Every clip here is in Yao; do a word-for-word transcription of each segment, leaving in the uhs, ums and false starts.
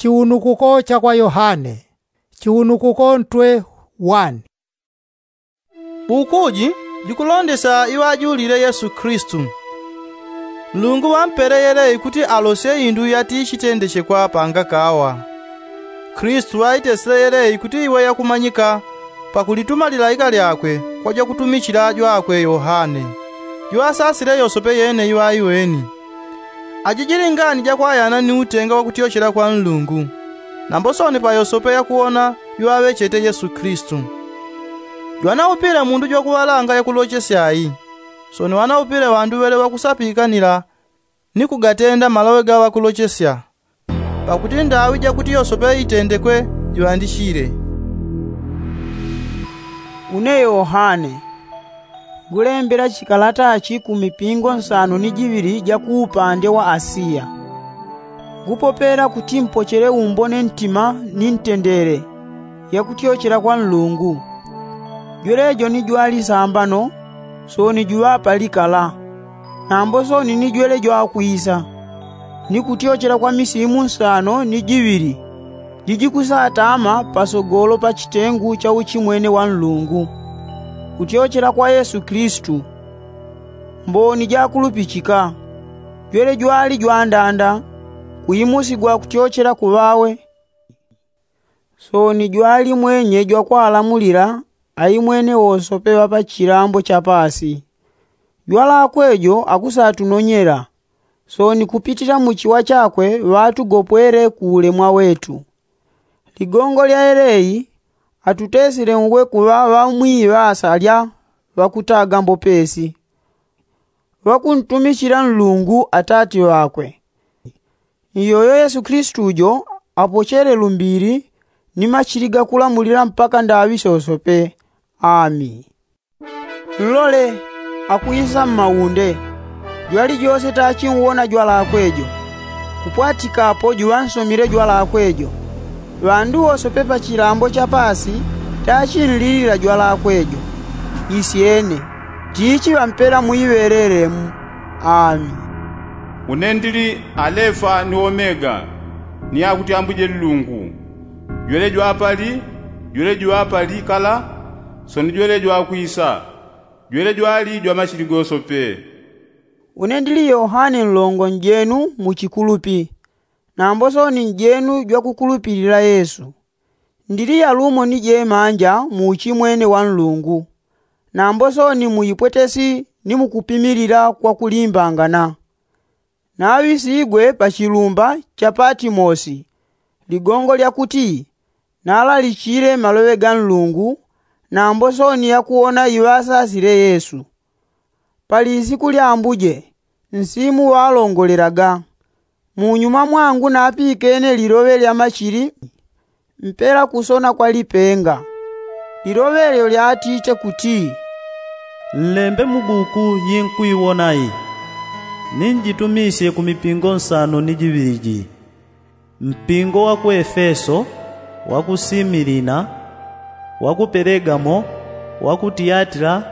Chiunukuko cha kwa yohane. Chiunukuko ntwe wani. Buku ji jikulondesya iŵajulile yesu kilisitu. Nlungu ŵampele yeleyi kuti alosye indu yatichitendechekwa pangakawa. Kilisitu ŵaitesile yeleyi kuti iwe yakumanyika pakulituma lilaika lyakwe kwa jwakutumichila jwakwe yohane, jwasasile yosope yene iŵaiweni. Aji jili ngani jakwayana ni utenga wakutyochela kwa nlungu. Nambo sooni pa yosope yakuwona jwaŵechete yesu kilisitu. Jwanaupile mundu jwakuŵalanga yakulochesya ayi. Sooni ŵanaupile ŵanduŵele ŵakusapikanila ni kugatenda maloŵe ga ŵakulochesya. Pakuti ndaŵi jakuti yosope itendekwe jiŵandichile. Une yohane, ngulembela chikalata chi ku mipingo nsano ni jiŵili ja ku upande wa asiya. Ngupopela kuti mpochele umbone ntima ni ntendele yakutyochela kwa nlungu. Jwelejo ni jwali sambano, sooni juŵa palikala. Nambo sooni ni jwele jwakwisa ni kutyochela kwa misimu nsano ni jiŵili jijikusatama pasogolo pa chitengu cha uchimwene wa nlungu, kutyochela kwa yesu kilisitu, mboni jakulupichika. Jwele jwali jwandanda kuimusigwa kutyochela kuŵawe. Sooni jwali mwenye jwakwalamulila aimwene wosope ŵa pa chilambo cha paasi. Jwalakwe jo akusatunonyela. Sooni kupitila muchiwa chakwe ŵatugopwele ku ulemwa wetu. Ligongo lya eleyi atutesile ngwe kuŵa ŵamwiŵasa lya ŵakutaga mbopesi, ŵakuntumichila nlungu atati ŵakwe. Iyoyo yesu kilisitu jo apochele lumbili ni machili gakulamulila mpaka ndaŵi sosope. Ami. Nlole, akwisa mmaunde. Jwalijose tachinwona jwalakwe jo. Kupwatikapo juŵansomile jwalakwe jo. Ŵandu wosope pa chilambo cha paasi tachinlilila jwalakwe jo. Isyene, tichi ŵampela mwiŵelelemu. Ami. Une ndili alefa ni omega, ni akuti ambuje nlungu, jwele jwapali, jwele jwapali kala, sooni jwele jwakwisa, jwele jwali jwa machili gosope. Une ndili yohane nlongo njenu mu chikulupi, nambo sooni njenu jwakukulupilila yesu. Ndili yalumo ni jemanja mu uchimwene wa nlungu, nambo sooni mu ipwetesi ni mu kupimilila kwa kulimbangana. Naŵisigwe pa chilumba cha patimosi, ligongo lya kuti nalalichile maloŵe ga nlungu, nambo sooni yakuwona iŵasasile yesu. Pali isiku lya ambuje, nsimu ŵalongolelaga. Munyuma mwangu napikene liloŵe lya machili mpela kusona kwa lipenga. Liloŵe lyo lyatite kuti, nlembe mu buku yinkwiwona iyi, ninjitumisye ku mipingo nsano ni jiŵili ji, mpingo wa ku efeso, wa ku similina, wa ku pelegamo, wa ku tiyatila,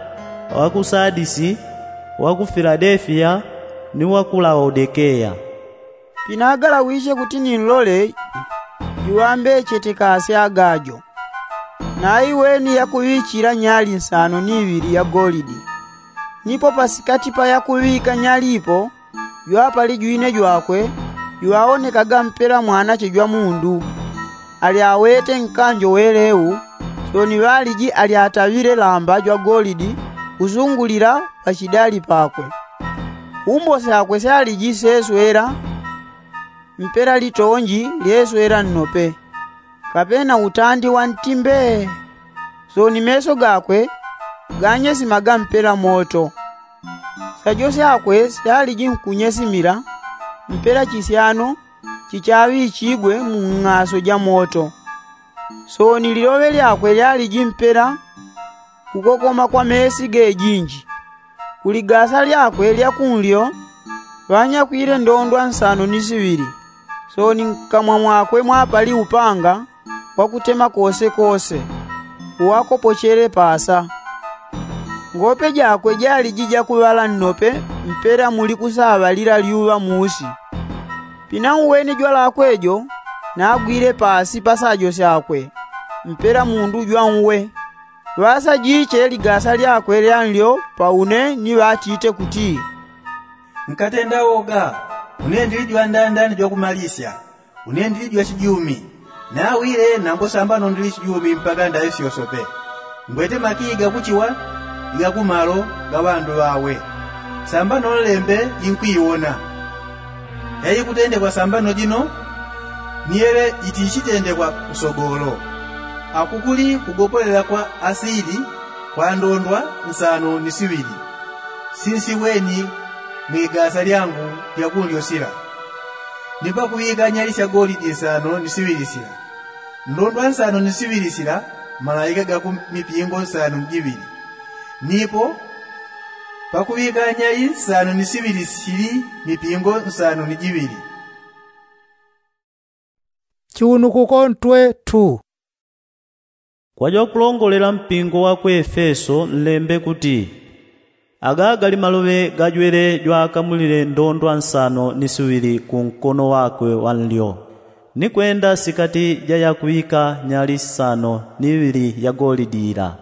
wa ku sadisi, wa ku filadefiya, ni wa ku laodekeya. Pinagalawishe kuti ninlole juŵambechete kasi agajo. Naiweni yakuŵichila nyali nsano ni iŵili ya golidi. Nipo pasikati pa yakuŵika nyali ipo jwapali jwine jwakwe, jwaonekaga mpela mwanache jwa mundu, ali awete nkanjo weleu. Sooni ŵaliji ali ataŵile lamba jwa golidi kusungulila pa chidali pakwe. Umbo syakwe syaliji seswela mpela litonji lyeswela nnope, kapena utandi wa ntimbe. Sooni meso gakwe ganyesimaga mpela moto. Syajo syakwe syaliji nkunyesimila mpela chisyano chichaŵichigwe mu ng'aso ja moto. Sooni liloŵe lyakwe lyaliji mpela kukokoma kwa mesi gejinji. Ku ligasa lyakwe lya kunlyo ŵanyakwile ndondwa nsano ni siŵili. Sooni nkamwa mwakwe mwapali upanga wakutema kosekose, uwakopochele paasa. Ngope jakwe jaliji jakuŵala nnope mpela muli kusaŵalila lyuŵa muusi. Pinauweni jwalakwe jo, nagwile pasi pasajo syakwe mpela mundu jwanwe. Ŵasajiche ligasa lyakwe lyanlyo pa une ni ŵatite kuti, nkatenda woga. Une ndili jwandanda ni jwakumalisya. Une ndili jwachijumi. Nawile nambo sambano ndili chijumi mpaka ndayo syosope. Ngwete makii gakuchiwa igakumalo ga ŵandu ŵawe. Sambano nlembe jinkwiwona yaikutendekwa sambano jino, ni yele jitichitendekwa kusogolo. Akukuli kugopolela kwa asili kwa ndondwa nsano ni siŵili sinsiweni mwigasa lyangu lyakunlyosila. Ni pakuŵika nyali sya golidi nsano ni siŵili sila, ndondwa nsano ni siŵili sila, malaika gaku mipingo nsano ni jiŵili. Nipo pakuŵika nyali nsano ni siŵili sili mipingo nsano ni jiŵili. Chiunukuko ntwe tu. Kwajwakulongolela mpingo wa ku efeso nlembe kuti, aga gali maloŵe gajwele jwakamulile ndondwa nsano ni siŵili ku nkono wakwe wa nlyo, ni kwenda sikati ja yakuŵika nyali nsano ni iŵili ya golidi ila.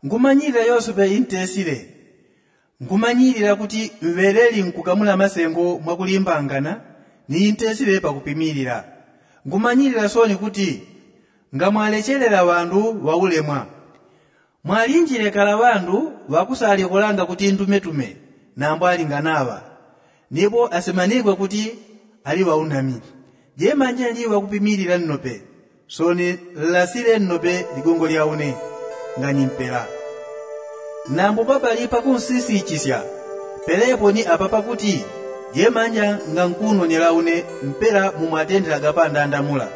Nkumanyilila yosepe intesile. Nkumanyilila kuti mŵeleli nkukamula masengo mwakulimbangana ni intesile pakupimilila. Nkumanyilila soni kuti ngamwalechelela ŵandu ŵaulemwa. Mwalinjile kala ŵandu ŵakusalikolanga kuti ndumetume nambo alinganaŵa, nipo asimanigwe kuti ali ŵaunami. Jemanja nli ŵakupimilila nnope. Soni nlasile nnope ligongo lya une ngani mpela. Nambo papali pakunsisikisya pelepo ni apa pakuti jemanja ngankunonela une mpela mu mwatendela gapandanda mula.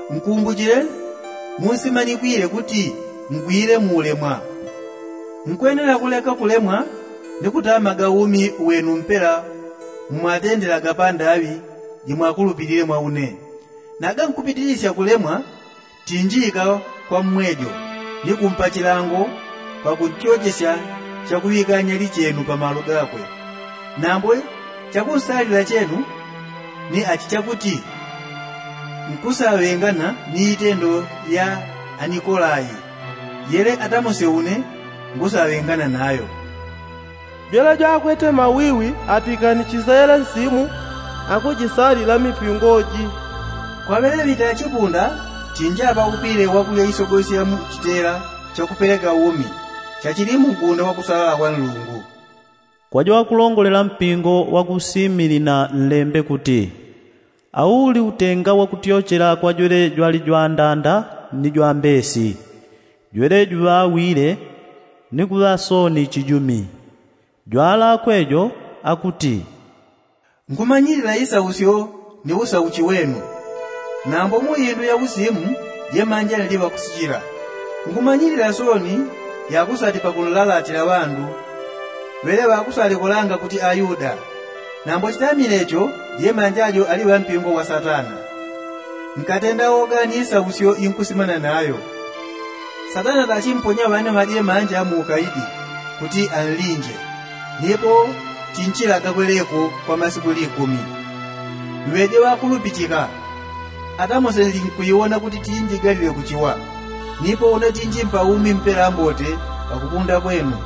Nkumbuchile munsimanikwile kuti ngwile muulemwa. Nkwenela kuleka kulemwa ni kutamaga umi wenu mpela mu mwatendela gapandaŵi jimwakulupilile mwa une. Naga nkupitilisya kulemwa tinjika kwa mmwejo ni kumpachilango pakuntyochesya chakuŵikanya lichenu pamalo gakwe. Nambo chakunsalila chenu ni achi chakuti nkusaŵengana ni itendo lya anikolai. Yele atamose une ngusaŵengana nayo. Jwele jwakwete mawiwi apikanichisele nsimu akujisalila mipingo ji. Kwaŵele ŵita chipunda chinjapa upile wakulya isogosi ya mu chitela chakupeleka umi chachili mugunda wakusalala kwa nlungu. Kwajo wakulongolela mpingo wakusimilina nlembe kuti, auli utenga wakutyochela kwajwele jwali jwandanda ni jwambesi. Jwele juŵawile ni kuŵa soni chijumi. Jwalakwe jo akuti, nkumanyilila isausyo ni usauchi wenu. Nambo mu indu ya usimu jemanja nliŵa kusichila. Nkumanyilila soni yakusati pakunlalatila ŵandu ŵele ŵakusalikolanga kuti ayuda. Nambo chitamile cho jemanja jo aliŵa mpingo wa satana. Nkatenda woga ni isausyo inkusimana nayo. Satana tachimponya ŵane ŵajemanja mu ukaidi kuti anlinje. Nipo tinchilaga kweleko kwa masiku likumi. Mŵeje ŵakulupichika. Atamose nlinkuiwona kuti tinjigalile kuchiwa. Nipo une tinjimpa umi mpela mbote pakupunda kwenu.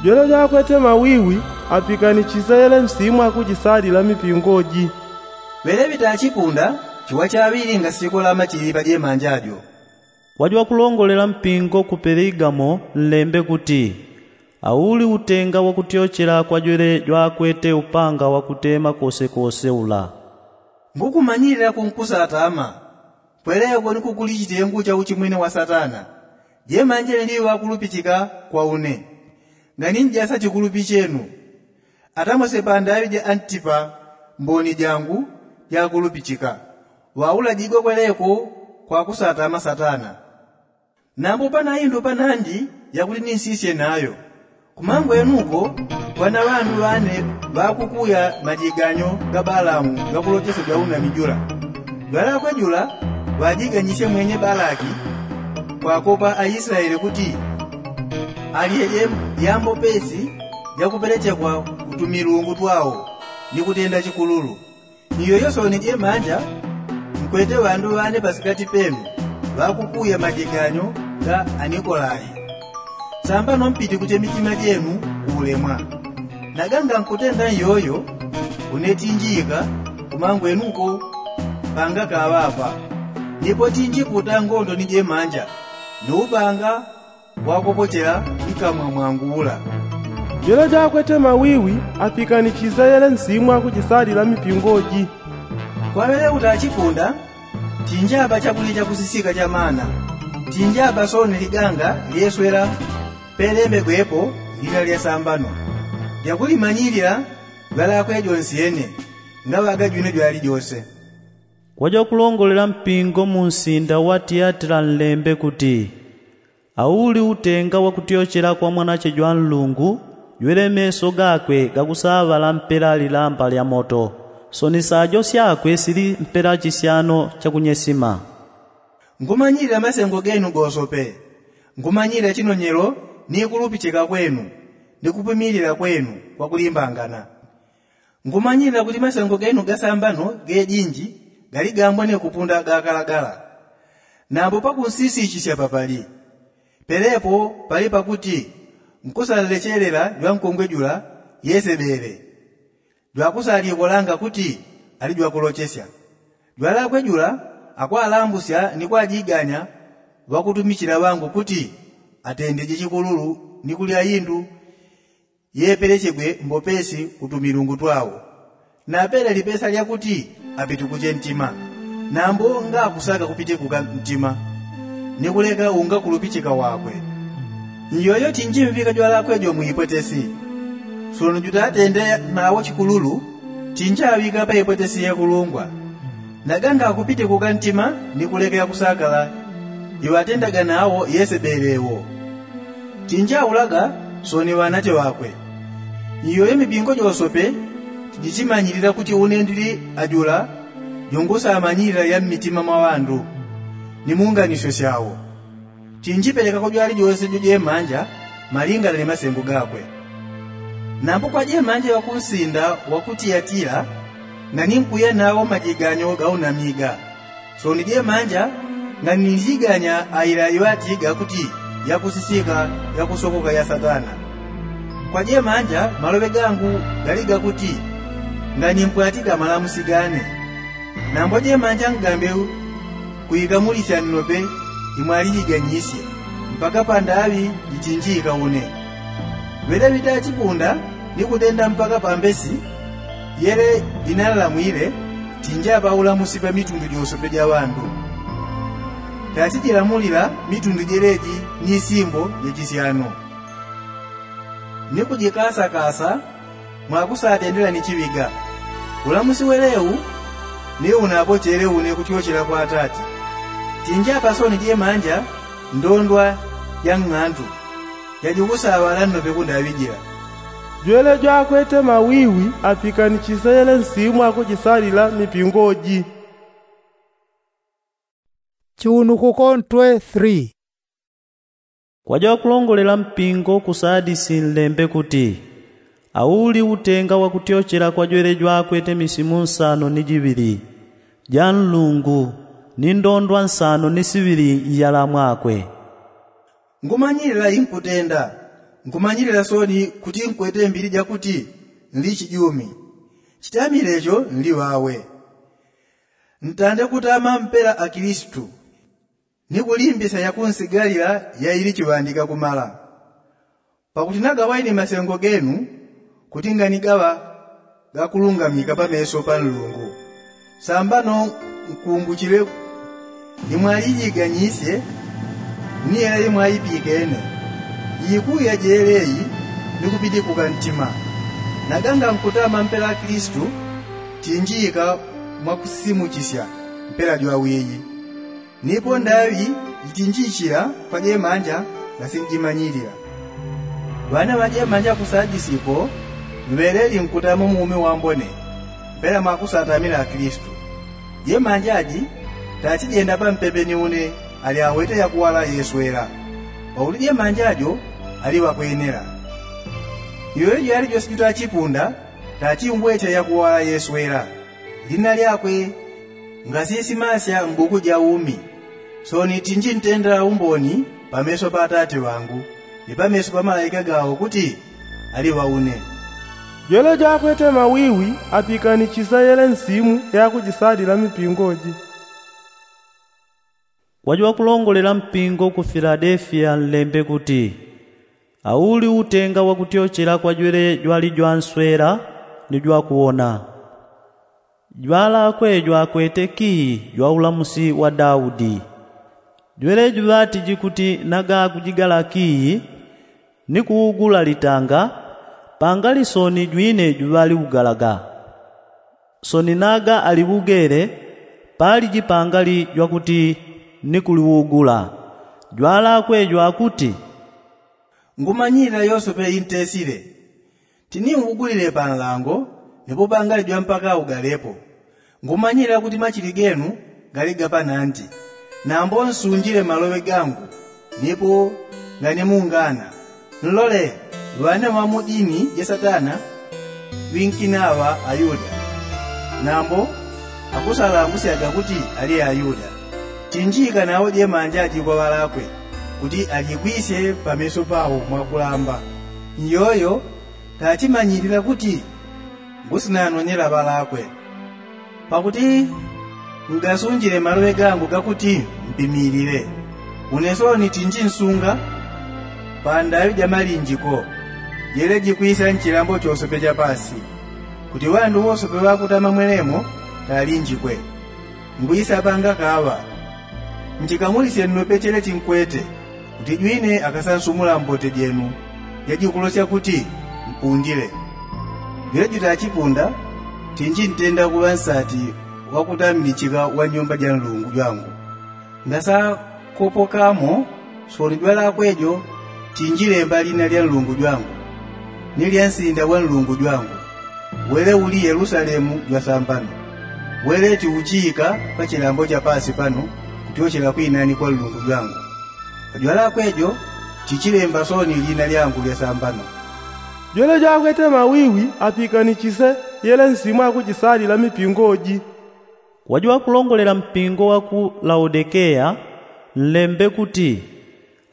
Jwele jwakwete mawiwi apikanichisele nsimu akujisalila mipingo ji. Ŵele ŵita chipunda chiwa chaŵili ngasikola machili pajemanja jo. Kwajo wakulongolela mpingo ku peligamo nlembe kuti, auli utenga wakutyochela kwajwele jwakwete upanga wakutema kosekose ula. Ngukumanyilila kunkusatama. Kweleko ni kukuli chitengu cha uchimwene wa satana. Jemanje nliŵa kulupichika kwa une. Ngani njasa chikulupi chenu. Atamose pandaŵi ja antipa mboni jangu jakulupichika. Ŵaulajigwe kweleko kwa kusatama satana. Nambo pana indu panandi yakuti ninsisye nayo. Kumangwenuko ŵana ŵandu ŵane ŵakukuya majiganyo ga balamu gakulochesya jaunami jula. Jwalakwe jula ŵajiganyisye mwenye balaki kwakopa aislaeli kuti alyeje yambo pesi jakupelechekwa utumilungu twao ni kutenda chikululu. Ni yoyo soni jemanja Kwete ŵandu ŵane pasikati penu ŵakukuya majeganyo ga anikolai. Sambano mpiti kuche mitima jenu kuulemwa. Naganga nkutenda nyoyo, une tinjika kumangwenuko panga kaŵapa. Nipo tinjikuta ngondo ni jemanja ni upanga wakopochela nkamwa mwangu ula. Jwele jwakwete mawiwi apikanichiseyele nsimu akuchisalila mipingo ji. Kwaŵele utachikunda, tinjapa chakulya chakusisika chamana. Tinjapa soni liganga lyeswela pelembegwepo lina lyasambano lyakulimanyilila ŵalakwe jonsyene. Ngaŵaga jwine jwali jose. Kwajakulongolela mpingo munsinda wa tiyatila nlembe kuti, auli utenga wakutyochela kwa mwanache jwa nlungu, jwele meso gakwe gakusaŵala mpela lilamba lya moto, soni sajo syakwe sili mpela chisyano chakunyesima. Nkumanyilila masengo genu gosope. Nkumanyilila chinonyelo ni kulupichika kwenu ni kupimilila kwenu kwakulimbangana. Nkumanyilila kuti masengo genu gasambano gejinji galigambwa ni kupunda gakalagala. Nambo pakunsisichisya papali. Pelepo pali pakuti nkusalechelela jwankongwe jula yesebele, jwakusalikolanga kuti ali jwakulochesya. Jwalakwe jula akwalambusya ni kwajiganya ŵakutumichila ŵangu kuti atendeje chikululu ni kulya indu yepelechegwe mbopesi kutumilungu twawo. Napele lipesa lyakuti apitikuche ntima. Nambo ngakusaka kupitikuka ntima ni kuleka unga kulupichika wakwe. Nyoyo tinjimvika jwalakwe jo muipwetesi. Sono jutatende nawo chikululu tinjaŵika paipwetesi yekulungwa. Naganga akupitikuka ntima ni kuleka yakusakala iŵatendaga nawo yesebele wo. Tinjaulaga soni ŵanache ŵakwe. Iyoyo mipingo josope tijichimanyilila kuti une ndili ajula jungusamanyilila ya mmitima mwa ŵandu ni munganisyo syawo. Tinjipelekako jwali jose jojemanja malingana ni masengo gakwe. Nambo kwa jemanja ŵakunsinda wa ku tiyatila, nani nkuya nawo majiganyo gaunamiga. Soni jemanja nganijiganya aila iŵatiga kuti yakusisika yakusokoka ya satana. Kwa jemanja maloŵe gangu gali gakuti nganimpwatiga malamusi gane. Nambo jemanja ngambe kuikamulisya nnope imwalijiganyisye mpaka pandaŵi jitinjika une. Ŵele ŵitachipunda ni kutenda mpaka pambesi yele inalalamwile tinjapa ulamusi pamitundu josope ja ŵandu. Tachijilamulila mitundu jeleji ni simbo ja chisyano ni kujikasakasa mwakusatendela ni chiŵiga. Ulamusi welewu ni unapochele une kutyochela kwa atati. Tinjapa soni jemanja ndondwa ja ng'andu yajukusaŵala nnope kundaŵijila. Jwele jwakwete mawiwi apikanichiseyele nsimu akujisalila mipingo ji. Chiunukuko ntwe three. Kwaja wakulongolela mpingo ku sadisi nlembe kuti, auli utenga wakutyochela kwa jwele jwakwete misimu nsano ni jiŵili ja nlungu ni ndondwa nsano ni siŵili iyala mwakwe. Nkumanyilila inkutenda. Nkumanyilila soni kuti nkwete mbili jakuti nli chijumi. Chitamile cho nli ŵawe. Ntande kutama mpela akilisitu ni kulimbisa yakunsigalila yaili chiŵandika kumala. Pakuti nagawaini masengo genu kuti nganigaŵa gakulungamika pameso pa nlungu. Sambano nkumbuchile imwalijiganyisye ni yela imwaipikene. Ikuya jeleyi ni kupitikuka ntima. Naganga nkutama mpela akilisitu tinjika mwakusisimuchisya mpela jwawiyi. Nipo ndaŵi jitinjichila kwa jemanja ngasinjimanyilila. Ŵana ŵa jemanja ku sadisi ko mŵeleli nkutama mu umi wambone mpela mwakusatamila akilisitu. Jemanja ji tachijenda pampepe ni une ali awete yakuwala yeswela. Pauli jemanja jo ali ŵakwenela. Iyoyo jwali jwesi jutachipunda tachingwete yakuwala yeswela. Lina lyakwe Ngasisimasya mbuku ja umi. Sooni tinji ntenda umboni pameso pa atate ŵangu, ni pameso pa malaika gawo kuti ali ŵaune. Jwele jwakwete mawiwi apikanishise yele nsimu yakujisalila mipingo ji. Kwajwakulongolela mpingo ku filadefiya nlembe kuti, auli utenga wakutyochela kwa jwele jwalijwanswela ni jwakuwona. Jwalakwe jwakwete kiyi jwa ulamusi wa daudi. Jwele juŵatiji kuti naga kujigala kiyi ni kuugula litanga, pangali sooni jwine juŵaliugalaga. Sooni naga aliugele, paliji pangali jwakuti ni kuliugula. Jwalakwe jwakuti, ngumanyilila yosepe intesile. Tiniugulile panlango, nipo pangali jwampaka ugalepo. Ngumanyilila kuti machili genu gali ga panandi. Nambo nsunjile maloŵe gangu, nipo nganimungana. Nlole, ŵane ŵa mu dini ja satana ŵinkinaŵa ayuda. Nambo akusalangusyaga kuti ali ayuda. Tinjika nawo jemanja jikwa ŵalakwe, kuti ajigwisye pameso pawo mwakulamba. Nyoyo tachimanyilila kuti ngusinanonyela ŵalakwe. Pakuti ngasunjile maloŵe gangu gakuti mpimilile. Une sooni tinji nsunga pandaŵi ja malinjiko, jele jikwisya nchilambo chosepe cha pasi, kuti ŵandu wosepe ŵakutama mwelemo talinjikwe. Ngwisapanga kaŵa. Nchikamulisye nnope chele chinkwete, kuti jwine akasansumula mbote jenu jajikulosya kuti mpundile. Jwele jutachipunda, tinji ntenda kuŵa nsati wakutammichika wa nyumba ja nlungu jwangu. Ngasakopokamo sooni jwalakwe jo, tinjilemba lina lya nlungu jwangu, ni lya nsinda wa nlungu jwangu, wele uli yelusalemu jwasambano, wele tiuchiika pa chilambo cha pasi pano, kutyochela kwinani kwa nlungu jwangu. Pajwalakwe jo tichilemba sooni lina lyangu lyasambano. Jwele jwakwete mawiwi apikanichise yele nsimu akujisalila mipingo ji. Kwajwakulongolela mpingo wa ku laodikeya nlembe kuti,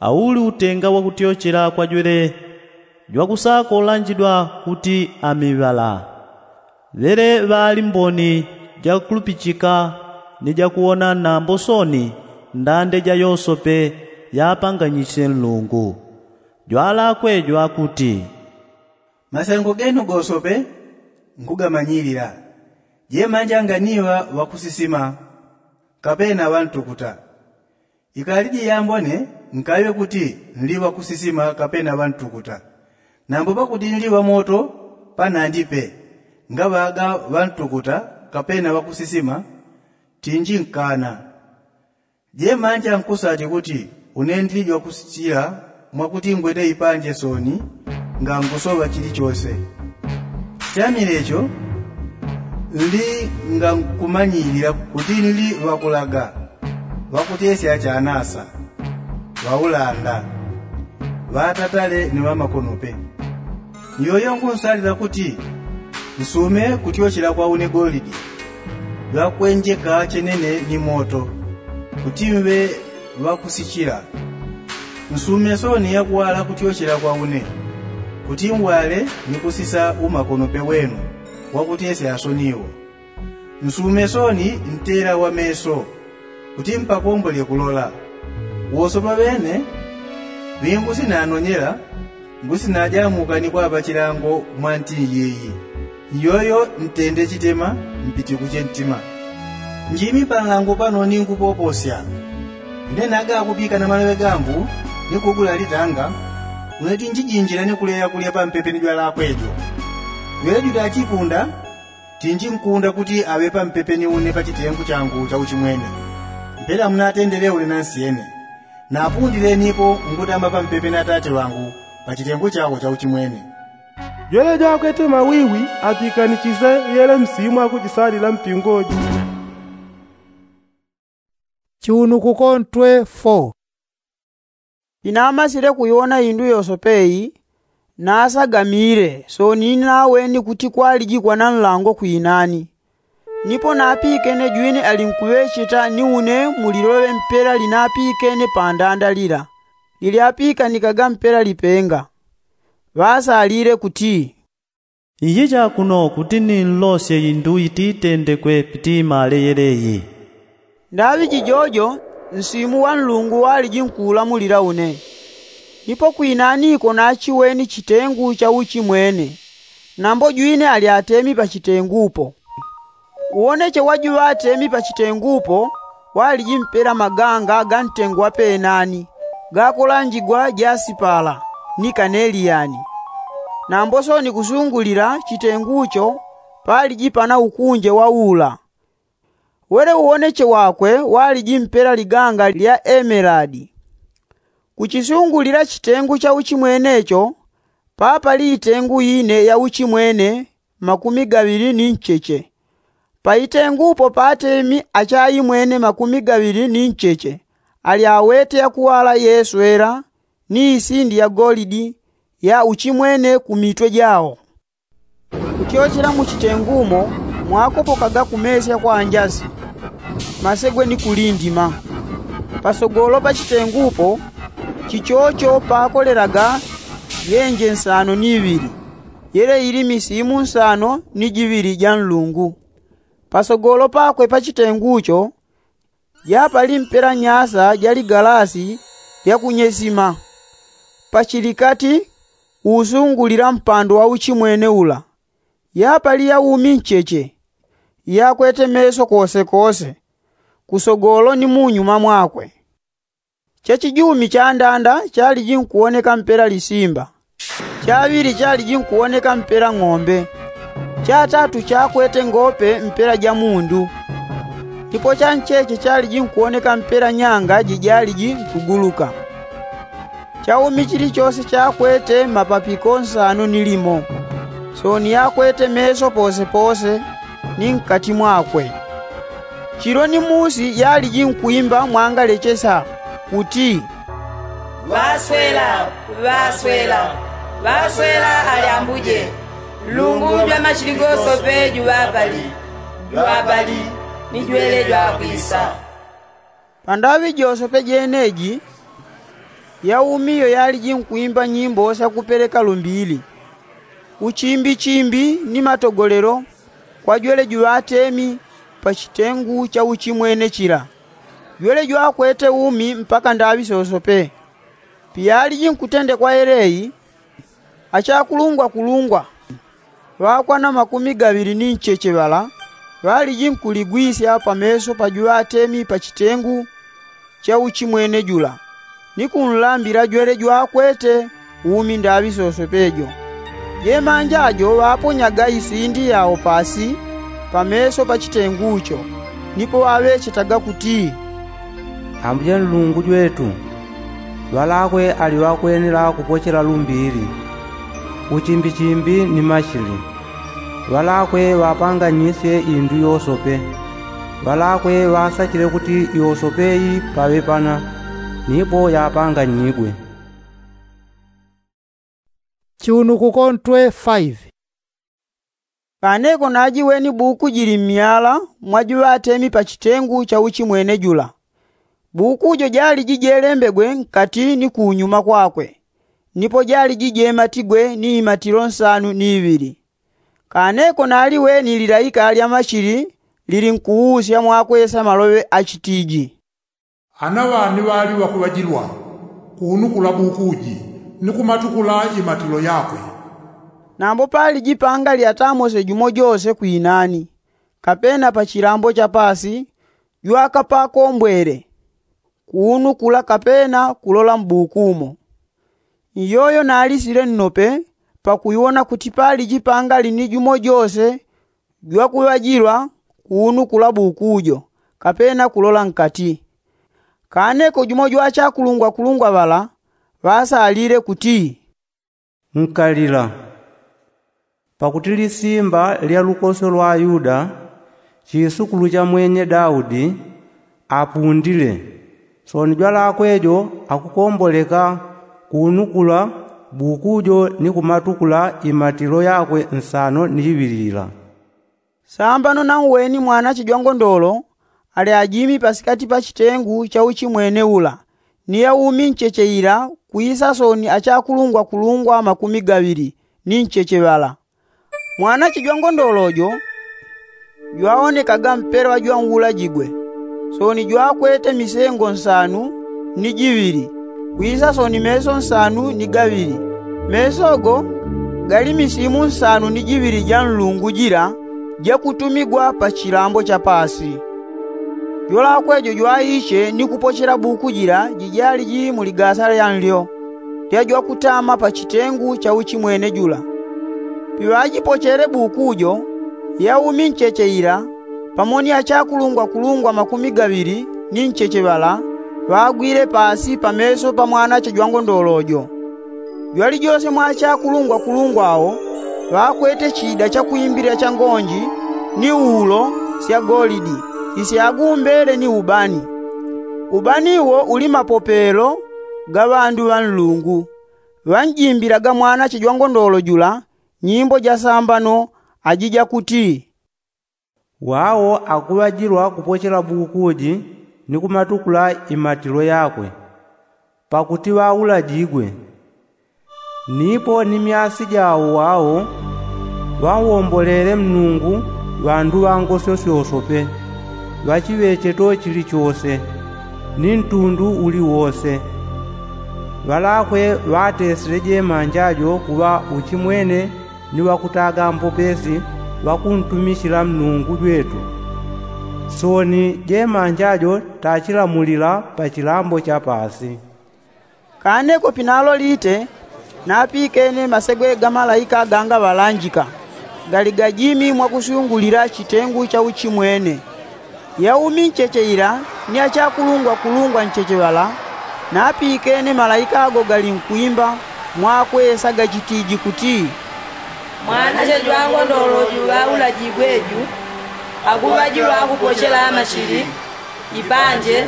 auli utenga wakutyochela kwa jwele jwakusakolanjidwa kuti amiŵala. Ŵele ŵaali mboni jakulupichika ni jakuwona nambo sooni ndande ja yosope yapanganyisye nlungu. Jwalakwe jwakuti, masengo genu gosope nkugamanyilila. Jemanja nganiŵa ŵakusisima kapena ŵantukuta. Ikaliji yambone nkaŵe kuti nli ŵakusisima kapena ŵantukuta. Nambo pakuti nli ŵamoto panandi pe ngaŵaga ŵantukuta kapena ŵakusisima, tinji nkana. Jemanja nkusati kuti une ndili jwakusichila mwakuti ngwete ipanje sooni ngangusoŵa chilichose. Chamile cho nli ngankumanyilila kuti nli ŵakulaga, ŵakutesya chanasa, ŵaulanda, ŵatatale ni ŵamakonope. Nyoyo ngunsalila kuti nsume kutyochela kwa une golidi jwakwenjeka chenene ni moto, kuti mve ŵakusichila. Nsume sooni yakuŵala kutyochela kwa une, kuti ngwale ni kusisa umakonope wenu wakutesya sooni wo. Nsume sooni ntela wa meso, kuti mpapombole kulola. Wosopa ŵene ŵingusinanonyela, ngusinajamuka ni kwaŵa chilango mwa nti iyeyi. Nyoyo ntende chitema, mpitikuche ntima. Njimi panlango pano ningupoposya. Ine naga kupikana maloŵe gangu ni kugula litanga, une tinjijinjila ni kuleya kulya pampepe ni jwalakwe jo. Jwele jutachipunda, tinji nkunda kuti aŵe pampepe ni une pa chitengu changu cha uchimwene, mpela munatendele une nansyene. Napundile nipo nkutamba pampepe na tate ŵangu pa chitengu chawo cha uchimwene. Jwele jwakwete mawiwi apikanichise yele msimu akujisalila mpingo ji. Chiunukuko ntwe fo. Inamasile kuyona indu yosope iyi, nasagamile sooni inaweni kuti kwalijikwa na nlango kwinani. Nipo napikene jwine alinkuŵecheta ni une muliloŵe mpela linapikene pandanda lila lilyapikanikaga mpela lipenga. Ŵasalile kuti, iyicha kuno kuti ninlosye indu ititendekwe pitimale yeleyi. Ndaŵi jijojo nsimu wa nlungu waliji nkulamulila une. Nipo kwinaniko nachiweni chitengu cha uchimwene, nambo jwine ali atemi pa chitengupo. Uwoneche wa juŵatemi pa chitengupo waliji mpela maganga ga ntengo wa penani gakolanjigwa jasipala ni kaneliyani. Nambo sooni kusungulila chitengucho paliji pana ukunje wa ula. Wele uwoneche wakwe waliji mpela liganga lya emeladi. Kuchisungulila chitengu cha uchimwene cho papali itengu ine ya uchimwene makumi gaŵili ni ncheche. Pa itengupo patemi achaimwene makumi gaŵili ni ncheche ali awete yakuŵala yeswela ni isindi ya golidi ya uchimwene ku mitwe jao. Kutyochela mu chitengumo mwakopokaga kumesya kwa njasi, masegwe ni kulindima. Pasogolo pa chitengupo chichocho pakolelaga yenje nsano ni iŵili, yele ili misimu nsano ni jiŵili ja nlungu. Pasogolo pakwe pa chitengucho japali mpela nyasa ja ligalasi lya kunyesima. Pachilikati uusungulila mpando wa uchimwene ula yapali yaumi ncheche, yakwete meso kosekose kusogolo ni munyuma mwakwe. Chachijumi chandanda chaliji nkuwoneka mpela lisimba, chaŵili chaliji nkuwoneka mpela ng'ombe, chatatu chakwete ngope mpela ja mundu. Ndipo chancheche chaliji nkuwoneka mpela nyanga jijaliji nkuguluka. Chaumi chilichose chakwete mapapiko nsano ni limo. Sooni yakwete meso posepose ni nkati mwakwe. Chilo ni musi yaliji nkwimba mwangalechesa kuti, ŵaswela, ŵaswela, ŵaswela ali ambuje, nlungu jwa machili gosope juŵapali, juŵapali ni jwele jwakwisa. Pandaŵi josope jeneji yaumi iyo yaliji nkwimba nyimbo syakupeleka lumbili, uchimbichimbi ni matogolelo kwa jwele juŵatemi pa chitengu cha uchimwene chila, jwele jwakwete umi mpaka ndaŵi sosope. Piyaliji nkutendekwa yeleyi, achakulungwakulungwa ŵakwana makumi gaŵili ni ncheche ŵala ŵaliji nkuligwisya pameso pa juŵatemi pa chitengu cha uchimwene jula, ni kunlambila jwele jwakwete umi ndaŵi sosope jo. Jemanja jo ŵaponyaga isindi yao pasi pameso pa chitengu cho, nipo ŵaŵechetaga kuti, ambuje nlungu jwetu, ŵalakwe ali ŵakwenela kupochela lumbili, uchimbichimbi ni machili. Ŵalakwe ŵapanganyisye indu yosope. Ŵalakwe ŵasachile kuti yosope yi paŵe pana, nipo yapanganyigwe. Chiunukuko ntwe faive. Kaneko najiweni buku jili mmyala mwa juŵatemi pa chitengu cha uchimwene jula. Buku jo jaliji jelembegwe nkati ni kunyuma kwakwe, nipo jaliji jematigwe ni imatilo nsanu ni iŵili. Kaneko naliweni lilaika lya machili lilinkuusya mwakwesa maloŵe achitiji, ana ŵani ŵali ŵakuŵajilwa kuunukula buku ji ni kumatukula imatilo yakwe? Nambo paliji pangali atamose jumo jose kwinani kapena pa chilambo cha pasi jwakapakombwele kuunukula kapena kulola mbuku umo. Iyoyo nalisile nnope pakuiwona kuti paliji pangali ni jumo jose jwakuŵajilwa kuunukula buku jo kapena kulola nkati. Kaneko jumo jwa achakulungwakulungwa ŵala ŵasalile kuti, nkalila, pakuti lisimba lya lukoso lwa yuda, chisukulu cha mwenye daudi, apundile. Sooni jwalakwe jo akukomboleka kuunukula buku jo ni kumatukula imatilo yakwe nsano ni iŵilila. Sambano nauweni mwanache jwangondolo ali ajimi pasikati pa chitengu cha uchimwene ula ni yaumi ncheche ila kwisa soni achakulungwa kulungwa makumi gaŵili ni ncheche ŵala. Mwanache jwangondolo jo jwaonekaga mpela jwa uulajigwe. Soni jwakwete misengo nsanu ni jiŵili kwisa soni meso nsanu ni gaŵili. Meso go gali misimu nsanu ni jiŵili ja nlungu jila jakutumigwa pa chilambo cha paasi. Jwalakwe jo jwaiche ni kupochela buku jila jijali ji mu ligasa lya nlyo lya jwakutama pa chitengu cha uchimwene jula. Piŵajipochele buku jo, yaumi ncheche ila pamo ni achakulungwa kulungwa makumi gaŵili ni ncheche ŵala ŵagwile paasi pa meso pa mwanache jwangondolo jo. Jwalijose mwa achakulungwa kulungwa awo ŵakwete chida cha kwimbilila cha ngonji ni ulo sya golidi isyagumbele ni ubani. Ubani wo uli mapopelo ga ŵandu ŵa nlungu. Ŵanjimbilaga mwanache jwangondolo jula nyimbo ja sambano aji jakuti, wawo akuŵajilwa kupochela buku ji ni kumatukula imatilo yakwe, pakuti ŵaulajigwe. Nipo ni myasi jawo wawo ŵawombolele mnungu ŵandu ŵa ngosyo syosope ŵachiŵecheto chilichose ni ntundu uliwose. Ŵalakwe ŵatesile jemanja jo kuŵa uchimwene ni ŵakutaga mpopesi ŵakuntumichila mnungu jwetu. Soni jemanja jo tachilamulila pa chilambo cha paasi. Kane ko pinalo lite napikene masegwe ga malaika ganga ŵalanjika gali gajimi mwakusyungulila chitengu cha uchimwene. Yaumi ncheche ila ni achakulungwa kulungwa ncheche ŵala napikene malaika ago galinkwimba mwakwesa gachitiji kuti, mwanache jwangondolo ju ŵaulajigwe ju akuŵajilwa kupochela machili, ipanje,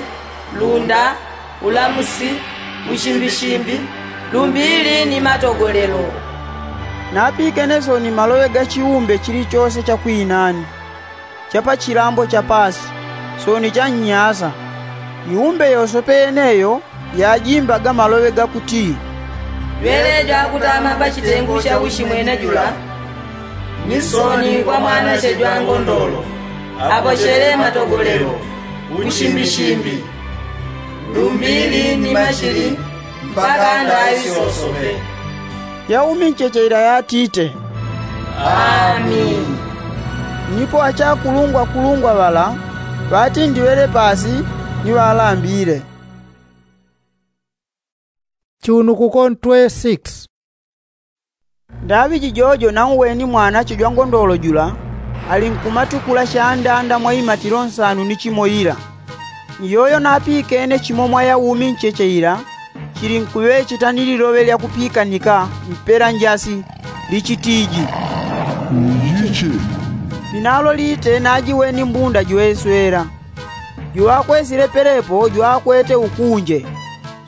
lunda, ulamusi, uchimbishimbi, lumbili ni matogolelo. Napikene soni maloŵe ga chiumbe chilichose cha kwinani cha pa chilambo cha paasi soni cha nnyasa. Iumbe yosope yeneyo yajimbaga maloŵe gakuti, jwele jwakutama pa chitengu cha uchimwene jula ni soni kwa mwanache jwangondolo apochele matogolelo, uchimbishimbi, lumbili ni machili mpaka ndaŵi syosope. Yaumi ncheche ila yatite, amini. Nipo achakulungwa kulungwa ŵala ŵatindiŵele paasi ni ŵalambile. Chiunukuko ntwe six. Ndaŵi jijojo nauweni mwanache jwangondolo jula alinkumatukula shandanda mwa imatilo nsanu ni chimo ila. Iyoyo napikene chimo mwa yaumi ncheche ila chilinkuŵecheta ni liloŵe lyakupikanika mpela njasi lichitiji, uyiche. Pinalo lite najiweni mbunda jweswela. Jwakwesile pelepo jwakwete ukunje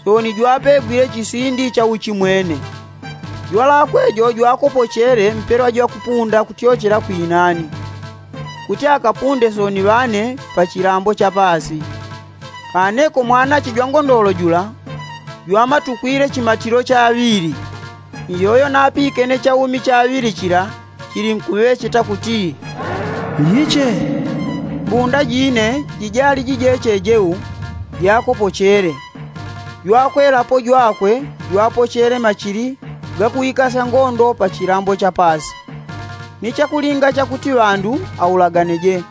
soni jwapegwile chisindi cha uchimwene. Jwalakwe jo jwakopochele mpelwa jwakupunda kutyochela kwinani kuti akapunde soni ŵane pa chilambo cha paasi. Kaneko mwanache jwangondolo jula jwamatukwile chimatilo chaŵili. Iyoyo napikene chaumi chaŵili chila chilinkuŵecheta kuti, iyiche. Mbunda jine jijali jijeche jeu jakopochele. Jwakwelapo jwakwe jwapochele machili gakuikasya ngondo pa chilambo cha paasi ni chakulinga chakuti ŵandu aulaganeje.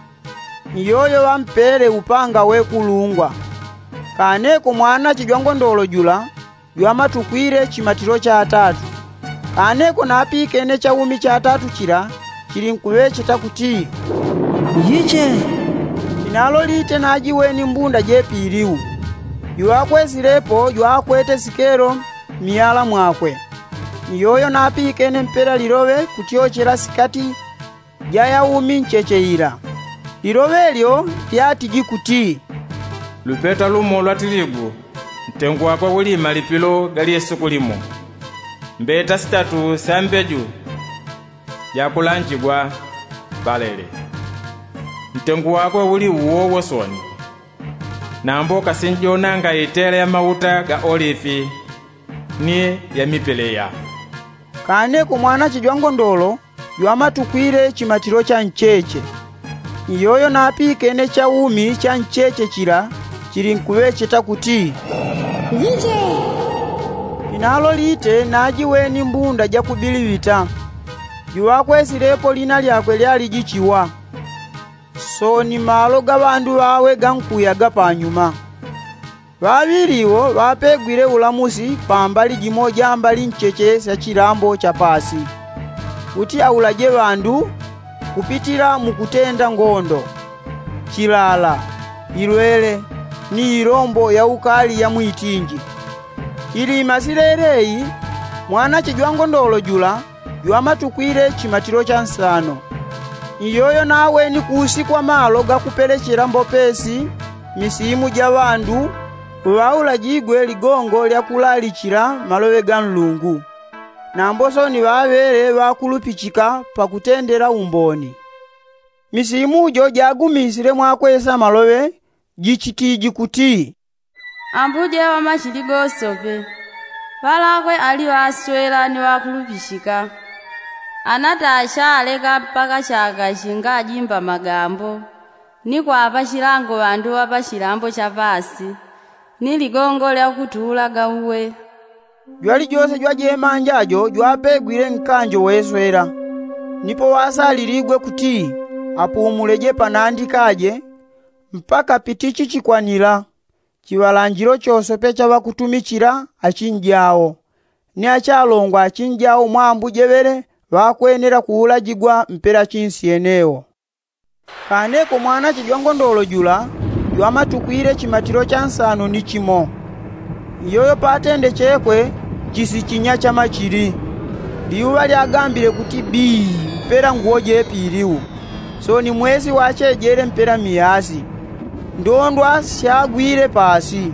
Iyoyo ŵampele upanga wekulungwa. Kaneko mwanache jwangondolo jula jwamatukwile chimatilo chatatu. Kaneko napikene chaumi chatatu chila chilinkuŵecheta kuti, iyiche. Inalo lite najiweni mbunda jepiliu. Jwakwesilepo jwakwete sikelo mmiyala mwakwe. Iyoyo napikene mpela liloŵe kutyochela sikati ja yaumi ncheche ila. Liloŵe lyo lyatiji kuti, lupeta lumo lwa tiligu ntengu wakwe uli malipilo ga lyesuku limo. Mbeta sitatu sya mbeju jakulanjigwa balele. Ntengu wakwe uli uwo wosoni. Nambo kasinjonanga itela ya mauta ga olifi ni ya mipeleya. Kaneko mwanache jwangondolo jwamatukwile chimatilo cha ncheche. Iyoyo napikene chaumi cha ncheche chila chilinkuŵecheta kuti, njiche. Inalo lite najiweni mbunda jakubiliŵita. Juŵakwesilepo lina lyakwe lyaliji chiwa. Soni malo ga ŵandu ŵawe gankuyaga panyuma. Ŵaŵili iwo ŵapegwile ulamusi pambali jimo ja mbali ncheche sya chilambo cha paasi, kuti aulaje ŵandu kupitila mukutenda ngondo, chilala, ilwele, ni ilombo ya ukali ya mwitinji. Ili imasilele iyi, mwanache jwangondolo jula jwamatukwile chimatilo cha nsano. Iyoyo naweni kuusi kwa malo gakupelechela mbopesi misimu ja ŵandu ŵaulajigwe ligongo lya kulalichila maloŵe ga Nlungu. Nambo soni ŵaŵele ŵakulupichika pakutendela umboni. Misimu jo jagumisile mwakwesa maloŵe jichitiji kuti, Ambuje wa machili gosope, ŵalakwe ali ŵaswela ni ŵakulupishika. Anatacha aleka mpaka chaka chingajimba magambo, ni kwapa chilango ŵandu ŵa pa chilambo cha paasi, ni ligongo lya kutula gauwe. Jwalijose jwajemanja jo jwapegwile nkanjo weswela, nipo ŵasaliligwe kuti apumuleje panandi kaje mpaka pitichi chikwanila. Chiŵalanjilo chosope cha ŵakutumichila achinjao, ni achalongwa achinjao mwa ambuje ŵele ŵakwenela kuulajigwa mpela chinsi yenewo. Kaneko mwanache jwangondolo jula jwamatukwile chimatilo cha nsano ni chimo. Iyoyo patende chekwe chisichinya cha machili. Liuŵa lyagambile kuti bii mpela nguwo jepiliu. Soni mwesi wachejele mpela miyasi. Ndondwa syagwile paasi.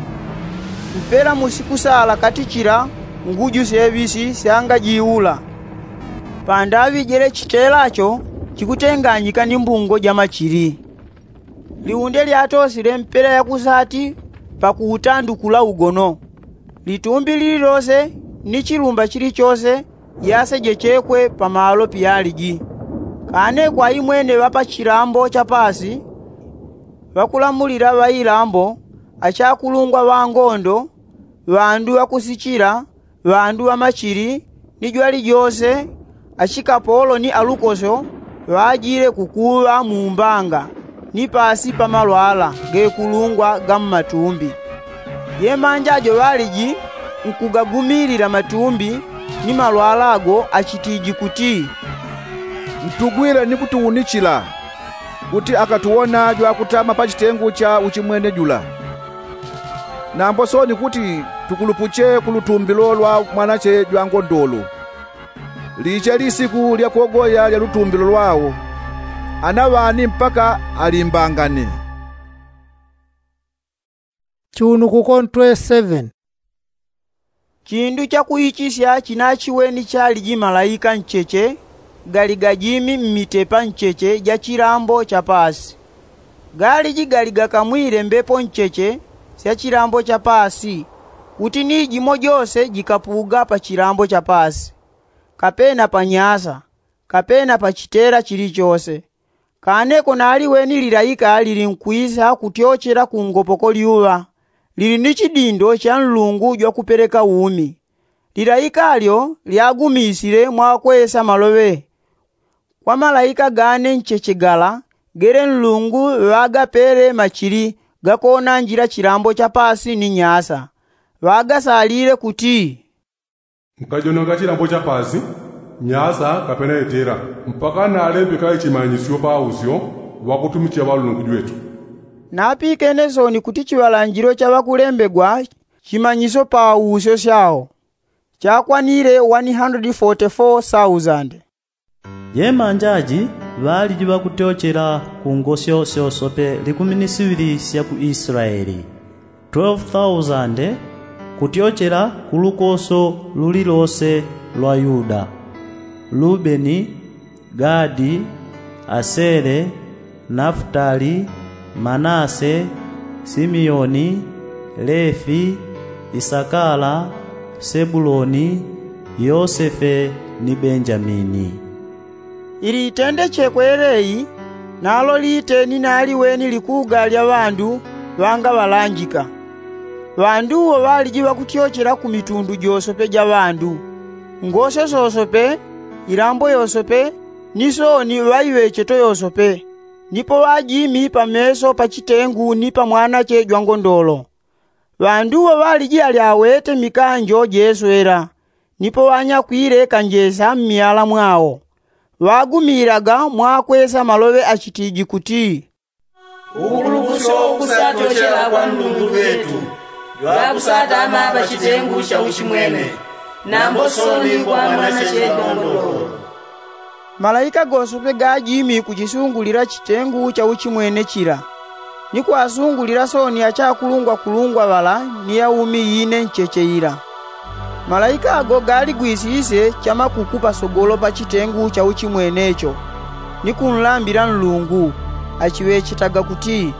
Mpela musiku sala kati chila nguju seŵisi syangajiula. Pandaŵi jele chitela cho chikutenganyika ni mbungo ja machili. Liunde lyatosile mpela ya kusati pakuutandukula ugono. Litumbi lililose ni chilumba chilichose yasejechekwe pamalo piyaliji. Kane kwa imwene ŵa pa chilambo cha paasi, ŵakulamulila ŵa ilambo, achakulungwa ŵa ngondo, ŵandu ŵakusichila, ŵandu ŵa machili, ni jwalijose, achikapolo ni alukosyo ŵajile kukuŵa mu mbanga ni paasi pa malwala gekulungwa ga mmatumbi. Jemanja jo ŵaliji nkugagumilila matumbi ni malwala ago achitiji kuti, mtugwile ni kutuunichila kuti akatuwona jwakutama pa chitengu cha uchimwene jula. Nambo soni kuti tukulupuche ku lutumbilo lwa mwanache jwa ngondolo. Liche lisiku lya kuogoya lya lutumbilo lwao, anaŵani mpaka alimbangane. Chunukuko ntwe seven. Chindu chakuichisya chinachiweni chaliji malaika ncheche gali gajimi mmitepa ncheche ja chilambo cha paasi. Galiji gali gakamwile mbepo ncheche sya chilambo cha paasi, kuti ni jimo jose jikapuga pa chilambo cha paasi, kapena pa nyasa, kapena pa chitela chilichose. Kane konaliweni lilaika lilinkwisa kutyochela ku ngopoko lyuŵa, lili ni chidindo cha nlungu jwakupeleka umi. Lilaika lyo lyagumisile mwakwesa maloŵe. Kwa malaika gane ncheche gala gele nlungu ŵagapele machili gakonanjila chilambo cha paasi ni nyasa, ŵagasalile kuti, nkajonanga chilambo cha paasi, nyasa kapena itela, mpaka nalembeka ichimanyisyo pa usyo ŵakutumichila ŵalungu jwetu. Napikene soni kuti chiŵalanjilo cha ŵakulembegwa chimanyisyo pa usyo syao chakwanile one hundred forty four thousand. Jemanja ji ŵaliji ŵakutyochela ku ngosyo syosope likumi ni siŵili sya ku Israeli, twelve thousand kutyochela ku lukoso lulilose lwa Yuda, Lubeni, Gadi, Asele, Nafutali, manase, simiyoni, lefi, isakala, sebuloni, yosefe, ni benjamini. Ili itendechekwe leyi nalo liteni naliweni likuga lya ŵandu ŵanga ŵalanjika. Ŵandu wo ŵaliji ŵakutyochela ku mitundu josope ja ŵandu, ngose sosope, ilambo yosope, ni sooni ŵaiŵecheto yosope. Nipo ŵajimi pameso pa chitengu ni pa mwanache jwangondolo. Ŵandu wo ŵaliji ali awete mikanjo jeswela, nipo ŵanyakwile kanjesa mmyala mwao. Ŵagumilaga mwakwesa maloŵe achitiji kuti, ukuluguso ukusatyochela kwa nlungu jwetu, jwakusatama pa chitengu cha uchimwene, nambo sooni kwa mwanache jwangondolo. Malaika gosope gajimi ku chisungulila chitengu cha uchimwene chila, ni kwasungulila sooni achakulungwakulungwa ŵala ni yaumi ine ncheche ila. Malaika ago galigwisisye chamakuku pasogolo pa chitengu cha uchimwene cho, ni kunlambila nlungu, achiŵechetaga kuti,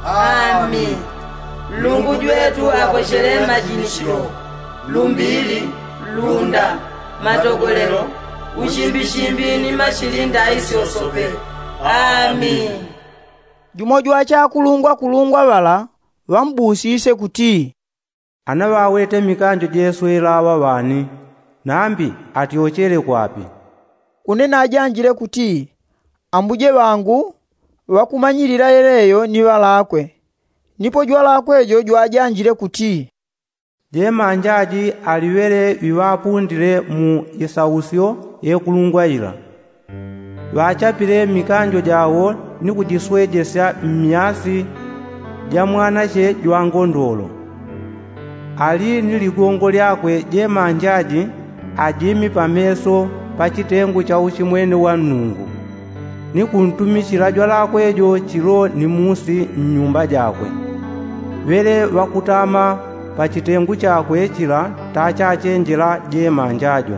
ami, nlungu jwetu akochele majinichilo, lumbili, lunda, matogolelo, uchimbichimbi ni machilinda isyosope. Ami. Jumo jwa achakulungwakulungwa ŵala ŵambusisye kuti, ana ŵawete mikanjo jeswela aŵa ŵani, nambi atyochele kwapi? Une najanjile kuti, ambuje ŵangu ŵakumanyilila yeleyo ni ŵalakwe. Nipo jwalakwe jo jwajanjile kuti, jemanja ji ali ŵele ŵiŵapundile mu isausyo yekulungwa ila. Ŵachapile mikanjo jawo ni kujiswejesya mmyasi ja mwanache jwangondolo. Ali ni ligongo lyakwe jemanja ji ajimi pameso pa chitengu cha uchimwene wa nlungu, ni kuntumichila jwalakwe jo chilo ni musi nnyumba jakwe. Ŵele ŵakutama pa chitengu chakwe chila tachachenjela jemanja jo.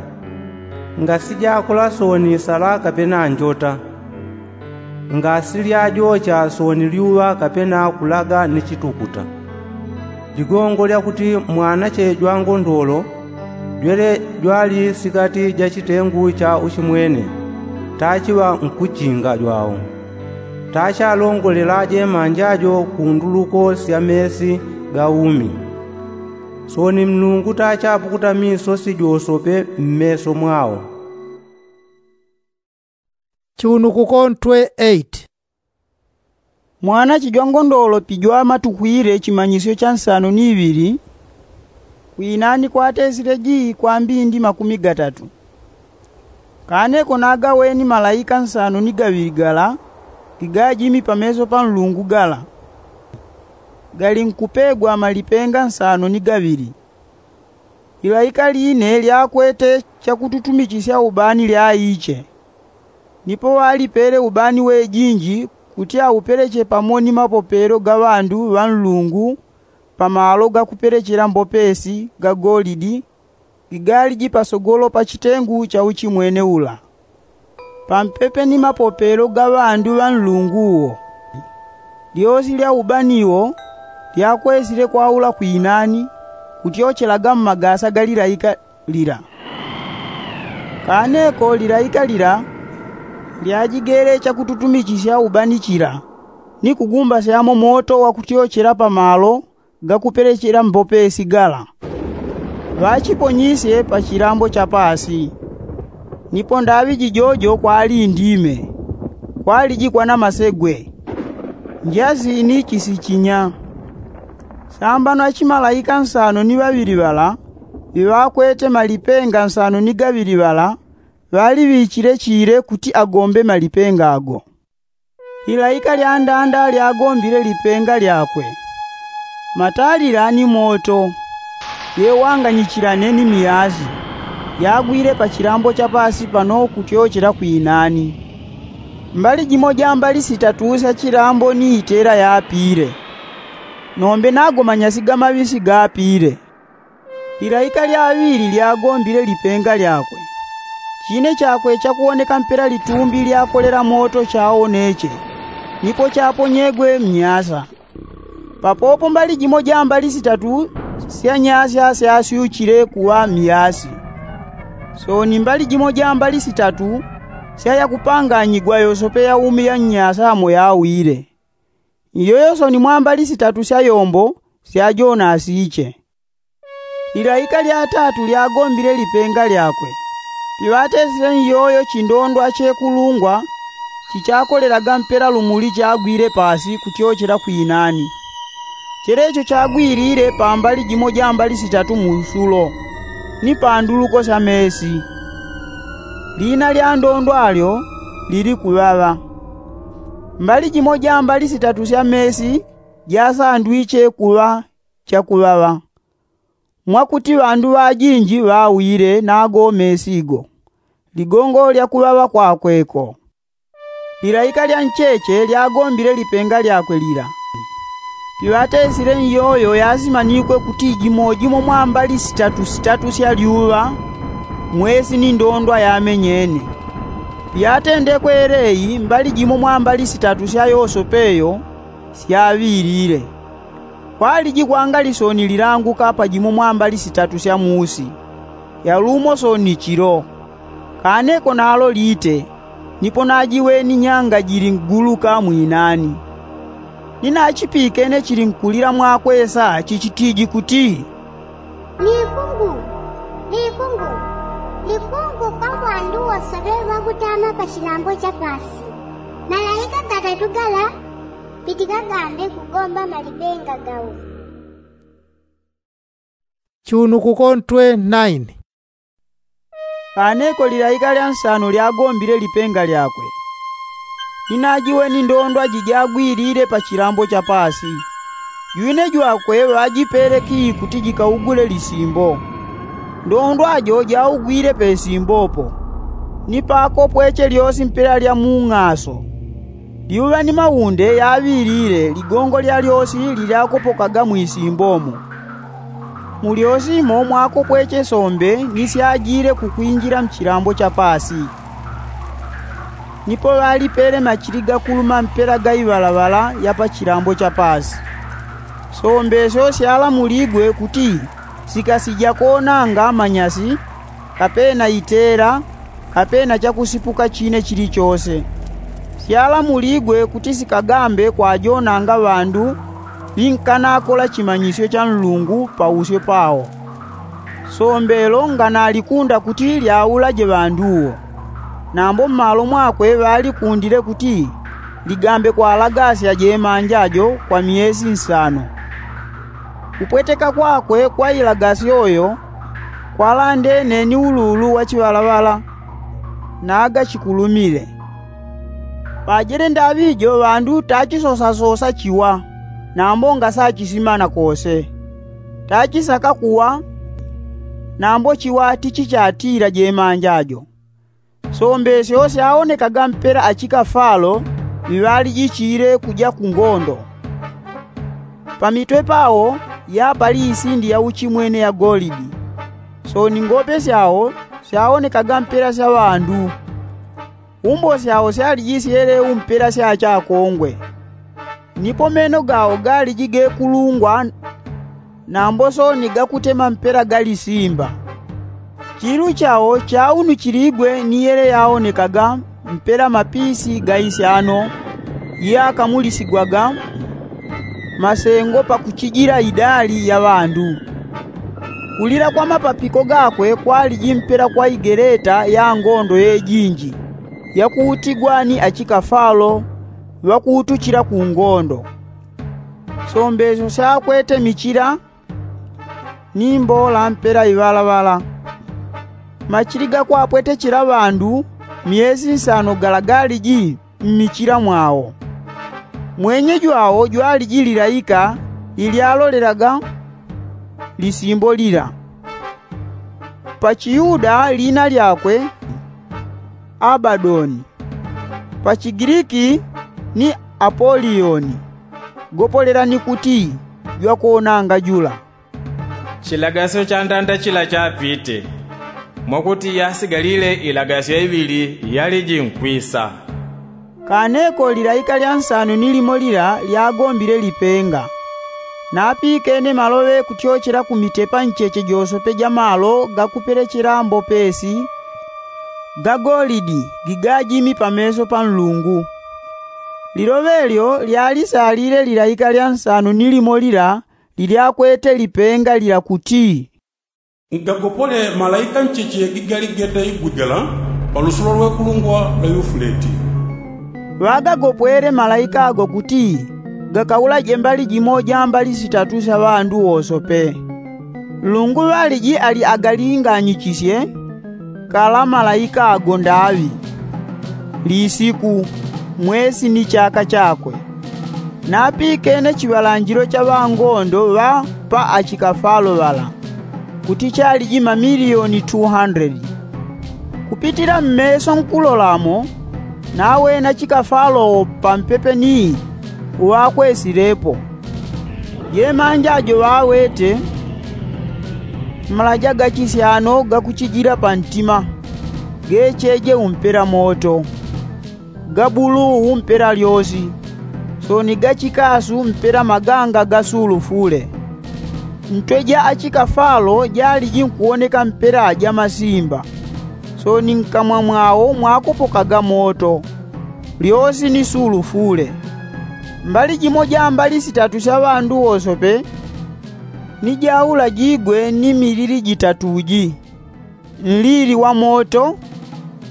Ngasijakola sooni sala kapena njota, ngasilyajocha sooni lyuŵa kapena kulaga ni chitukuta. Ligongo lyakuti mwanache jwangondolo jwele jwali sikati ja chitengu cha uchimwene, tachiŵa nkuchinga jwao. Tachalongolela jemanja jo ku nduluko sya mesi ga umi. Sooni nlungu tachapukuta misosi josope mmeso mwao. Chiunukuko ntwe eight. Mwanache jwangondolo pijwamatukwile chimanyisyo cha nsano ni iŵili, kwinani kwatesile jii kwa mbindi makumi gatatu. Kane ko nagaweni malaika nsano ni gaŵili gala gigajimi pameso pa nlungu gala, gali nkupegwa malipenga nsano ni gaŵili. Ilaika line lyakwete chakututumichisya ubani lyaiche. Nipo ŵalipele ubani wejinji kuti aupeleche pamo ni mapopelo ga ŵandu ŵa nlungu pa malo gakupelechela mbopesi ga golidi gigaliji pasogolo pa chitengu cha uchimwene ula, pampepe ni mapopelo ga ŵandu ŵa nlungu uwo. Lyosi lya ubani wo lyakwesile kwaula kwinani, kutyochelaga mmagasa ga lilaika lila. Kane ko lilaika lila lyajigele chakututumichisya ubani chila, ni kugumbasyamo moto wakutyochela pa malo gakupelechela mbopesi gala. Ŵachiponyisye pa chilambo cha paasi. Nipo ndaŵi jijojo kwali indime, kwaliji kwana masegwe, njasi ni chisichinya. Sambano achimalaika nsano ni ŵaŵili ŵala ŵiŵakwete malipenga nsano ni gaŵili ŵala ŵaliŵichile chile kuti agombe malipenga ago. Ilaika lyandanda lyagombile lipenga lyakwe. Matalila ni moto yewanganyichilane ni miyazi yagwile pa chilambo cha paasi pano kutyochela kwinani. Mbali jimo ja mbali sitatu sya chilambo ni itela yapile. Nombe nago manyasi ga maŵisi gapile. Lilaika lya ŵili lyagombile lipenga lyakwe. Chine chakwe chakuwoneka mpela litumbi lyakolela moto chawoneche. Nipo chaponyegwe mnyasa. Papopo mbali jimo ja mbali sitatu sya nyasya syasyuchile kuŵa myasi. Soni mbali jimo ja mbali sitatu sya yakupanganyigwa yosope ya umi ya nnyasa amo yawile. Iyoyo soni mwa mbali sitatu sya yombo syajonasiche. Lilaika lya tatu lyagombile lipenga lyakwe. Piŵatesile nyoyo chindondwa chekulungwa chichakolelaga mpela lumuli chagwile pasi kutyochela kwinani. Chelecho chagwilile pa mbali jimo ja mbali sitatu mu usulo, ni pa nduluko sya mesi. Lina lya ndondwa lyo lili kuŵaŵa. Mbali jimo ja mbali sitatu sya mesi jasandwiche kuŵa chakuŵaŵa, mwakuti ŵandu ŵajinji ŵawile nago mesi go ligongo lya kuŵaŵa kwakwe ko. Lilaika lya ncheche lyagombile lipenga lyakwe lila. Piŵatesile nyoyo yasimanikwe kuti jimo jimo mwa mbali sitatu sitatu sya lyuŵa, mwesi ni ndondwa yamenyene. Pyatendekwe eleyi mbali jimo mwa mbali sitatu sya yosope yo syaŵilile. Kwaliji kwanga lisoni lilanguka pa jimo mwa mbali sitatu sya musi, yalumo soni chilo. Kaneko nalo lite, nipo najiweni nyanga jili nkuguluka mwinani. Ninachipikene chili nkulila mwakwesa chichitiji kuti, Likungu, likungu, likungu kwa mwandu wose ŵe ŵakutama pa chilambo cha pasi. Malaika gatatu gala pitikagambe kugomba malipenga gawo. Chunukuko ntwe naini. Kaneko lilaika lya nsano lyagombile lipenga lyakwe. Ninajiweni ndondwa jijagwilile pa chilambo cha pasi. Jwine jwakwe ŵajipele kii kuti jikaugule lisimbo. Ndondwa jo jaugwile pe simbo po, ni pakopweche lyosi mpela lya mung'aso. Lyuŵa ni maunde yaŵilile ligongo lyalyosi lilyakopokaga mwisimbo mo. Mulyosimo mwakopweche sombe ni syajile kukwinjila mchilambo cha pasi. Nipo ŵalipele machili gakuluma mpela ga iŵalaŵala ya pa chilambo cha pasi. Sombe syo syalamuligwe kuti sikasija konanga manyasi, kapena itela, kapena chakusipuka chine chilichose. Syalamuligwe kuti sikagambe kwajonanga ŵandu ŵinkanakola chimanyisyo cha Nlungu pausyo pawo. Sombe lo nganalikunda kuti lyaulaje ŵandu wo. Nambo mmalo mwakwe ŵalikundile kuti ligambe kwalagasya jemanja jo kwa myesi nsano. Kupweteka kwakwe kwa ilagasyo yo kwalandene ni uluulu wa chiŵalaŵala, naga chikulumile. Pajele ndaŵi jo ŵandu tachisosasosa chiwa, nambo ngasachisimana kose. Tachisaka kuwa, nambo chiwa tichichatila jemanja jo. Sombe syo syaonekaga mpela achikafalo ŵiŵalijichile kuja ku ngondo. Pamitwe pawo yapali isindi ya uchimwene ya golidi. Soni ngope syao syaonekaga mpela sya ŵandu. Umbo syao syalijisyele umpela sya chakongwe. Nipo meno gao galiji gekulungwa, nambo soni gakutema mpela ga lisimba. Chilu chao chaunuchiligwe ni yele yaonekaga mpela mapisi ga isyano yakamulisigwaga masengo pakuchijila idali ya ŵandu. Kulila kwa mapapiko gakwe kwaliji mpela kwa igeleta ya ngondo yejinji yakuutigwa ni achikafalo ŵakuutuchila ku ngondo. Sombe syo syakwete michila ni mbola mpela iŵalaŵala. Machili gakwapwetechela ŵandu myesi nsano gala galiji mmichila mwao. Mwenye jwao jwaliji lilaika ilyalolelaga lisimbo lila. Pa chiyuda lina lyakwe Abadoni, pa chigiliki ni Apoliyoni, gopolela ni kuti, jwakonanga jula. Chilagasyo cha ndanda chila chapite, mwakuti yasigalile ilagasyo iŵili yaliji nkwisa. Kaneko lilaika lya nsano ni limo lila lyagombile lipenga. Napikene maloŵe kutyochela ku mitepa ncheche josope ja malo gakupelechela mbopesi ga golidi gigajimi pameso pa nlungu. Liloŵe lyo lyalisalile lilaika lya nsano ni limo lila lilyakwete lipenga lila kuti, ngagopole malaika ncheche gigali gete igwigala pa lusulo lwekulungwa lwa yufuleti. Ŵagagopwele malaika ago kuti gakaulaje mbali jimo ja mbali sitatu sya ŵandu wosope. Nlungu ŵaliji ali agalingaanyichisye kala malaika ago ndaŵi, lisiku, mwesi ni chaka chakwe. Napikene chiŵalanjilo cha ŵangondo ŵa pa achikafalo ŵala kuti chaliji mamiliyoni 200. Kupitila mmeso nkulolamo, nawena chikafalowo pampepe ni uŵakwesilepo. Jemanja ajo ŵawete malaja gachisyano gakuchijila pantima, gecheje umpela moto, ga buluu umpela lyosi, soni gachikasu mpela maganga ga sulufule. Ntwe ja achikafalo jaliji nkuwoneka mpela ja masimba, soni nkamwa mwao mwakopokaga moto, lyosi ni sulufule. Mbali jimo ja mbali sitatu sya ŵandu wosope ni jaulajigwe ni milili jitatu ji, nlili wa moto,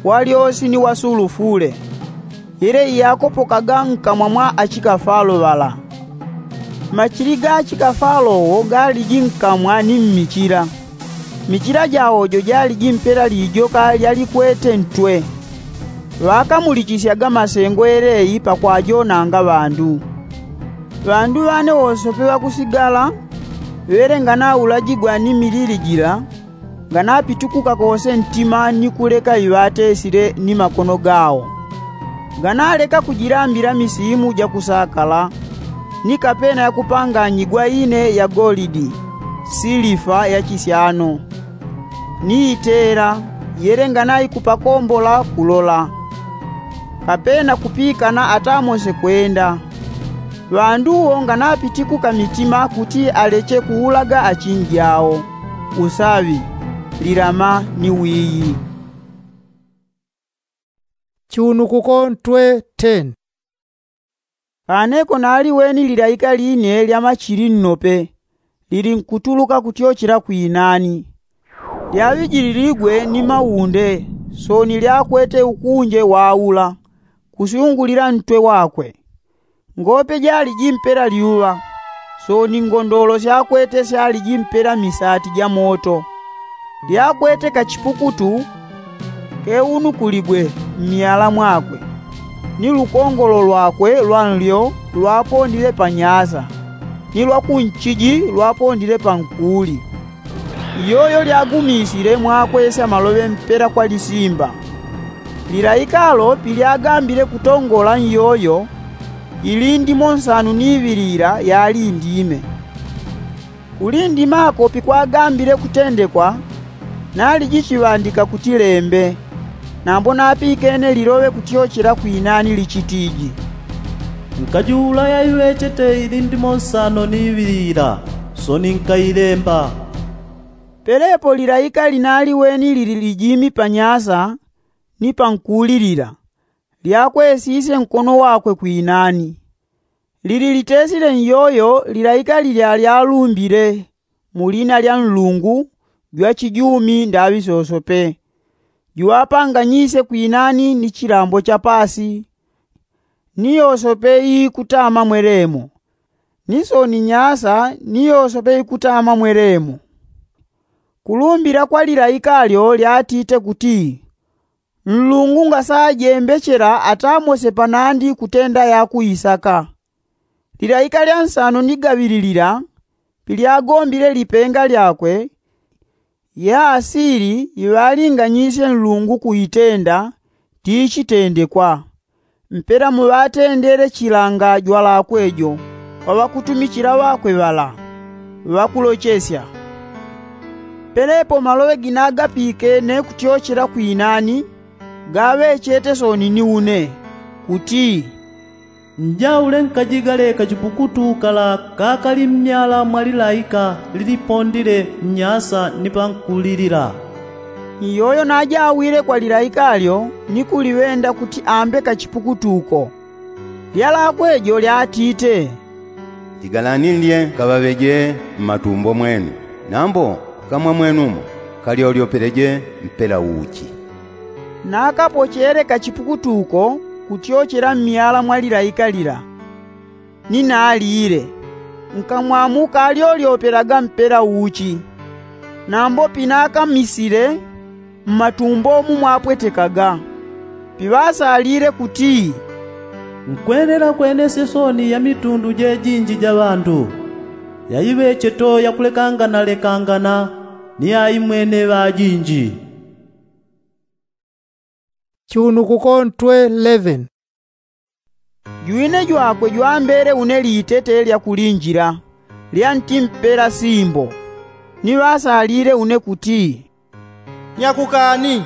wa lyosi ni wa sulufule, yele iyakopokaga nkamwa mwa achikafalo ŵala. Machili ga achikafalo wo galiji nkamwa ni mmichila. Michila jao jo jaliji mpela lijoka lyalikwete ntwe. Ŵakamulichisyaga masengo yeleyi pakwajonanga ŵandu. Ŵandu ŵane wosope ŵakusigala, ŵele nganaulajigwa ni milili jila, nganapitukuka kose ntima ni kuleka iŵatesile ni makono gao. Nganaleka kujilambila misimu ja kusakala, ni kapena ya kupanganyigwa ine ya golidi, silifa ya chisyano, ni itela, yele nganaikupakombola kulola, kapena kupikana atamose kwenda. Ŵandu wo nganapitikuka mitima kuti aleche kuulaga achinji ao, usaŵi, lilama ni wiyi. Chiunukuko ntwe ten. Kaneko naliweni lilaika line lya machili nnope, lilinkutuluka kutyochela kwinani. Lyaŵijililigwe ni maunde, soni lyakwete ukunje waula kusyungulila ntwe wakwe. Ngope jaliji mpela lyuŵa, soni ngondolo syakwete syaliji mpela misati ja moto. Lyakwete kachipukutu keunukuligwe mmyala mwakwe, ni lukongolo lwakwe lwa nlyo lwapondile pa nyasa, ni lwa kunchiji lwapondile pa nkuli. Iyoyo lyagumisile mwakwesya maloŵe mpela kwa lisimba. Lilaikalo pilyagambile kutongola nyoyo, ilindimo nsanu ni iŵilila yali indime. Kulindimako pikwagambile kutendekwa, naliji chiŵandika kuti lembe. Nambo napikene liloŵe kutyochela kwinani lichitiji, nkajiula yaiŵechete ilindimo nsano ni iŵilila, soni nkailemba. Pelepo lilaika linaliweni lili lijimi pa nyasa ni pa nkulilila, lyakwesisye nkono wakwe kwinani. Lili litesile nyoyo lilaika lilya lyalumbile mu lina lya nlungu jwa chijumi ndaŵi sosope, juŵapanganyisye kwinani ni chilambo cha paasi, ni yosope iikutama mwelemo, ni soni nyasa ni yosope ikutama mwelemo. Kulumbila kwa lilaika lyo lyatite kuti, nlungu ngasajembechela atamose panandi kutenda yakuisaka. Lilaika lya nsano ni gaŵili lila pilyagombile lipenga lyakwe, yaasili iŵalinganyisye nlungu kuitenda tichitendekwa. Mpela muŵatendele chilanga jwalakwe jo kwa ŵakutumichila ŵakwe ŵala, ŵakulochesya. Pelepo maloŵe ginagapikene kutyochela kwinani gaŵechete soni ni une. kuti, njaule nkajigale kachipukutu kala kakali mmyala mwa lilaika lilipondile nnyasa ni pankulilila. Iyoyo najawile kwa lilaika lyo ni kuliŵenda kuti ambe kachipukutu ko. Lyalakwe jo lyatite, igalani lye kaŵaŵeje mmatumbo mwenu, nambo kamwa mwenumo kalyolyopeleje mpela uchi. Nakapochele kachipukutu ko kutyochela mmyala mwa lilaika lila, ni nalile, nkamwa mukalyolyopelaga mpela uchi. Nambo pinakamisile, mmatumbo mumwapwetekaga, piŵasalile kuti, nkwelela kwenesye soni ya mitundu jejinji ja ŵandu, yaiŵecheto yakulekangana lekangana ni aimwene ŵajinji. Chiunukuko ntwe eleven. Jwine jwakwe jwambele une litete lya kulinjila, lya nti mpela simbo, ni ŵasalile une kuti, nyakukani,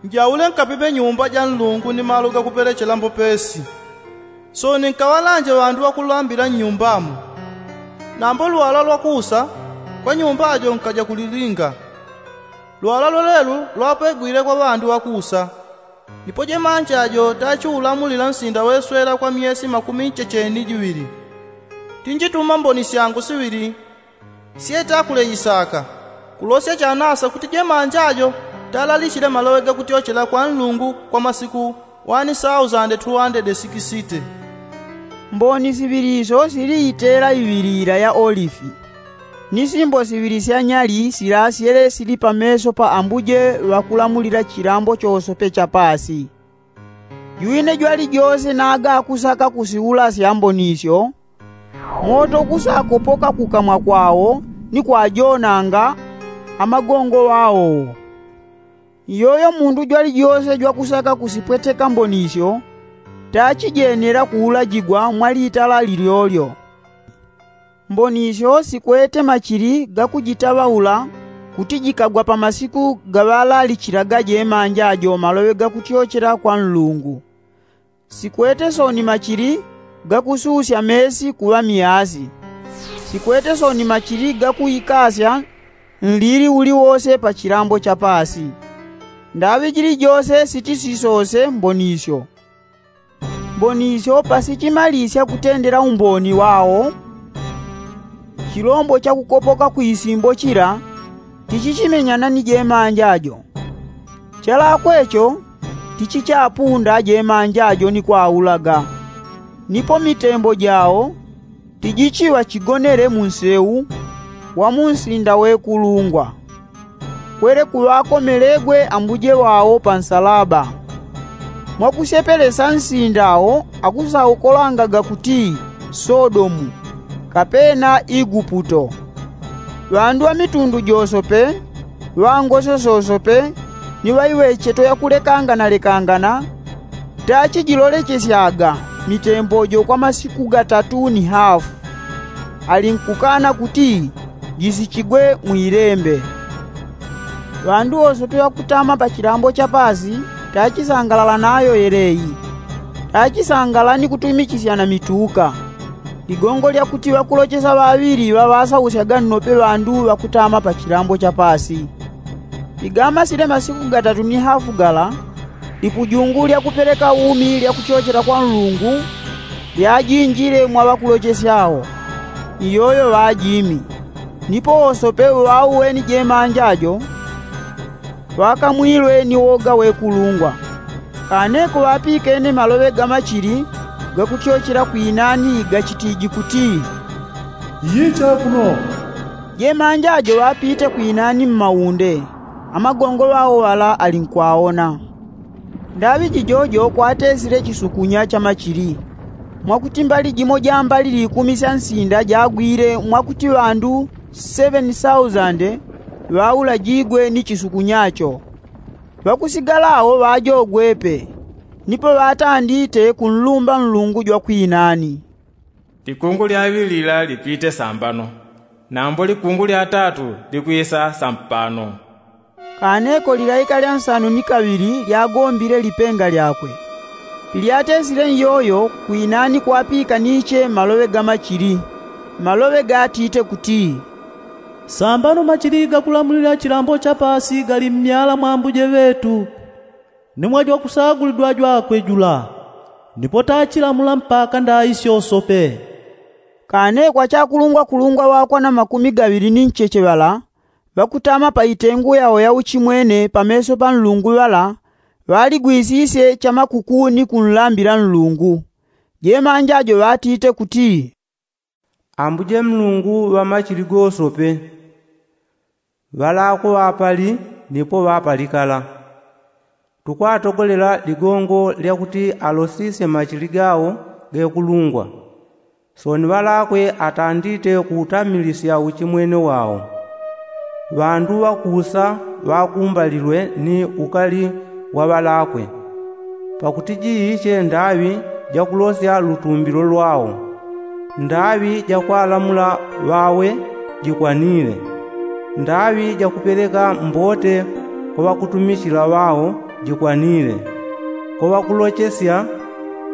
njaule nkapipe nyumba ja nlungu ni malo gakupelechela mbopesi. Soni nkaŵalanje ŵandu ŵakulambila nnyumbamo. Nambo lwala lwakusa kwa nyumba jo nkaja kulilinga. Lwala lwelelu lwapegwile kwa ŵandu ŵakusa. Nipo jemanja jo tachiulamulila nsinda weswela kwa myesi makumi nchecheni jiŵili. Tinjituma mboni syangu siŵili syetakuleisaka, kulosya chanasa kuti jemanja jo talalichile maloŵe gakutyochela kwa nlungu kwa masiku wani sausande tu wandede sikisite. Mboni siŵili isyo sili itela iŵilila ya olifi, ni simbo siŵili sya nyali silasyele sili pameso pa ambuje ŵakulamulila chilambo chosope cha paasi. Jwine jwalijose naga akusaka kusiulasya mboni isyo, moto ukusakopoka kukamwa kwao ni kwajonanga amagongo ŵao. Iyoyo mundu jwalijose jwakusaka kusipweteka mboni isyo tachijenela kuulajigwa mwa litala lilyolyo. Mboni isyo sikwete machili gakujitaŵaula kuti jikagwa pa masiku gaŵalalichilaga jemanja jo maloŵe gakutyochela kwa nlungu. Sikwete soni machili gakususya meesi kuŵa miasi. Sikwete soni machili gakuikasya nlili uliwose pa chilambo cha paasi. Ndaŵi jilijose sitisisose mboni isyo. Mboni isyo pasichimalisya kutendela umboni wao, chilombo chakukopoka kwisimbo chila tichichimenyana ni jemanja jo. Chalakwe cho tichichapunda jemanja jo ni kwaulaga, nipo mitembo jao tijichiŵa chigonele mu nseu wa mu nsinda wekulungwa. Kwele kuŵakomelegwe ambuje wao pa nsalaba. Mwakusepelesa nsinda wo akusaukolangaga kuti sodomu, kapena iguputo. Ŵandu ŵa mitundu josope, ŵa ngoso sosope, ni ŵaiŵecheto yakulekangana lekangana tachijilolechesyaga mitembo jo kwa masiku gatatu ni hafu. Alinkukana kuti jisichigwe mwilembe. Ŵandu wosope ŵakutama pa chilambo cha paasi tachisangalala nayo yeleyi. Tachisangalala ni kutumichisyana mituka. Ligongo lya kuti ŵakulochesa ŵaŵili ŵaŵasausyaga nnope ŵandu ŵakutama pa chilambo cha paasi. Pigamasile masiku gatatu ni hafu gala, lipujungu lya kupeleka umi lya kuchochela kwa nlungu lyajinjile mwa ŵakulochesya wo. Iyoyo ŵajimi, nipo wosope uŵauweni jemanja jo ŵakamwilwe ni woga wekulungwa. Kaneko ŵapikene maloŵe ga machili gakutyochela kwinani gachitiji kuti, iyicha kuno. Jemanja jo ŵapite kwinani mmaunde, amagongo ŵao ŵala ali nkwaona. Ndaŵi jijojo kwatesile chisukunya cha machili, mwakuti mbali jimo ja mbali likumi sya nsinda jagwile mwakuti ŵandu seŵeni sausande ŵaulajigwe ni chisukunya cho. Ŵakusigala wo ŵajogwepe, nipo ŵatandite kunlumba nlungu jwa kwinani. Likungu lya ŵili lila lipite sambano, nambo likungu lya tatu likwisa sampano. Kaneko lilaika lya nsanu ni kaŵili lyagombile lipenga lyakwe, Ilyatesile nyoyo kwinani kwapikaniche maloŵe ga machili, maloŵe gatite kuti, sambano machili gakulamulila chilambo cha paasi gali mmyala mwa ambuje ŵetu, ni mwa jwakusagulidwa jwakwe jula, nipo tachilamula mpaka ndaisyo sope. Kane kwa chakulungwakulungwa ŵakwana makumi gaŵili ni ncheche ŵala, ŵakutama pa itengu yao ya uchimwene pameso pa nlungu ŵala, ŵaligwisisye cha makuku ni kunlambila nlungu. Jemanja jo ŵatite kuti, ambuje mlungu ŵa machili gosope, ŵalakwe ŵapali nipo ŵapalikala. Tukwatogolela ligongo lyakuti alosisye machili gao gekulungwa. Sooni ŵalakwe atandite kuutamilisya uchimwene wao. Ŵandu ŵakusa ŵakumbalilwe ni ukali wa ŵalakwe. Pakuti jiiche ndaŵi jakulosya lutumbilo lwao, ndaŵi jakwalamula ŵawe jikwanile, ndaŵi jakupeleka mbote kwa ŵakutumichila ŵao jikwanile, kwa ŵakulochesya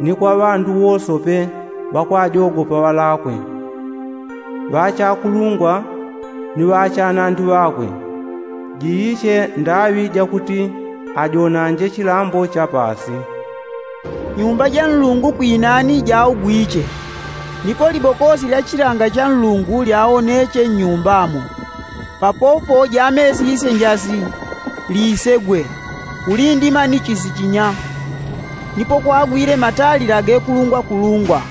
ni kwa ŵandu wosope ŵakwajogopa ŵalakwe, ŵachakulungwa ni ŵachanandi ŵakwe. Jiiche ndaŵi jakuti ajonanje chilambo cha paasi. Nyumba ja nlungu kwinani jaugwiche, nipo libokosi lya chilanga cha nlungu lyaoneche nnyumbamo. Papopo jamesisye njasi, lisegwe, ulindima ni chisichinya. Nipo kwagwile matalila gekulungwakulungwa.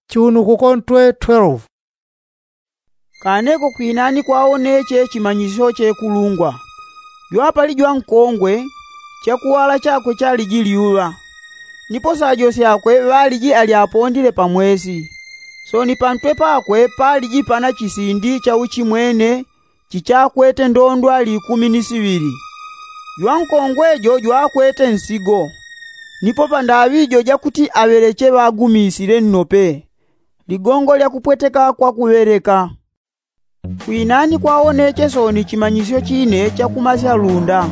Chunukuko ntwe twelve. Kaneko kwinani kwaoneche chimanyisyo chekulungwa. Jwapali jwankongwe, chakuwala chakwe chaliji lyuŵa, nipo sajo syakwe ŵaliji alyapondile pa mwesi. Sooni pantwe pakwe paliji pana chisindi cha uchimwene chichakwete ndondwa likumi ni siŵili. Jwankongwe jo jwakwete nsigo, nipo pandaŵi jo jakuti aŵeleche ŵagumisile nnope, ligongo lya kupweteka kwa kuŵeleka. Kwinani kwaoneche sooni chimanyisyo chine cha kumasya lunda.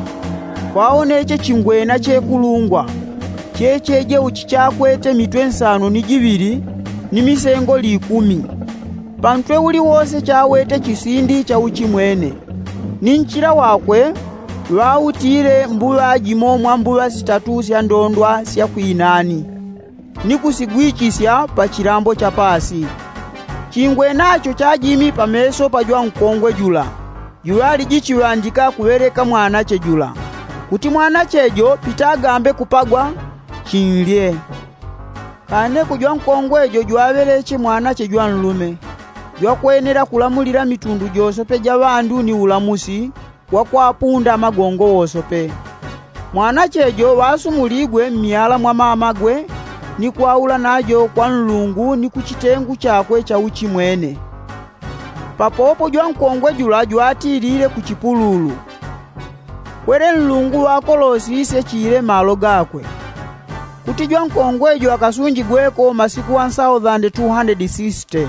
Kwaoneche chingwena chekulungwa, cheche jeu chichakwete mitwe nsano ni jiŵili ni misengo likumi. Pantwe uliwose chawete chisindi cha uchimwene, ni nchila wakwe ŵautile mbuŵa jimo mwa mbuŵa sitatu sya ndondwa sya kwinani, ni kusigwichisya pa chilambo cha paasi. Chingwenacho chajimi pameso pa jwankongwe jula, juŵaliji chiŵandika kuŵeleka mwanache jula, kuti mwanache jo pitagambe kupagwa, chinlye. Kaneko jwankongwe jo jwaŵeleche mwanache jwanlume, jwakwenela kulamulila mitundu josope ja ŵandu ni ulamusi wa kwapunda magongo wosope. Mwanache jo ŵasumuligwe mmyala mwa mamagwe, ni kwaula najo kwa nlungu ni ku chitengu chakwe cha uchimwene. Papopo jwankongwe jula jwatilile ku chipululu, kwele nlungu ŵakolosisye chile malo gakwe, kuti jwankongwe jo akasunjigweko masiku ŵansauthandeti tu handedi sisite.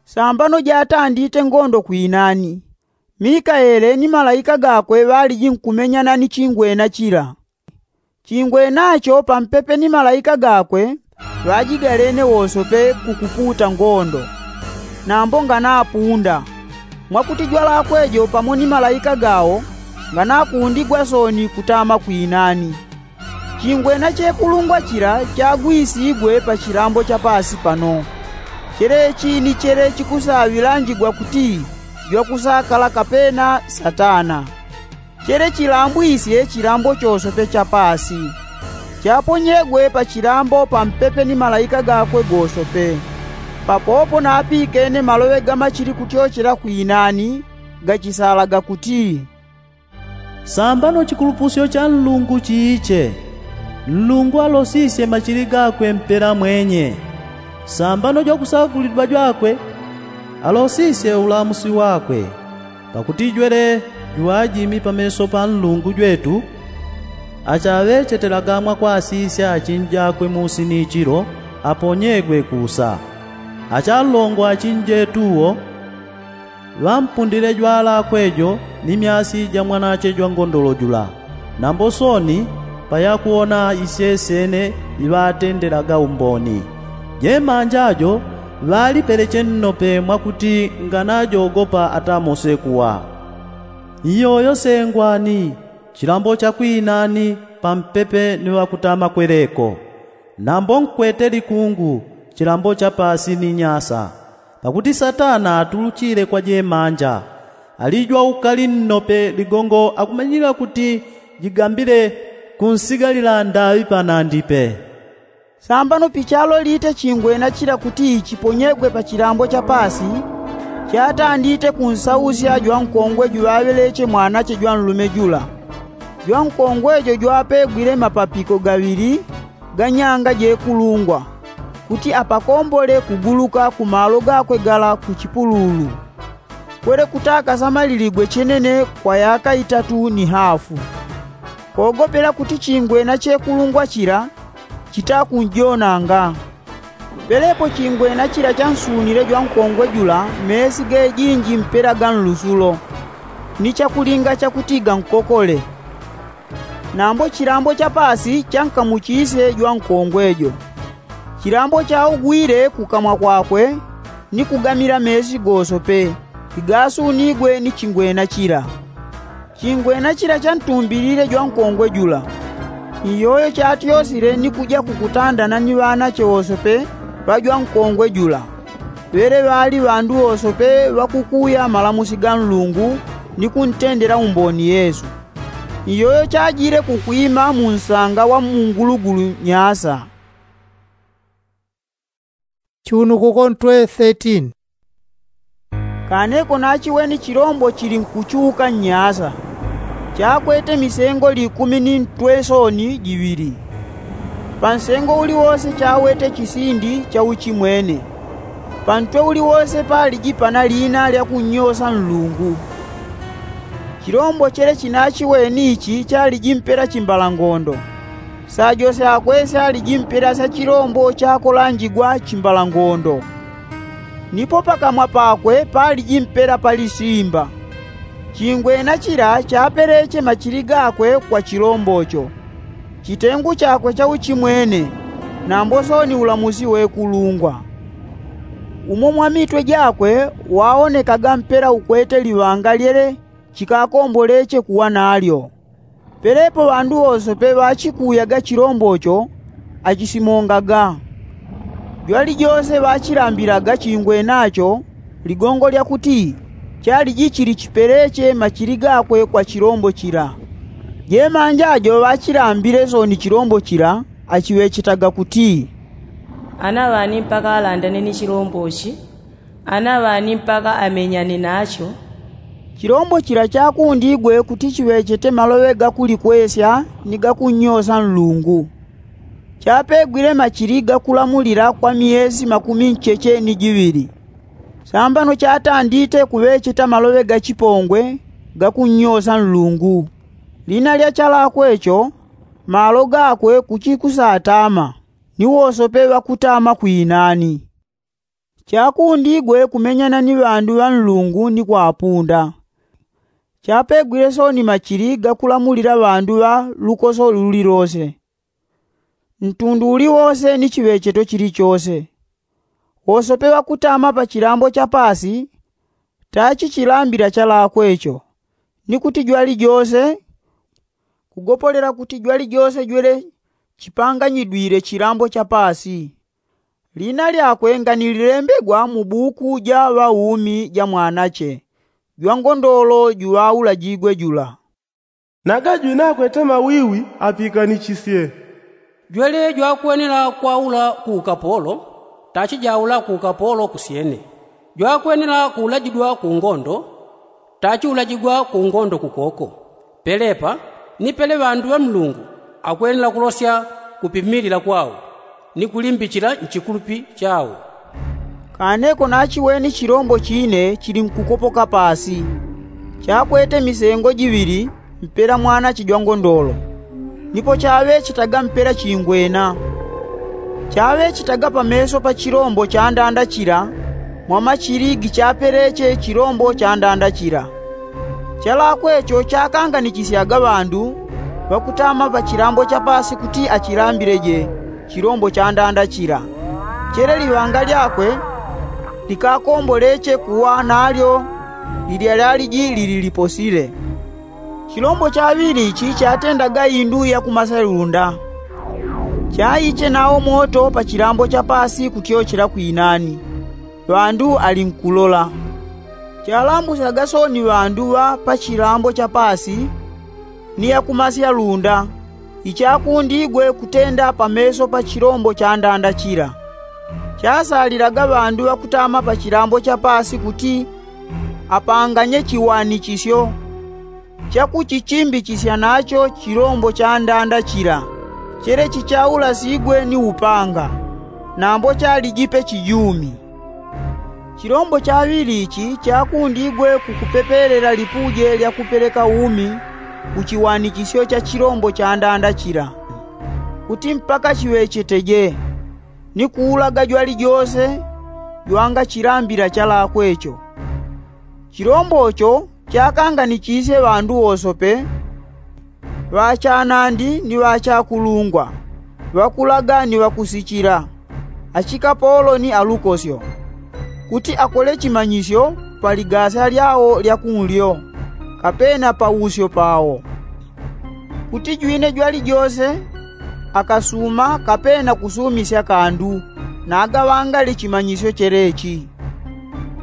Sambano jatandite ngondo kwinani, mikaele ni malaika gakwe ŵaliji nkumenyana ni chingwena chila. Chingwenacho pampepe ni malaika gakwe ŵajigalene wosope kukuputa ngondo, nambo nganapunda, mwakuti jwalakwe jo pamo ni malaika gao nganakundigwa sooni kutama kwinani. Chingwena chekulungwa chila chagwisigwe pa chilambo cha paasi pano. Chelechi ni chele chikusaŵilanjigwa kuti jwakusakala kapena satana. Chele chilambwisye chilambo chosope cha paasi, chaponyegwe pa chilambo pampepe ni malaika gakwe gosope. Papopo napikene maloŵe ga machili kutyochela kwinani, gachisalaga kuti, sambano chikulupusyo cha nlungu chiiche. Nlungu alosisye machili gakwe mpela mwenye. Sambano jwakusagulidwa jwakwe alosisye ulamusi wakwe. Pakuti jwele jwajimi pameso pa nlungu jwetu, achaŵechetelaga mwakwasisya achinjakwe musi ni chilo aponyegwe kusa. Achalongo achinjetuwo ŵampundile jwalakwe jo ni myasi ja mwanache jwangondolo jula. Nambo sooni payakuona isyesene iŵatendelaga umboni. Jemanja jo ŵalipeleche nnope mwakuti nganajogopa atamose kuwa. Iyoyo sengwani chilambo cha kwinani pampepe ni ŵakutama kweleko. Nambo nkwete likungu chilambo cha paasi ni nyasa. Pakuti satana atuluchile kwa jemanja, alijwa ukali nnope ligongo akumanyila kuti jigambile kunsigalila ndaŵi panandipe. Sambano pichalo lite chingwena chila kuti chiponyegwe pa chilambo cha paasi, chatandite kunsausya jwankongwe juŵaŵeleche mwanache jwanlume jula. Jwankongwe jo jwapegwile mapapiko gaŵili ga nyanga jekulungwa, kuti apakombole kuguluka ku malo gakwe gala ku chipululu. Kwele kutaka samaliligwe chenene kwa yaka itatu ni hafu. Kogopela kuti chingwena chekulungwa chila chitakunjonanga. Pelepo chingwena chila chansunile jwankongwe jula mesi gejinji mpela ga nlusulo, ni chakulinga chakutiga nkokole. Nambo chilambo cha paasi chankamuchisye jwankongwe jo. Chilambo chaugwile kukamwa kwakwe, ni kugamila mesi gosope igasunigwe ni chingwena chila. Chingwena chila chantumbilile jwankongwe jula. Iyoyo chatyosile ni kuja kukutandana ni ŵanache wosope ŵa jwankongwe jula, ŵele ŵali ŵandu wosope ŵakukuya malamusi ga Nlungu ni kuntendela umboni Yesu. Iyoyo chajile kukwima mu nsanga wa mu ngulugulu nyasa. Chunukuko ntwe thirteen. Kaneko nachiweni chilombo chili nkuchuka nnyasa, chakwete misengo likumi ni ntwe soni jiŵili. Pa nsengo uliwose chawete chisindi cha uchimwene. Pa ntwe uliwose paliji pana lina lya kunnyosa Nlungu. Chilombo chele chinachiweni ichi chaliji mpela chimbalangondo. Sa jose akwe syaliji mpela sya chilombo chakolanjigwa chimbalangondo. Nipo pakamwa pakwe paliji mpela pali simba. Chingwena chila chapeleche machili gakwe kwa chilombo cho. Chitengu chakwe cha uchimwene, nambo soni ulamusi wekulungwa. Umo mwa mitwe jakwe waonekaga mpela ukwete liŵanga lyele chikakomboleche kuwa nalyo. Pelepo ŵandu wosope ŵachikuyaga chilombo cho achisimongaga. Jwalijose ŵachilambilaga chingwena cho ligongo lya kuti chaliji chili chipeleche machili gakwe kwa chilombo chila. Jemanja jo ŵachilambile soni chilombo chila achiŵechetaga kuti, ana ŵani mpaka alandane ni chilombo chi? Ana ŵani mpaka amenyane nacho? Chilombo chila chakundigwe kuti chiŵechete maloŵe ga kulikwesya ni ga kunnyosa Nlungu. Chapegwile machili ga kulamulila kwa miyesi makumi ncheche ni jiŵili. Sambano chatandite kuŵecheta maloŵe ga chipongwe ga kunnyosa Nlungu. Lina lya chalakwe cho, malo gakwe kuchikusatama, ni wosope ŵakutama kwinani. Chakundigwe kumenyana ni ŵandu ŵa Nlungu ni kwapunda. Chapegwile soni machili ga kulamulila ŵandu ŵa lukoso lulilose, ntundu uliwose ni chiŵecheto chilichose. Wosope ŵakutama pa chilambo cha paasi tachichilambila chalakwe cho, ni kuti jwalijose, kugopolela kuti jwalijose jwele chipanganyidwile chilambo cha paasi. Lina lyakwe nganililembegwa mu buku ja ŵaumi ja Mwanache jwangondolo juŵaulajigwe jula. Naga jwinakwete mawiwi apikanichisye. Jwele jwakwenela kwaula ku ukapolo, tachijaula ku ukapolo kusyene. Jwakwenela kuulajidwa ku ngondo, tachiulajigwa ku ngondo kukoko. Pelepa, ni pele ŵandu ŵa Nlungu akwenela kulosya kupimilila kwao, ni kulimbichila nchikulupi chao. Kaneko nachiweni chilombo chine chili nkukopoka paasi, chakwete misengo jiŵili mpela mwanache jwangondolo, nipo chaŵechetaga mpela chingwena. Chaŵechetaga pameso pa chilombo chandanda chila, mwa machili gichapeleche chilombo chandanda chila. Chalakwe cho chakanganichisyaga ŵandu ŵakutama pa chilambo cha paasi kuti achilambileje chilombo cha ndanda chila. Chele liŵanga lyakwe likakomboleche kuwa nalyo lilya lyaliji lili liposile. Chilombo chaŵili ichi chatendaga indu yakumasya lunda. Chaiche nawo moto pa chilambo cha paasi kutyochela kwinani, ŵandu ali nkulola. Chalambusyaga sooni ŵandu ŵa pa chilambo cha paasi ni yakumasya lunda ichakundigwe kutenda pameso pa chilombo cha ndanda chila. Chasalilaga ŵandu ŵakutama pa chilambo cha paasi kuti apanganye chiwanichisyo chakuchichimbichisya nacho chilombo cha ndanda chila, chele chichaulasigwe ni upanga, nambo chaliji pe chijumi. Chilombo chaŵili ichi chakundigwe kukupepelela lipuje lya kupeleka umi ku chiwanichisyo cha chilombo cha ndanda chila, kuti mpaka chiŵecheteje, ni kuulaga jwalijose jwangachilambila chalakwe cho. Chilombo cho chakanganichisye ŵandu wosope, ŵa chanandi ni ŵa chakulungwa, ŵakulaga ni ŵakusichila, achikapolo ni alukosyo, kuti akole chimanyisyo pa ligasya lyawo lya kunlyo, kapena pa usyo pawo, kuti jwine jwalijose akasuma kapena kusumisya kandu, nagaŵangale chimanyisyo chelechi.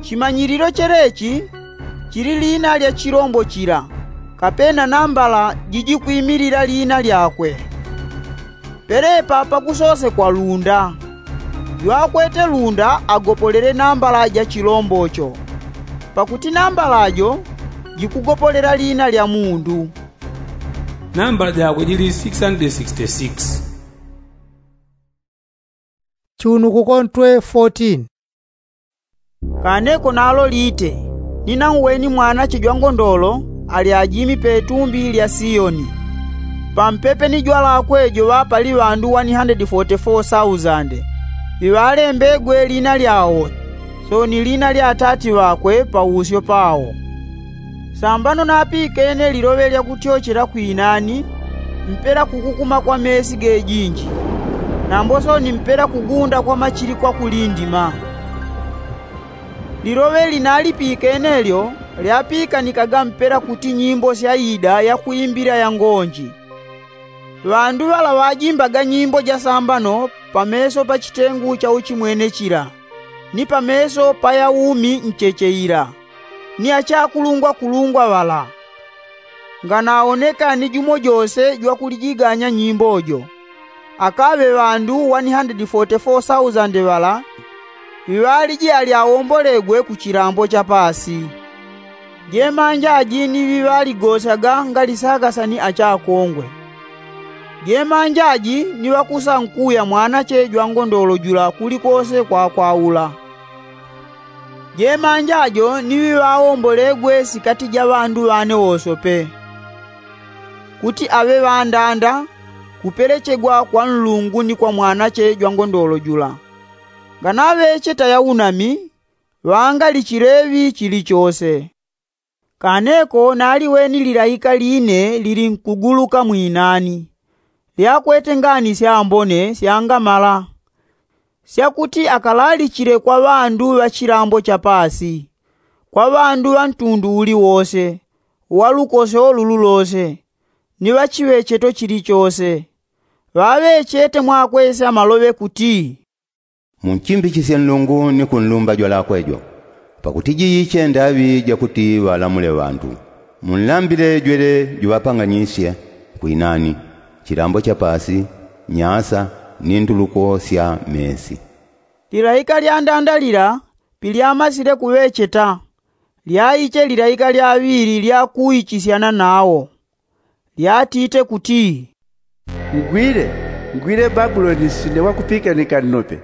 Chimanyililo chelechi chili lina lya chilombo chila, kapena nambala jijikwimilila lina lyakwe. Pelepa pakusosekwa lunda. Jwakwete lunda agopolele nambala ja chilombo cho, pakuti nambala jo jikugopolela lina lya mundu. Nambala jakwe jili six hundred sixty-six. Chunukuko ntwe fourteen. Kaneko nalo lite, ninauweni mwanache jwangondolo ali ajimi pe tumbi lya Sioni, pampepe ni jwalakwe joŵa pali ŵandu one hundred forty-four thousand ŵiŵalembegwe lina lyawo sooni lina lya atati ŵakwe pausyo pawo. Sambano napikene liloŵe lya kutyochela kwinani mpela kukukuma kwa mesi gejinji, nambo sooni mpela kugunda kwa machili kwa kulindima. Liloŵe linalipikene lyo lyapikanikaga mpela kuti nyimbo sya ida ya kwimbila ya ngonji. Ŵandu ŵala ŵajimbaga nyimbo ja sambano pameso pa chitengu cha uchimwene chila, ni pameso pa yaumi ncheche ila, ni achakulungwakulungwa ŵala. Nganaoneka ni jumo jose jwakulijiganya nyimbo jo, akaŵe ŵandu one hundred forty-four thousand ŵala ŵiŵaliji ali awombolegwe ku chilambo cha paasi. Jemanjaji ni ŵiŵaligosyaga ngali sakasa ni achakongwe. Jemanjaji ni ŵakusankuya mwanache jwangondolo jula kulikose kwakwaula. Jemanjajo ni ŵiŵawombolegwe sikati ja ŵandu ŵane wosope, kuti aŵe ŵandanda kupelechegwa kwa Nlungu ni kwa mwanache jwangondolo jula. Nganaŵecheta yaunami, ŵangalichileŵi chilichose. Kaneko naliweni lilaika line lilinkuguluka mwinani, lyakwete ngani syambone syangamala, syakuti akalalichile kwa ŵandu ŵa chilambo cha paasi, kwa ŵandu ŵa ntundu uli wose, wa lukosyo lulu lose, ni ŵa chiŵecheto chilichose. Ŵaŵechete mwakwesya maloŵe kuti, Munchimbichisye Nlungu ni kunlumba jwalakwe jo, pakuti jiiche ndaŵi ja kuti ŵalamule ŵandu. Munlambile jwele juŵapanganyisye kwinani, chilambo cha paasi, nyasa, ni ntuluko sya mesi. Lilaika lya ndanda lila pilyamasile kuŵecheta, lyaiche lilaika lya ŵili lya kuichisyana nawo. Lyatite kuti, Ngwile, ngwile Babuloni nsinde wakupikanika nnope,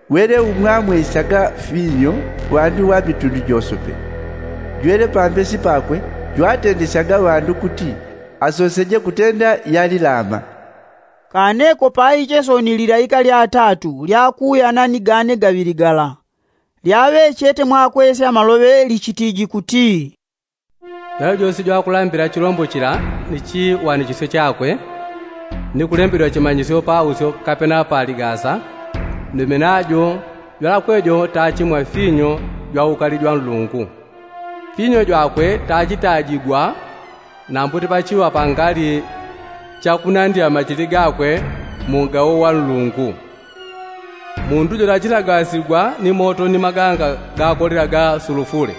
wele umwamwesyaga finyo ŵandu ŵa mitundu josope. Jwele pambesi pakwe jwatendesyaga ŵandu kuti asoseje kutenda yalilama. Kaneko paiche sooni lilaika lya tatu lyakuuyana ni gane gaŵili gala, lyaŵechete mwakwesya maloŵe lichitiji kuti, Jwali jose jwakulambila chilombo chila ni chiwanichisyo chakwe, Ni kulembedwa chimanyisyo pausyo kapena paligasa, ndume najo jwalakwe jo tachi mwa finyo jwa ukali jwa nlungu. Finyo jwakwe tachitajigwa nambuti pachiŵa pangali chakunandila machili gakwe mu ngawo wa nlungu. Mundu jo tachilagasigwa ni moto ni maganga gakolela ga sulufule.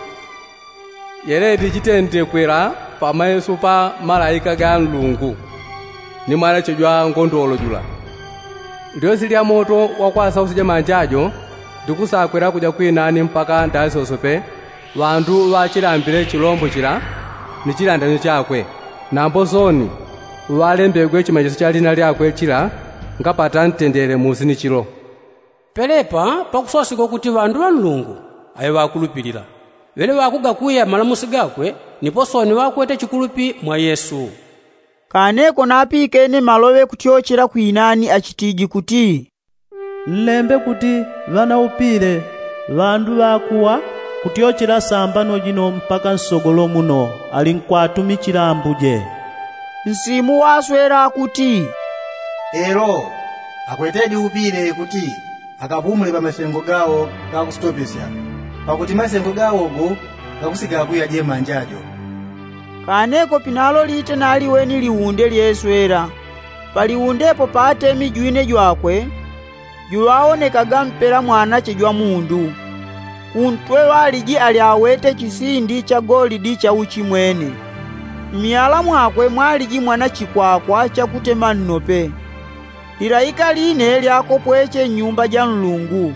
Yeleti chitendekwela pamaiso pa malaika ga nlungu ni mwanache jwa ngondolo jula. Lyosi lya moto wakwasausya ja manja jo ndikusakwela kuja kwinani mpaka ndasyosope ŵandu ŵachilambile chilombo chila ni chilandanyo chakwe. Nambo soni ŵalembegwe chimanyisyo cha lina lyakwe chila ngapata ntendele musi ni chilo. Pelepa pakuswasigwa kuti ŵandu ŵa nlungu aŵe ŵakulupilila ŵele ŵakugakuya malamusi gakwe. Nipo soni ŵakwete chikulupi mwa yesu. Kaneko napikene maloŵe kutyochela kwinani achitiji kuti, nlembe kuti ŵanaupile ŵandu ŵakuwa kutyochela sambano jino mpaka nsogolo muno ali nkwatumichila ambuje. Nsimu waswela kuti, elo akwetedi upile kuti akapumule pamasengo gawo gakusitopesya pakuti masengo gawo go gakusigakuya jemanja jo. Kaneko pinalo lite naliweni liunde lyeswela paliundepo patemi jwine jwakwe juŵawonekaga mpela mwanache jwa mundu. Kuntwe ŵaliji ali awete chisindi cha golidi cha uchimwene. Mmyala mwakwe mwaliji mwana chikwakwa chakutema nnope. Lilaika line lyakopweche nnyumba ja nlungu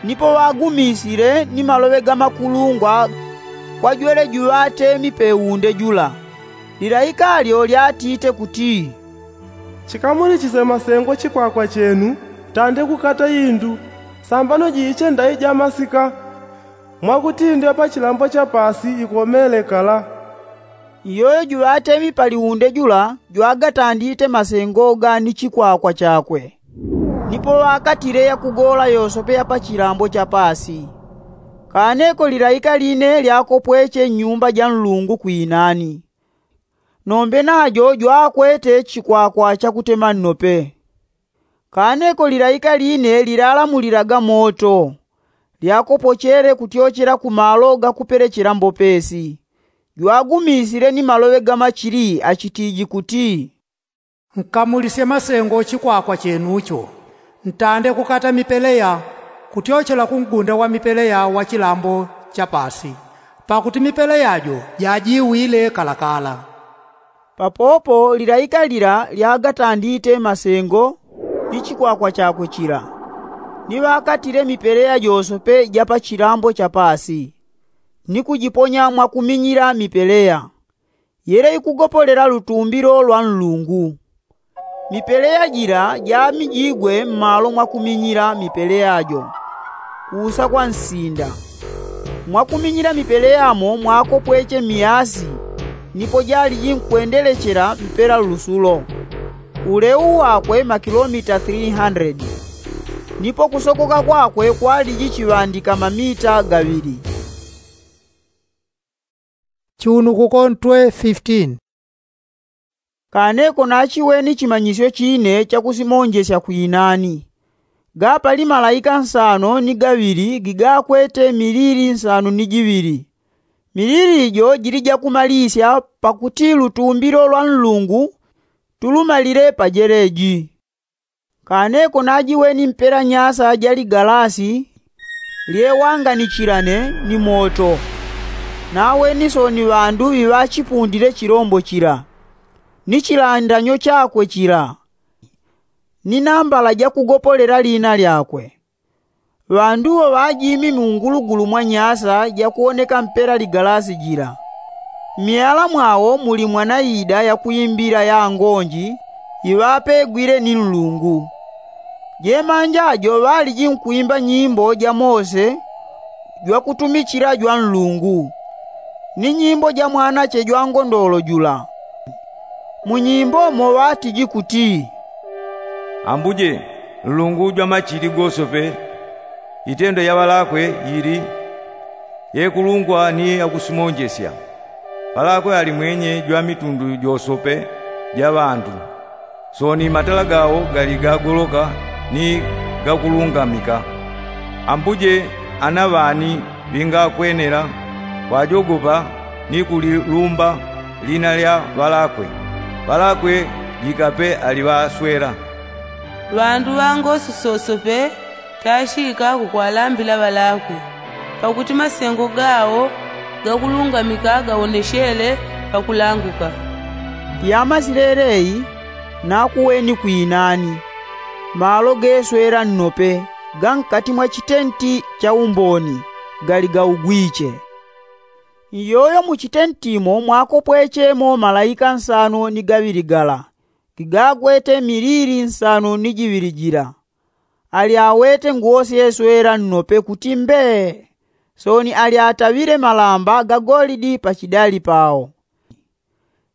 nipo ŵagumisile ni maloŵe ga makulungwa kwa jwele juŵatemi peunde jula. Lilaika lyo lyatite kuti, chikamulichisye masengo chikwakwa chenu tande kukata indu sambano jiiche ndai ja masika mwakuti indu ya pachilambo cha pasi ikomele kala. Iyoyo juŵatemi paliunde jula jwagatandite masengo ga ni chikwakwa chakwe. Nipo ŵakatile yakugola yosope ya pachilambo cha pasi. Kaneko lilaika line lyakopweche nnyumba ja nlungu kwinani. Nombe najo jwakwete chikwakwa chakutema nnope. Kaneko lilaika line lilalamulilaga moto lyakopochele kutyochela ku malo gakupelechela mbopesi. Jwagumisile ni maloŵe ga machili achitiji kuti, nkamulisye masengo chikwakwa chenucho ntande kukata mipeleya kutyochela ku ngunda wa mipeleya wa chilambo cha pasi pakuti mipeleya jo jajiwile kalakala. Papopo lilaika lila lyagatandite masengo ni chikwakwa chakwe chila ni ŵakatile mipeleya josope ja pachilambo cha pasi ni kujiponya mwakuminyila mipeleya yele ikugopolela lutumbilo lwa nlungu. Mipeleya jila jamijigwe mmalo mwakuminyila mipeleya jo kuusa kwa nsinda. Mwakuminyila mipeleya mo mwakopweche miasi nipo jaliji nkwendelechela mpela lusulo. Uleu wakwe makilomita three hundred nipo kusokoka kwakwe kwaliji chiŵandika mamita gaŵili. Chiunukuko ntwe fifteen. Kaneko nachiweni chimanyisyo chine chakusimonjesya kwinani. Gapali malaika nsano ni gaŵili gigakwete milili nsano ni jiŵili. Milili jo jili jakumalisya pakuti lutumbilo lwa nlungu tulumalile pajeleji. Kaneko najiweni mpela nyasa ja ligalasi lyewanganichilane ni moto. Naweni soni ŵandu ŵiŵachipundile chilombo chila ni chilandanyo chakwe chila ni nambala jakugopolela lina lyakwe. Ŵandu wo ŵajimi mungulugulu mwa nyasa jakuwoneka mpela ligalasi jila. Mmyala mwawo muli mwanaida yakuimbila ya ngonji iŵapegwile ni nlungu. Jemanja jo ŵaliji nkwimba nyimbo ja mose jwakutumichila jwa nlungu ni nyimbo ja mwanache jwa ngondolo jula. Mu nyimbo mo ŵatiji kuti, ambuje, nlungu jwa machili gosope, itendo ya ŵalakwe yili yekulungwa ni yakusimonjesya. Ŵalakwe ali mwenye jwa mitundu josope ja ŵandu. Sooni matala gawo gali gagoloka ni gakulungamika. Ambuje ana ŵani ŵingakwenela kwajogopa ni kulilumba lina lya ŵalakwe. Ŵalakwe jikape aliŵaswela. Ŵandu ŵa ngosi sosope tashika kukwalambila ŵalakwe, pakuti masengo gawo gakulungamika gawoneshele pakulanguka. Yamasile eleyi nakuweni kwinani, malo geswela nnope ga nkati mwa chitenti cha umboni gali gaugwiche. Iyoyo mu chitentimo mwakopwechemo malaika nsano ni gaŵili gala, gigagwete milili nsano ni jiŵili jila. Alyawete nguwo syeswela nnope kuti mbee. Sooni alyataŵile malamba ga golidi pachidali pawo.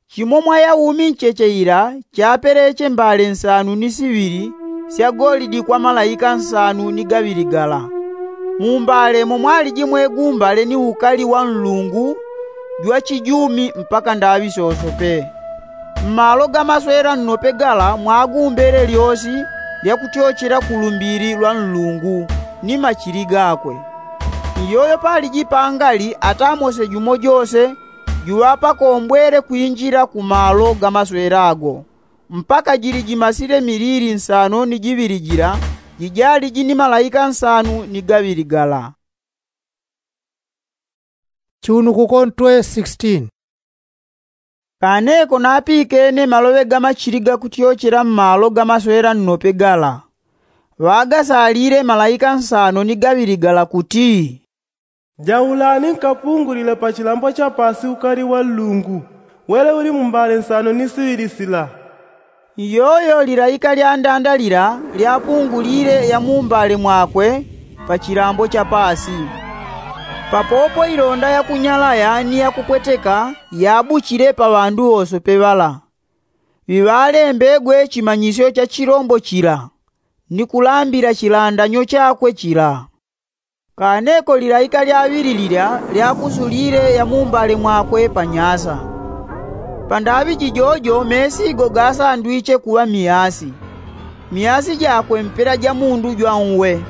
Chimo mwa yaumi ncheche ila chapeleche mbale nsanu ni siŵili sya golidi kwa malaika nsanu ni gaŵili gala. Mu mbale mo mwaliji mwegumbale ni ukali wa nlungu jwa chijumi mpaka ndaŵi sosope. Mmalo ga maswela nnope gala mwagumbele lyosi lyakutyochela ku lumbili lwa nlungu ni machili gakwe. Iyoyo paliji pangali atamose jumo jose juŵapakombwele kwinjila ku malo ga maswela ago, mpaka jili jimasile milili nsano ni jiŵili jila jijaliji ni malaika nsanu ni gaŵili gala. Chunukuko ntwe sixteen. Kaneko napikene maloŵe ga machili gakutyochela mmalo ga maswela nnope gala, ŵagasalile malaika nsano ni gaŵili gala kuti, jaulani nkapungulile pa chilambo cha paasi ukali wa nlungu wele uli mu mbale nsano ni siŵili sila. Iyoyo lilaika lya ndanda lila lyapungulile ya mu mbale mwakwe pa chilambo cha paasi. Papopo ilonda yakunyalaya ni yakupweteka yabuchile pa ŵandu wosope ŵala. Ŵiŵalembegwe chimanyisyo cha chilombo chila ni kulambila chilandanyo chakwe chila. Kaneko lilaika lyaŵili lilya lyakusulile ya mu mbale mwakwe pa nyasa. Pa ndaŵi jijojo meesi go gasandwiche kuŵa miyasi. Miyasi jakwe mpela ja mundu jwa nwe.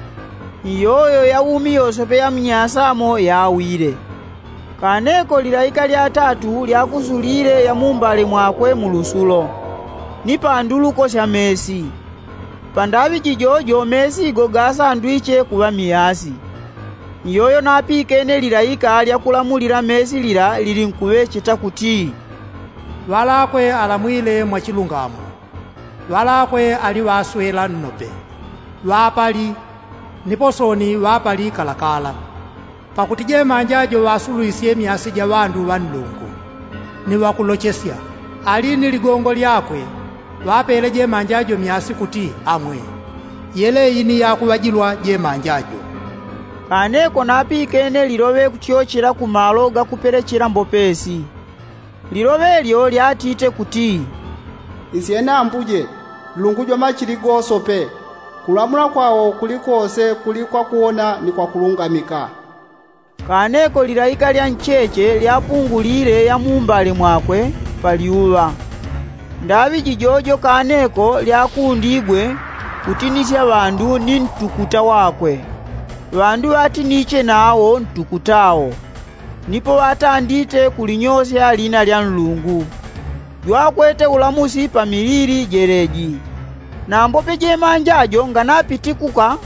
Iyoyo yaumi yosope ya mnyasamo yawile. Kaneko lilaika lya tatu lyakusulile ya mu mbale mwakwe mu lusulo, ni pa nduluko sya meesi. Pa ndaŵi jijojo meesi go gasandwiche kuŵa miyasi. Iyoyo napikene lilaika lyakulamulila meesi lila lilinkuŵecheta kuti, ŵalakwe alamwile mwa chilungamo, ŵalakwe ali ŵaswela nnope, ŵapali, nipo sooni ŵapali kalakala. Pakuti jemanja jo ŵasulwisye myasi ja ŵandu ŵa nlungu, ni ŵakulochesya, ali ni ligongo lyakwe, ŵapele jemanja jo myasi kuti amwe. Yeleyi ni yakuŵajilwa jemanja jo. Kaneko napikene liloŵe kutyochela ku malo gakupelechela mbopesi. Liloŵe lyo lyatite kuti, isyene ambuje, nlungu jwa machili gosope, kulamula kwao kuli kose kuli kwakuwona ni kwakulungamika. Kaneko lilaika lya ncheche lyapungulile ya mu mbale mwakwe pa lyuŵa. Ndaŵi jijojo kaneko lyakundigwe kutinisya ŵandu ni ntukuta wakwe. Ŵandu ŵatiniche nawo ntukutawo, nipo ŵatandite kulinyosya lina lya nlungu jwakwete ulamusi pa milili jeleji. Nambope jemanja jo nganapitikuka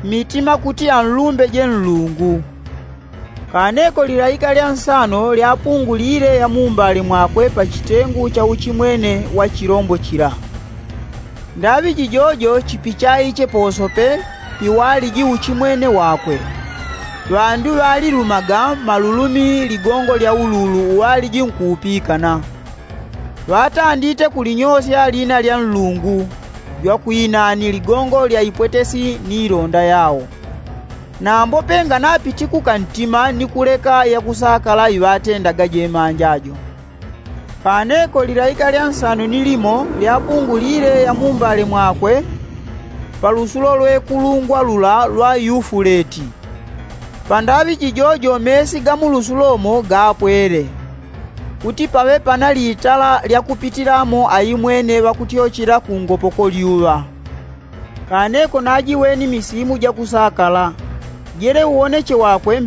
mitima kuti anlumbeje nlungu. Kaneko lilaika lya nsano lyapungulile ya mu mbale mwakwe pa chitengu cha uchimwene wa chilombo chila. Ndaŵi jijojo chipichaiche posope piwaliji uchimwene wakwe. Ŵandu ŵalilumaga malulumi ligongo lya ululu uwaliji nkuupikana. Ŵatandite kulinyosya lina lya nlungu jwakwinani ligongo lya ipwetesi ni ilonda yao. Nambope nganapitikuka ntima ni kuleka yakusakala iŵatendaga jemanja jo. Kaneko lilaika lya nsano ni limo lyapungulile ya mu mbale mwakwe pa lusulo lwekulungwa lula lwa yufuleti. Pa ndaŵi jijojo meesi ga mu lusulo mo gapwele. kuti paŵe pana litala lya kupitilamo aimwene ŵakutyochela ku ngopoko lyuŵa. Kaneko najiweni misimu jakusakala. Jele uwoneche wakwe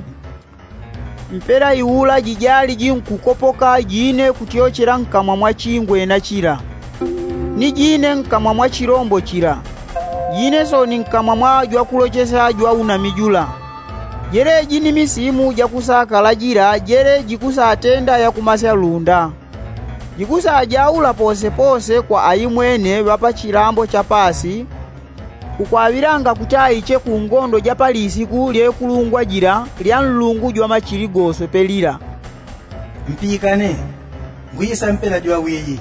mpela iula jijali jinkukopoka jine kutyochela nkamwa mwa chingwena chila, ni jine nkamwa mwa chilombo chila, jine soni nkamwa mwa jwakulochesya jwa unami jula. Jeleji ni misimu jakusakala jila jele jikusatenda yakumasya lunda. Jikusajaula posepose kwa aimwene ŵa pa chilambo cha paasi, kukwaŵilanga kuti aiche ku ngondo ja pa lisiku lyekulungwa jila lya nlungu jwa machili gosope lila. Mpikane, ngwisa mpela jwawiyi,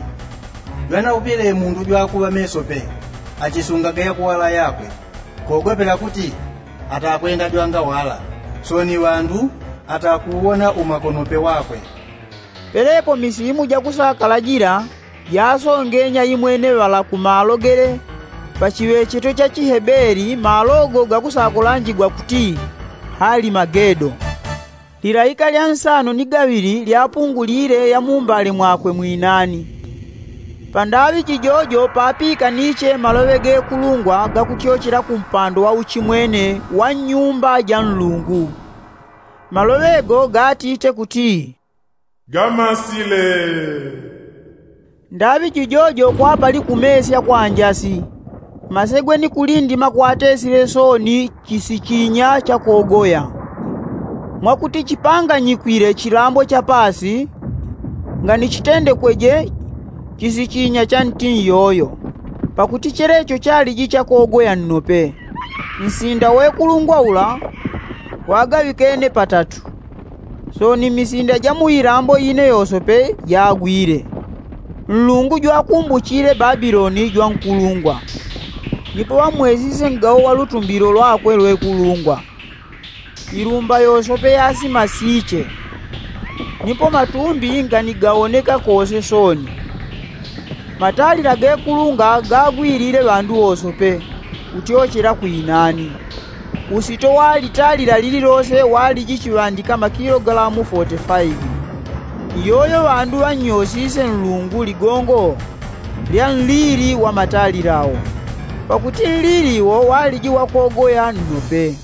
jwanaupile mundu jwakuŵa meso pe, achisungaga yakuwala yakwe, kogopela kuti atakwenda jwangawala, soni ŵandu atakuwona umakonope wakwe. Pelepo misimu jakusakala jila jasongenya imwene ŵala ku malo gele pa chiŵecheto cha chihebeli, malo go gakusakulanjigwa kuti halimagedo. Lilaika lya nsano ni gaŵili lyapungulile yamumbale mwakwe mwinani. Pandaŵi jijojo papikaniche maloŵe gekulungwa gakutyochela ku mpando wa uchimwene wa nyumba ja nlungu. Maloŵe go gatite kuti, gamasile. Ndaŵi jijojo kwapali kumesya kwa njasi, masegwe ni kulindima kwatesile soni chisichinya cha kogoya, mwakuti chipanganyikwile chilambo cha paasi, nganichitendekweje chisichinya cha nti nyoyo, pakuti chelecho chaliji cha kogoya nnope. Nsinda wekulungwa ula wagaŵikene patatu, soni misinda ja mu ilambo ine yosope jagwile. Nlungu jwakumbuchile Babiloni jwankulungwa, nipo ŵamwesise ngawo wa lutumbilo lwakwe lwekulungwa. Ilumba yosope yasimasiche, nipo matumbi nganigawoneka kose soni. Matalila gekulunga gagwilile ŵandu wosope, kutyochela kwinani. Usito wa litalila lililose waliji chiŵandika makilogalamu foti faivi. Iyoyo ŵandu ŵannyosise nlungu ligongo lya nlili wa matalila wo, pakuti nlili wo waliji wa kogoya nnope.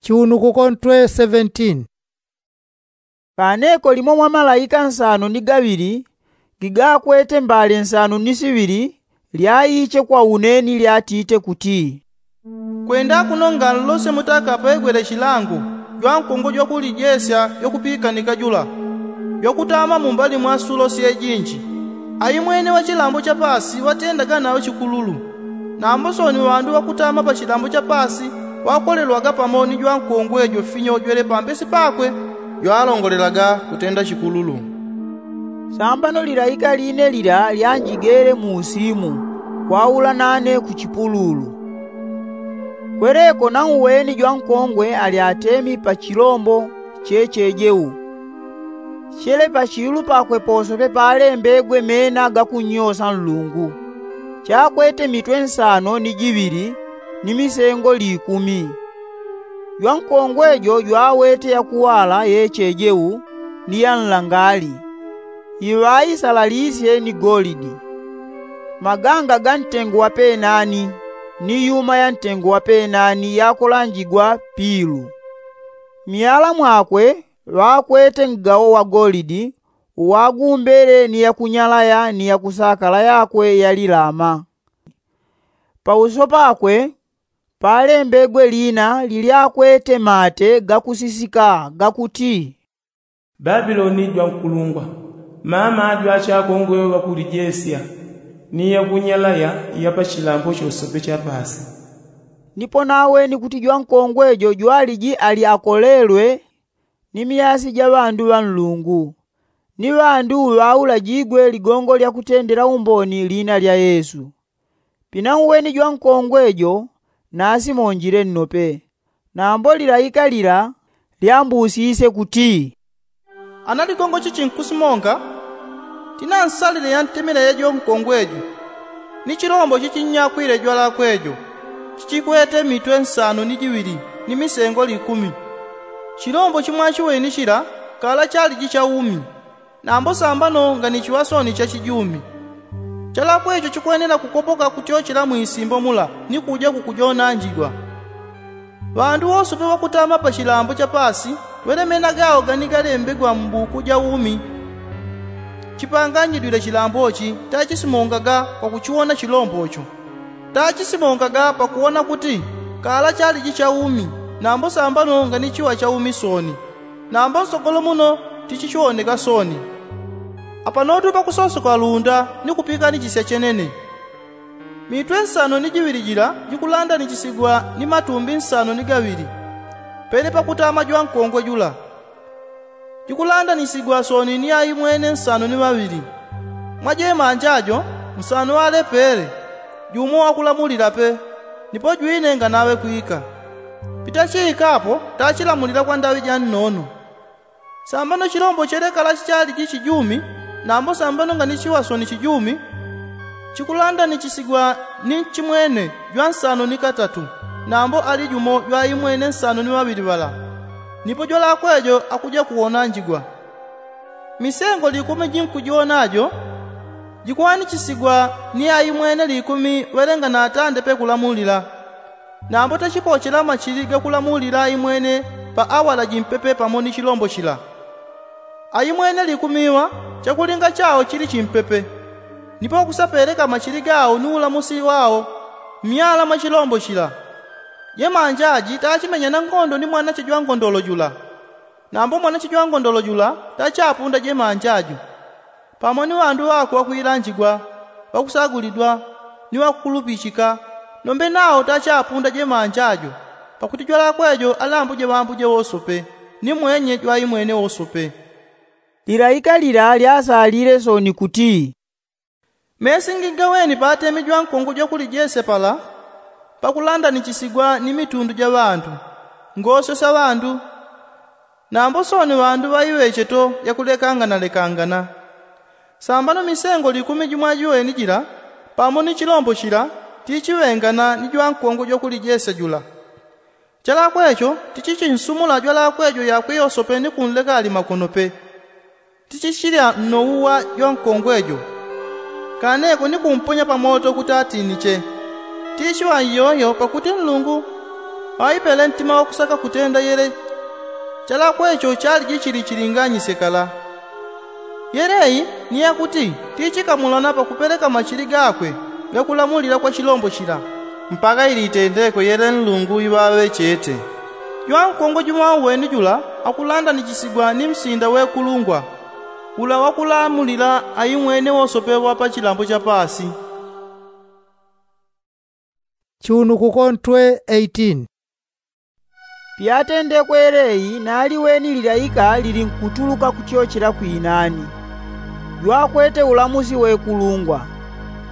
Chiunukuko ntwe seventeen. Kaneko limo mwa malaika nsano ni gaŵili gigakwete mbale nsano ni siŵili lyaiche kwa une ni lyatite kuti, kwenda kuno nganlose mutaka pegwele chilango jwankongwe jwakulijesya jwakupikanika jula, jwakutama mumbali mwa sulo syejinji. Aimwene wa chilambo cha paasi watendaga nawe chikululu. Nambo soni ŵandu ŵakutama pa chilambo cha paasi ŵakolelwaga pamo ni jwankongwe jo finyo jwele pambesi pakwe, jwalongolelaga kutenda chikululu. Sambano lilaika line lila lyanjigele mu usimu kwaula nane ku chipululu. Kweleko nauweni jwankongwe ali atemi pa chilombo chechejeu. Chele pachilu pakwe posope palembegwe mena gakunnyosa nlungu, chakwete mitwe nsano ni jiŵili ni misengo likumi. Jwankongwe jo jwawete yakuwala yechejeu ni ya nlangali, iŵaisalalisye ni golidi. Maganga ga ntengo wa penani ni yuma ya ntengo wa penani yakolanjigwa pilu. Myala mwakwe ŵakwete ngawo wa golidi uwagumbele ni yakunyalaya ni yakusakala yakwe yalilama. Pauso pakwe palembegwe lina lilyakwete mate gakusisika gakuti, babiloni jwankulungwa, mama jwachakongwe ŵakulijesya ni yakunyalaya ya pa chilambo chosope cha paasi. Nipo naweni kuti jwankongwe jo jwaliji ali akolelwe ni myasi ja ŵandu ŵa nlungu, ni ŵandu ŵaulajigwe ligongo lya kutendela umboni lina lya yesu. Pinauweni jwankongwe jo nasimonjile nnope. Nambo lilaika lila lyambusisye kuti, ana ligongo chichi nkusimonga? Tina nsalile yantemela ya jwankongwe jo, ni chilombo chichinyakwile jwalakwe jo, chichikwete mitwe nsano ni jiŵili ni misengo likumi. Chilombo chimwachiweni chila Kala chaliji cha umi, nambo sambano nganichiŵa sooni cha chijumi. Chalakwecho chikwenela kukopoka kutyochela mwisimbo mula ni kuja kukujonanjigwa. Ŵandu wosope ŵakutama pa chilambo cha paasi, ŵelemena gawo gani galembegwa mu buku ja umi. Chipanganjidwile chilambo chi, tachisimongaga kwa kuchiwona chilombo cho. Tachisimongaga pakuwona kuti kala chaliji cha umi, nambo sambano nganichiŵa cha umi sooni, nambo nsogolo muno tichichiwoneka sooni. Apanotu pakusosoka lunda ni kupikanichisya chenene. Mitwe nsano ni jiŵili jila jikulandanichisigwa ni matumbi nsano ni gaŵili, pele pakutama jwankongwe jula. Jikulandanichisigwa sooni ni aimwene nsano ni ŵaŵili. Mwa jemanja jo, nsano ŵalepele, jumo ŵakulamulila pe, nipo jwine nganaŵe kwika. Pitachiikapo tachilamulila kwa ndaŵi ja nnono. Sambano chilombo chelekala chaliji chijumi, nambo sambano nganichiŵa sooni chijumi, chikulandanichisigwa ni nchimwene jwa nsano ni katatu, nambo ali jumo jwa aimwene nsano ni ŵaŵili ŵala. Nipo jwalakwejo akuja kuwonanjigwa. Misengo likumi jinkujiwona jo, jikuwanichisigwa ni aimwene likumi ŵelengana atande pe kulamulila. Nambo tachipochela machili gakulamulila aimwene pa awala jimpepe pamo ni chilombo chila. Aimwene likumi ŵa, chakulinga chawo chili chimpepe, nipo ŵakusapeleka machili gawo ni ulamusi wawo myala mwa chilombo chila. Jemanja ji tachimenya nangondo ni mwanache jwangondolo jula. Nambo mwanache jwangondolo jula tachapunda jemanja jo, pamo ni ŵandu ŵakwe ŵakwilanjigwa, ŵakusagulidwa, ni ŵakukulupichika, nombe nawo tachapunda jemanja jo, pakuti jwalakwejo alambuje ŵambuje wosope, ni mwenye jwaimwene wosope. Lilaika lila lyasalile sooni kuti, mesingi gaweni patemi jwankongwe jwakuli jese pala, pakulandanichisigwa ni mitundu ja ŵandu, ngosyo sya ŵandu, nambo sooni ŵandu ŵaiŵecheto yakulekanganalekangana. Sambano misengo likumi jimwajiweni jila, pamo ni chilombo chila, tichiŵengana ni jwankongwe jwakuli jese jula. Chalakwecho tichichinsumula jwalakwejo yakwe yosope ni kunleka ali makono pe. Tichichilya nnowu wa jwankongwe jo, kaneko ni kumponya pa moto kuti atiniche. Tichiŵa iyoyo pakuti Nlungu ŵaipele ntima wakusaka kutenda yele. Chalakwecho chaliji chili chilinganyisye kala. Yele i ni yakuti tichikamulana pakupeleka machili gakwe gakulamulila kwa chilombo chila, mpaka ili itendekwe yele Nlungu iŵaŵechete. Jwankongwe jumwauweni jula akulandanichisigwa ni msinda wekulungwa, ula wakulamulila aimwene wosope ŵa pa chilambo cha paasi. Chiunukuko ntwe eighteen. Pyatendekwe yele i naliweni lilaika lilinkutuluka kutyochela kwinani, jwakwete ulamusi wekulungwa.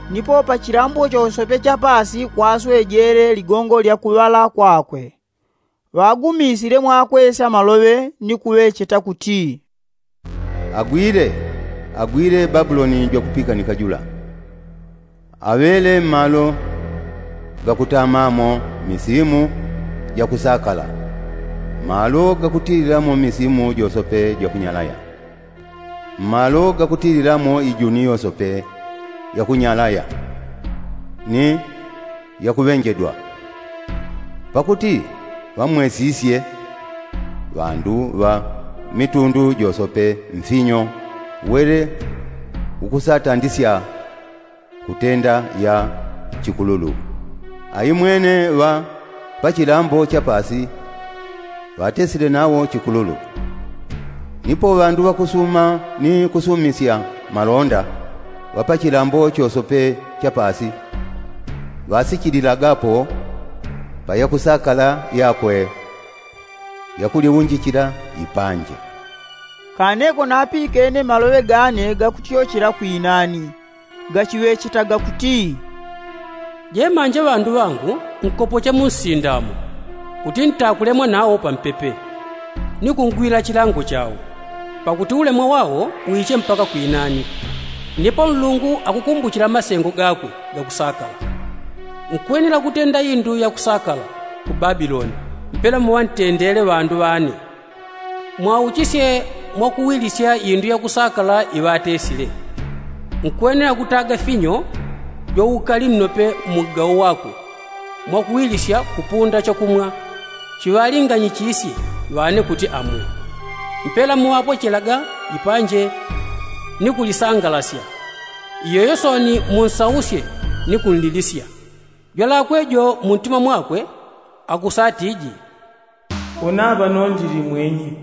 Nipo pa chilambo chosope cha paasi kwaswejele ligongo lya kuŵala kwakwe. Ŵagumisile mwakwesya maloŵe ni kuŵecheta kuti, agwile, agwile Babuloni jwakupikanika jula, aŵele mmalo gakutamamo misimu jakusakala, mmalo gakutililamo misimu josope jakunyalaya, mmalo gakutililamo ijuni yosope yakunyalaya ni yakuŵenjedwa. Pakuti ŵamwesisye ŵandu ŵa mitundu josope mfinyo, wele ukusatandisya kutenda ya chikululu. Aimwene ŵa pa chilambo cha paasi ŵatesile nawo chikululu. Nipo ŵandu ŵakusuma ni kusumisya malonda ŵa pa chilambo chosope cha paasi ŵasichililagapo pa yakusakala yakwe yakuliunjichila ipanje. Kaneko napikene maloŵe gane gakutyochela kwinani, gachiŵechetaga kuti, jemanja ŵandu ŵangu nkopocha mu nsinda mo, kuti ntakulemwa nawo pampepe, ni kungwila chilango chawo, pakuti ulemwa wawo wiche mpaka kwinani. Nipo Nlungu akukumbuchila masengo gakwe gakusakala. Nkwenela kutenda indu yakusakala ku Babiloni, mpela muŵantendele ŵandu ŵane. Mwauchisye Mwakuwilisya indu yakusakala iŵatesile. Nkwenela kutaga finyo jwaukali nnope mmugao wakwe, mwakuwilisya kupunda chakumwa chiŵalinganyichisye ŵane kuti amwe. Mpela muŵapochelaga ipanje ni kulisangalasya. Iyoyo soni munsausye ni kunlilisya. Jwalakwe jo muntima mwakwe akusatiji, unaŵa nondili mwenye,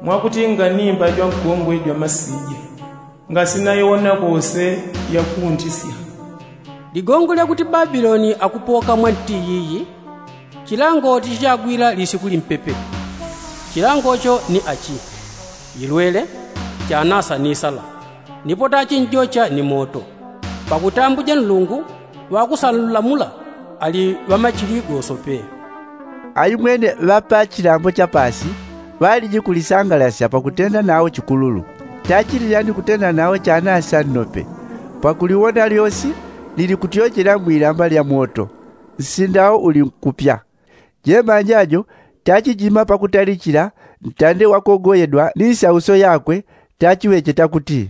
mwakuti nganimba jwankongwe jwamasije, ngasinaiwona kose yakuntisya. Ligongo lyakuti babiloni akupoka mwa nti yiyi, chilango tichichagwila lisiku limpepe. Chilango cho ni achi, ilwele, chanasa ni sala, nipo tachinjocha ni moto. Pakutambuja nlungu ŵakusalamula ali ŵamachili gosope. Aimwene ŵa pa chilambo cha pasi ŵaliji kulisangalasya pakutenda nao chikululu. Tachililya ni kutenda nao chanasa nnope, pakuliwona lyosi lilikutyochela mwilamba lya moto. Nsinda wo uli nkupya. Jemanja jo tachijima pakutalichila ntande wakogoyedwa ni nsauso yakwe, tachiŵecheta kuti,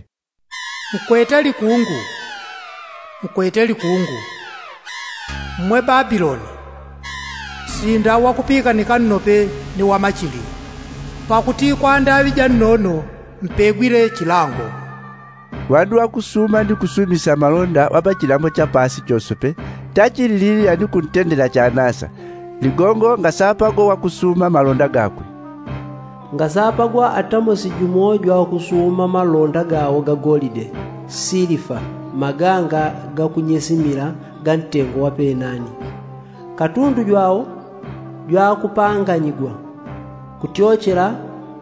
nkwete likungu, nkwete likungu, mmwe babiloni, nsinda wakupikanika nnope ni wamachili. Pakuti kwa ndaŵi ja nnono mpegwile chilango. Ŵandu ŵakusuma ni kusumisya malonda ŵa pa chilambo cha pasi chosope tachilililya ni kuntendela chanasa. Ligongo ngasapagwa wakusuma malonda gakwe. Ngasapagwa atamosi jumo jwakusuma malonda gawo ga golide, silifa, maganga gakunyesimila ga ntengo wa penani. Katundu jwawo jwakupanganyigwa kutyochela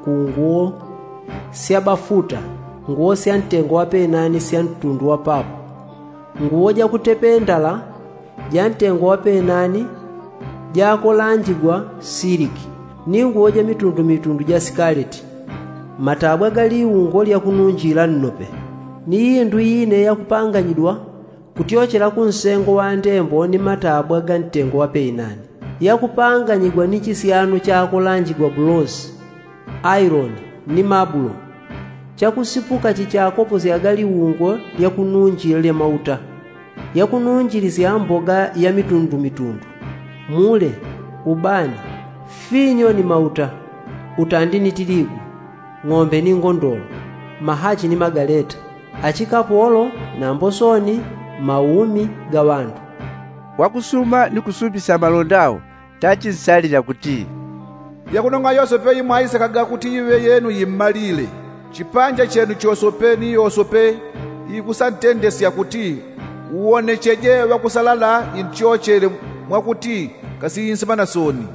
ku nguwo sya bafuta, nguwo sya ntengo wa penani sya ntundu wa papo, nguwo jakutependala ja ntengo wa penani jakolanjigwa siliki, ni nguwo ja mitundu mitundu ja sikaleti, matabwa ga liungo lya kununjila nnope, ni indu ine yakupanganyidwa kutyochela ku nsengo wa ndembo ni matabwa ga ntengo wa penani, yakupanganyigwa ni chisyano chakolanjigwa bulosi, ailoni, ni mabulo. Chakusipuka chichakoposyaga liungo lya kununjila lya mauta, yakununjilisya mboga ya mitundu mitundu, mule, ubani, finyo ni mauta, utandi ni tiligu, ng'ombe ni ngondolo, mahachi ni magaleta, achikapolo, nambo soni, maumi ga ŵandu. Wakusuma ni kusumisya malonda wo tachinsalila kuti, yakunong'a yosepe imwaisekaga kuti iŵe yenu immalile, chipanja chenu chosope ni yosope ikusantendesya kuti uwonecheje ŵakusalala intyochele, mwakuti kasiinsimana soni.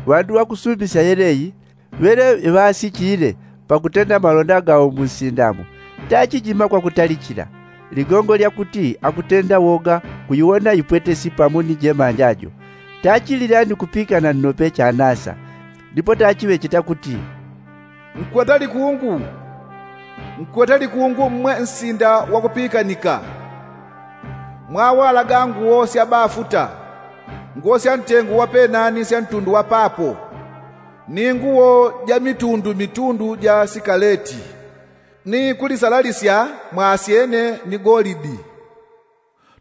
Ŵandu ŵakusumisya yeleyi ŵele ŵasichile pakutenda malonda gawo mu nsinda mo, tachijima kwakutalichila. Ligongo lya kuti akutenda woga kuiwona ipwetesi pamo ni jemanja jo, tachilila ni kupikana nnope chanasa. Ndipo tachiŵecheta kuti, nkwete likungu, nkwete likungu mmwe nsinda wakupikanika, mwawalaga nguwo sya bafuta, nguwo sya ntengo wa penani sya ntundu wa papo, ni nguwo ja mitundu mitundu ja sikaleti, ni kulisalalisya mwasyene ni golidi,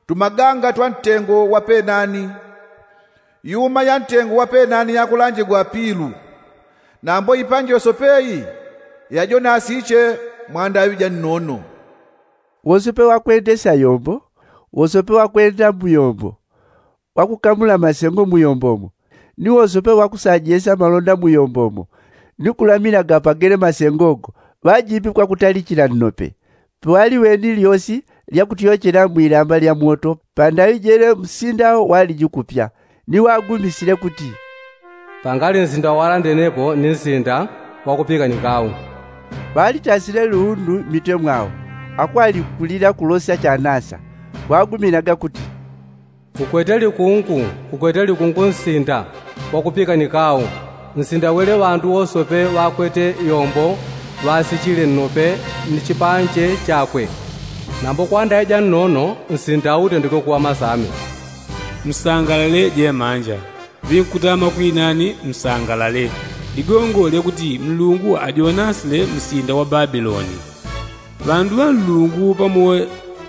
tumaganga twa ntengo wa penani, yuma ya ntengo wa penani yakulanjigwa pilu, nambo ipanje yosope iyi yajonasiche mwa ndaŵi ja nnono. Wosope wakwendesya yombo, wosope wakwenda mu yombo, wakukamula masengo mu yombo mo, ni wosope wakusajesya malonda mu yombo mo, ni kulaminaga pagele masengo go, ŵajimbi kwakutalichila nnope. Piŵaliweni lyosi lyakutyochela mwilamba lya moto pandaŵi jele, nsinda wo waliji kupya, ni wagumisile kuti, pangali nsinda walandenepo ni nsinda wakupikanikau. Ŵalitasile luundu mmitwe mwawo, akwali kulila kulosya chanasa, waguminaga kuti, ukwete likungu, ukwete likungu nsinda wakupikanikau, nsinda wele ŵandu wosope ŵakwete yombo ŵasichile nnope ni chipanje chakwe. Nambo kwa ndaŵi ja nnono nsinda utendeke kuŵa masame. Msangalale jemanja, ŵinkutama kwinani msangalale. Ligongo lyakuti nlungu ajonasile msinda wa babiloni, ŵandu ŵa nlungu pamo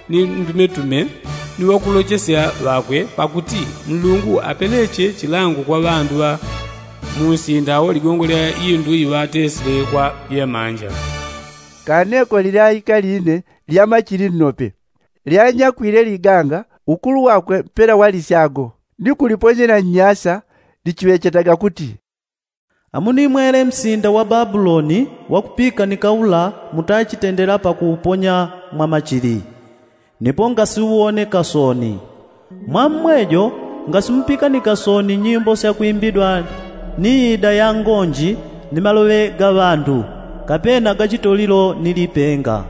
ni ndumetume ni ŵakulochesya ŵakwe pakuti nlungu apeleche chilango kwa ŵandu ŵa munsinda wo ligongo lya indu iŵatesile kwa jemanja. Kaneko lilaika line lyamachili nnope lyanyakwile liganga ukulu wakwe mpela wa lisyago ni kuliponyela nnyasa lichiŵechetaga kuti, amunimwele msinda wa babuloni wakupikanika ula mutachitendela pakuuponya mwa machili, nipo ngasiuwoneka sooni. Mwammwejo ngasimupikanika sooni nyimbo syakwimbidwa ni ida ya ngonji ni maloŵe ga ŵandu, kapena ga chitolilo ni lipenga.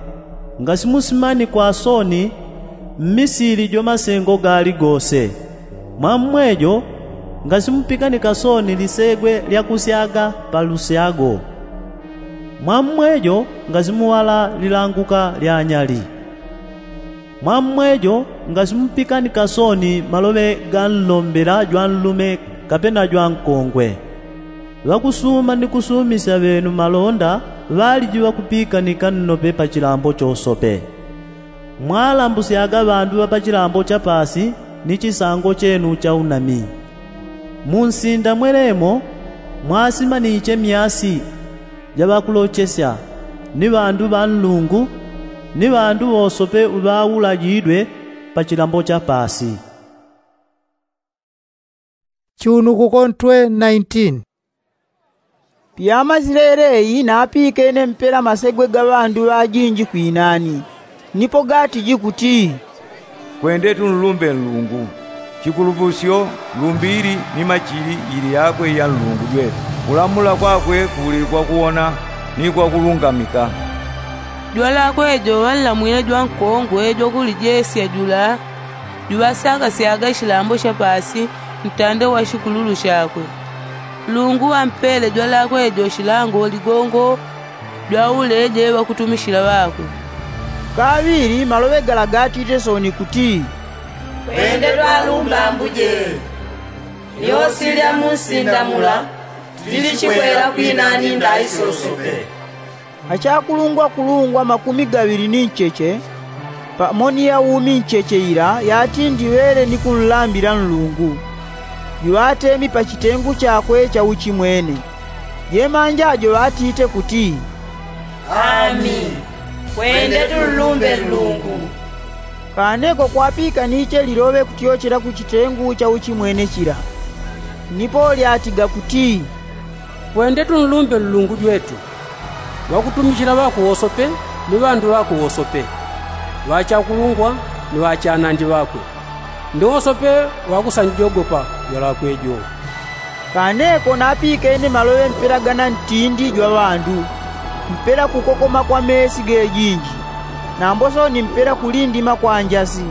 Ngasimusimanikwa sooni mmisili jo masengo gaali gose. Mwammwejo ngasimupikanika sooni lisegwe lyakusyaga pa lusyago. Mwammwejo ngasimuŵala lilanguka lya nyali. Mwammwejo ngasimupikanika sooni maloŵe ga nlombela jwanlume kapena jwankongwe. Ŵakusuma ni kusumisya ŵenu malonda ŵaliji ŵakupikanika nnope pa chilambo chosope. Mwalambusyaga ŵandu ŵa pa chilambo cha paasi ni chisango chenu cha unami. Munsinda mwelemo mwasimaniche myasi ja ŵakulochesya ni ŵandu ŵa nlungu ni ŵandu ŵosope ŵaulajidwe pa chilambo cha paasi. Chunukuko ntwe nineteen. Pyamazile eleyi napikene mpela masegwe ga ŵandu ŵajinji kwinani, nipo gatiji kuti, kwende tunlumbe nlungu. Chikulupusyo, lumbi ili ni machili ili yakwe ya nlungu jwetu. Kulamula kwakwe kuli kwakuwona ni kwakulungamika. Jwalakwe jo ŵanlamwile jwankongwe jwakulijesya jula juŵasyakasyaga chilambo cha paasi ntande wa shikululu shakwe. Nlungu ŵampele jwalakwe jo shilango ligongo jwauleje ŵakutumishila ŵakwe. Kaŵili maloŵe gala gatite sooni kuti, kwende twalumbe ambuje. Lyosi lya munsinda mula lilichikwela kwinani ndai sosope. Achakulungwakulungwa makumi gaŵili ni ncheche pamo ni ya umi ncheche ila yatindi ŵele ni kunlambila nlungu, juŵatemi pa chitengu chakwe cha uchimwene. Jemanja jo ŵatite kuti, ami. Kwende tunlumbe nlungu. Kaneko kwapikaniche liloŵe kutyochela ku chitengu cha uchimwene chila. Nipo lyatiga kuti, kwende tunlumbe nlungu jwetu. Ŵakutumichila ŵakwe wosope ni ŵandu ŵakwe wosope, ŵachakulungwa ni ŵachanandi ŵakwe, ni wosope ŵakusanjogopa jwalakwe jo. Kaneko napikene maloŵe mpela gana ntindi jwa ŵandu, mpela kukokoma kwa meesi gejinji, nambo sooni mpela kulindima kwa njasi.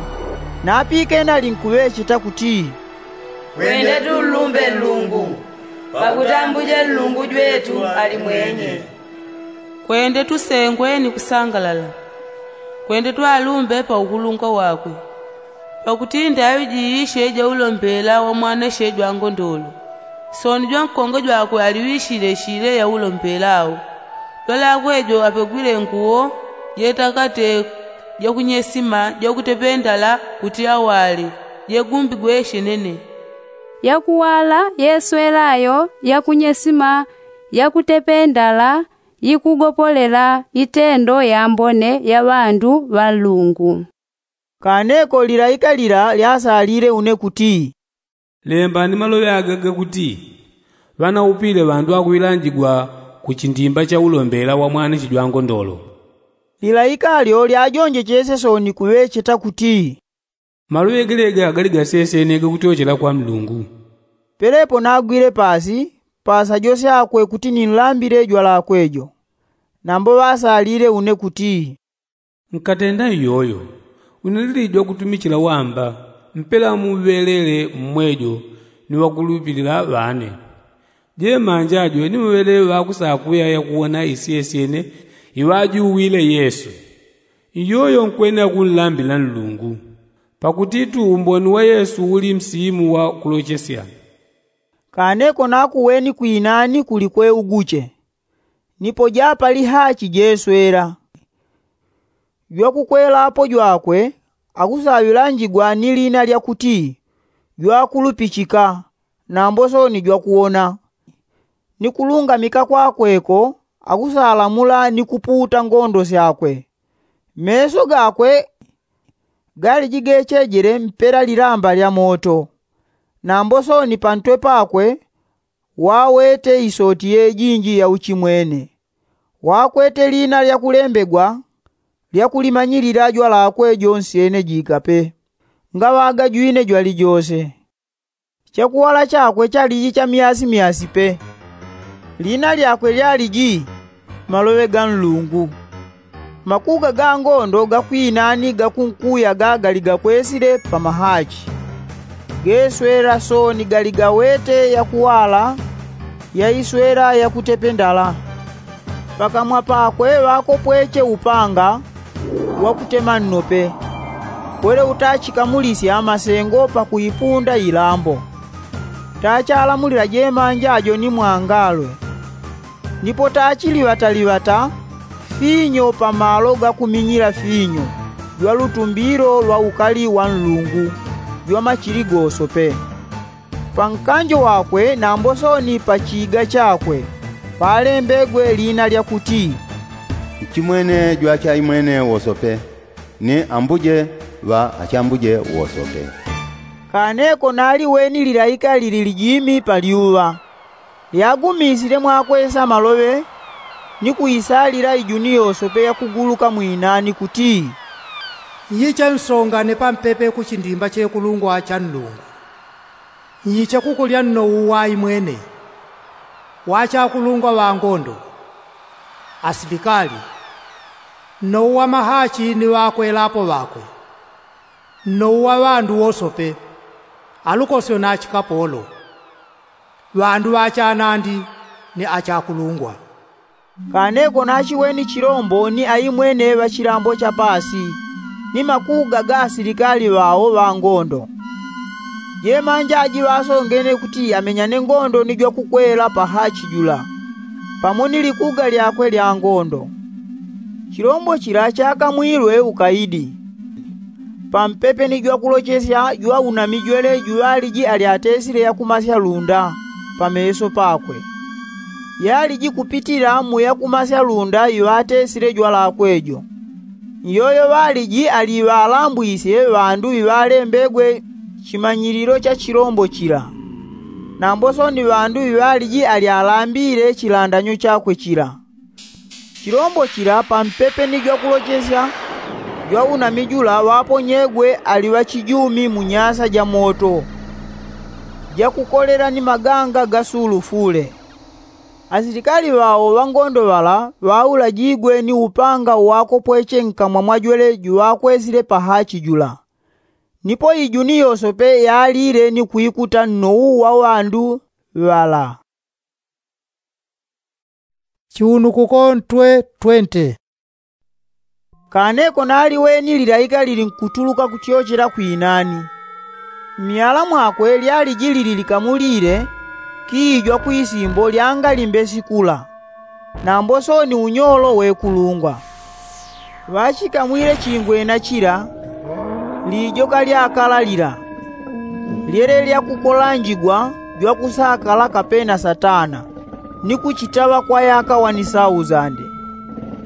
Napikene alinkuŵecheta kuti, kwende tunlumbe nlungu, pakuti ambuje nlungu jwetu ali mwenye. Kwende tusengwe ni kusangalala. Kwende twalumbe pa ukulungwa wakwe. Pakuti ndaŵi jiishe jaulombela wa mwaneshe jwangondolo, sooni jwankongwe jwakwe aliŵishile shile yaulombela au. Jwalakwe jo apegwile nguwo jetakate jakunyesima jakutependala kuti awale, jegumbigwe shenene. Yakuwala yeswelayo yakunyesima yakutependala yikugopolela itendo yambone ya ŵandu ŵa nlungu. Kaneko lilaika lila lyasalile une kuti, lembani maloŵe aga gakuti, ŵanaupile ŵandu akuŵilanjigwa ku chindimba cha ulombela wa mwaneshi jwangondolo. Lilaika lyo lyajonjechesye sooni kuŵecheta kuti, maloŵe gelega gali gasesyene gakutyochela kwa nlungu. Pelepo nagwile paasi paasa jose akwe kuti ninlambile jwalakwe jo. Nambo ŵasalile une kuti, nkatenda iyoyo, une lili jwakutumichila wamba mpela muŵelele mmwejo ni ŵakulupilila ŵane. Jemanja jwene ŵele ŵakusakuya yakuwona isyesyene iŵajuwile yesu. Iyoyo nkwene akunlambila nlungu. Pakuti tu umboni wa yesu uli msimu wa kulochesya. Kaneko nakuweni kwinani kuli kweuguche. Nipo japali hachi jeswela. Jwakukwelapo jwakwe akusaŵilanjigwa ni lina lya kuti jwakulupichika, nambo soni jwakuwona. Ni kulungamika kwakweko akusalamula ni kupuuta ngondo syakwe. Meso gakwe galiji gechejele mpela lilamba lya moto. Nambo soni pantwe pakwe wawete isoti yejinji ya uchimwene. Wakwete lina lya kulembegwa lya kulimanyilila jwalakwe jonsyene jigape, ngaŵaga jwine jwalijose. Chakuwala chakwe chaliji cha myasi myasi pe. Lina lyakwe lyaliji maloŵe ga nlungu. Makuga ga ngondo gakwinani gakunkuyaga gali gakwesile pa mahachi. Geswela soni gali gawete yakuwala ya iswela yakutependala. Pakamwa pakwe ŵakopweche upanga wakutema nnope. Kwele utachikamulisya masengo pakuipunda ilambo. Tachalamulila jemanja jo ni mwangalwe. Nipo tachiliŵataŵata finyo pamalo gakuminyila finyo jwa lutumbilo lwa ukali wa nlungu jwa machili gosope. Pankanjo wakwe nambo soni pachiga chakwe palembegwe lina lya kuti, nchimwene jwachaimwene wosope, ni ambuje ŵa achambuje wosope. Kaneko naliweni lilaika lili lijimi palyuŵa, lyagumisile mwakwesa maloŵe ni kuisalila ijuni yosope yakuguluka mwinani kuti, nyichensongane pampepe kuchindimba chekulungwa cha nlungu. Nyiche kukulya nnou wa imwene, wa achakulungwa ŵa ngondo, asilikali, nnou wa mahachi ni ŵakwelapo ŵakwe, nnou wa ŵandu wosope, alukosyo na achikapolo, ŵandu ŵa achanandi ni achakulungwa. Kaneko nachiweni chilombo ni aimwene ŵa chilambo cha paasi ni makuga ga asilikali ŵao ŵa ngondo. Jemanja aji ŵasongene kuti amenyane ngondo ni jwakukwela pa hachi jula pamo ni likuga lyakwe lya ngondo. Chilombo chila chakamwilwe ukaidi. Pampepe ni jwakulochesya jwaunamijwele juŵaliji alyatesile yakumasya lunda pameso pakwe. Yaliji kupitila mu yakumasya lunda iŵatesile jwalakwe jo. Nyoyo ŵaliji aliŵalambwisye ŵandu iŵalembegwe chimanyililo cha chilombo chila. Nambo soni ŵandu iŵaliji alyalambile chilandanyo chakwe chila. Chilombo chila pampepe ni jwakulochesya jwaunami jula ŵaponyegwe ali ŵachijumi mu nyasa ja moto jakukolela ni maganga ga sulufule. Asilikali ŵao ŵa ngondo ŵala ŵaulajigwe ni upanga uwakopweche nkamwa mwa jwele juŵakwesile pa hachi jula. Nipo ijuni yosope yalile ni kwikuta nnou wa ŵandu ŵala. Chiunukuko ntwe twente. Kaneko naliweni lilaika lilinkutuluka kutyochela kwinani. Mmyala mwakwe lyaliji lili likamulile kiijwa kwisimbo lyangalimbe sikula. Nambo soni unyolo wekulungwa. Ŵachikamwile chingwena chila lijoka lyakala lila lyele lyakukolanjigwa jwakusakala kapena satana ni kuchitaŵa kwa yaka wani sauzande.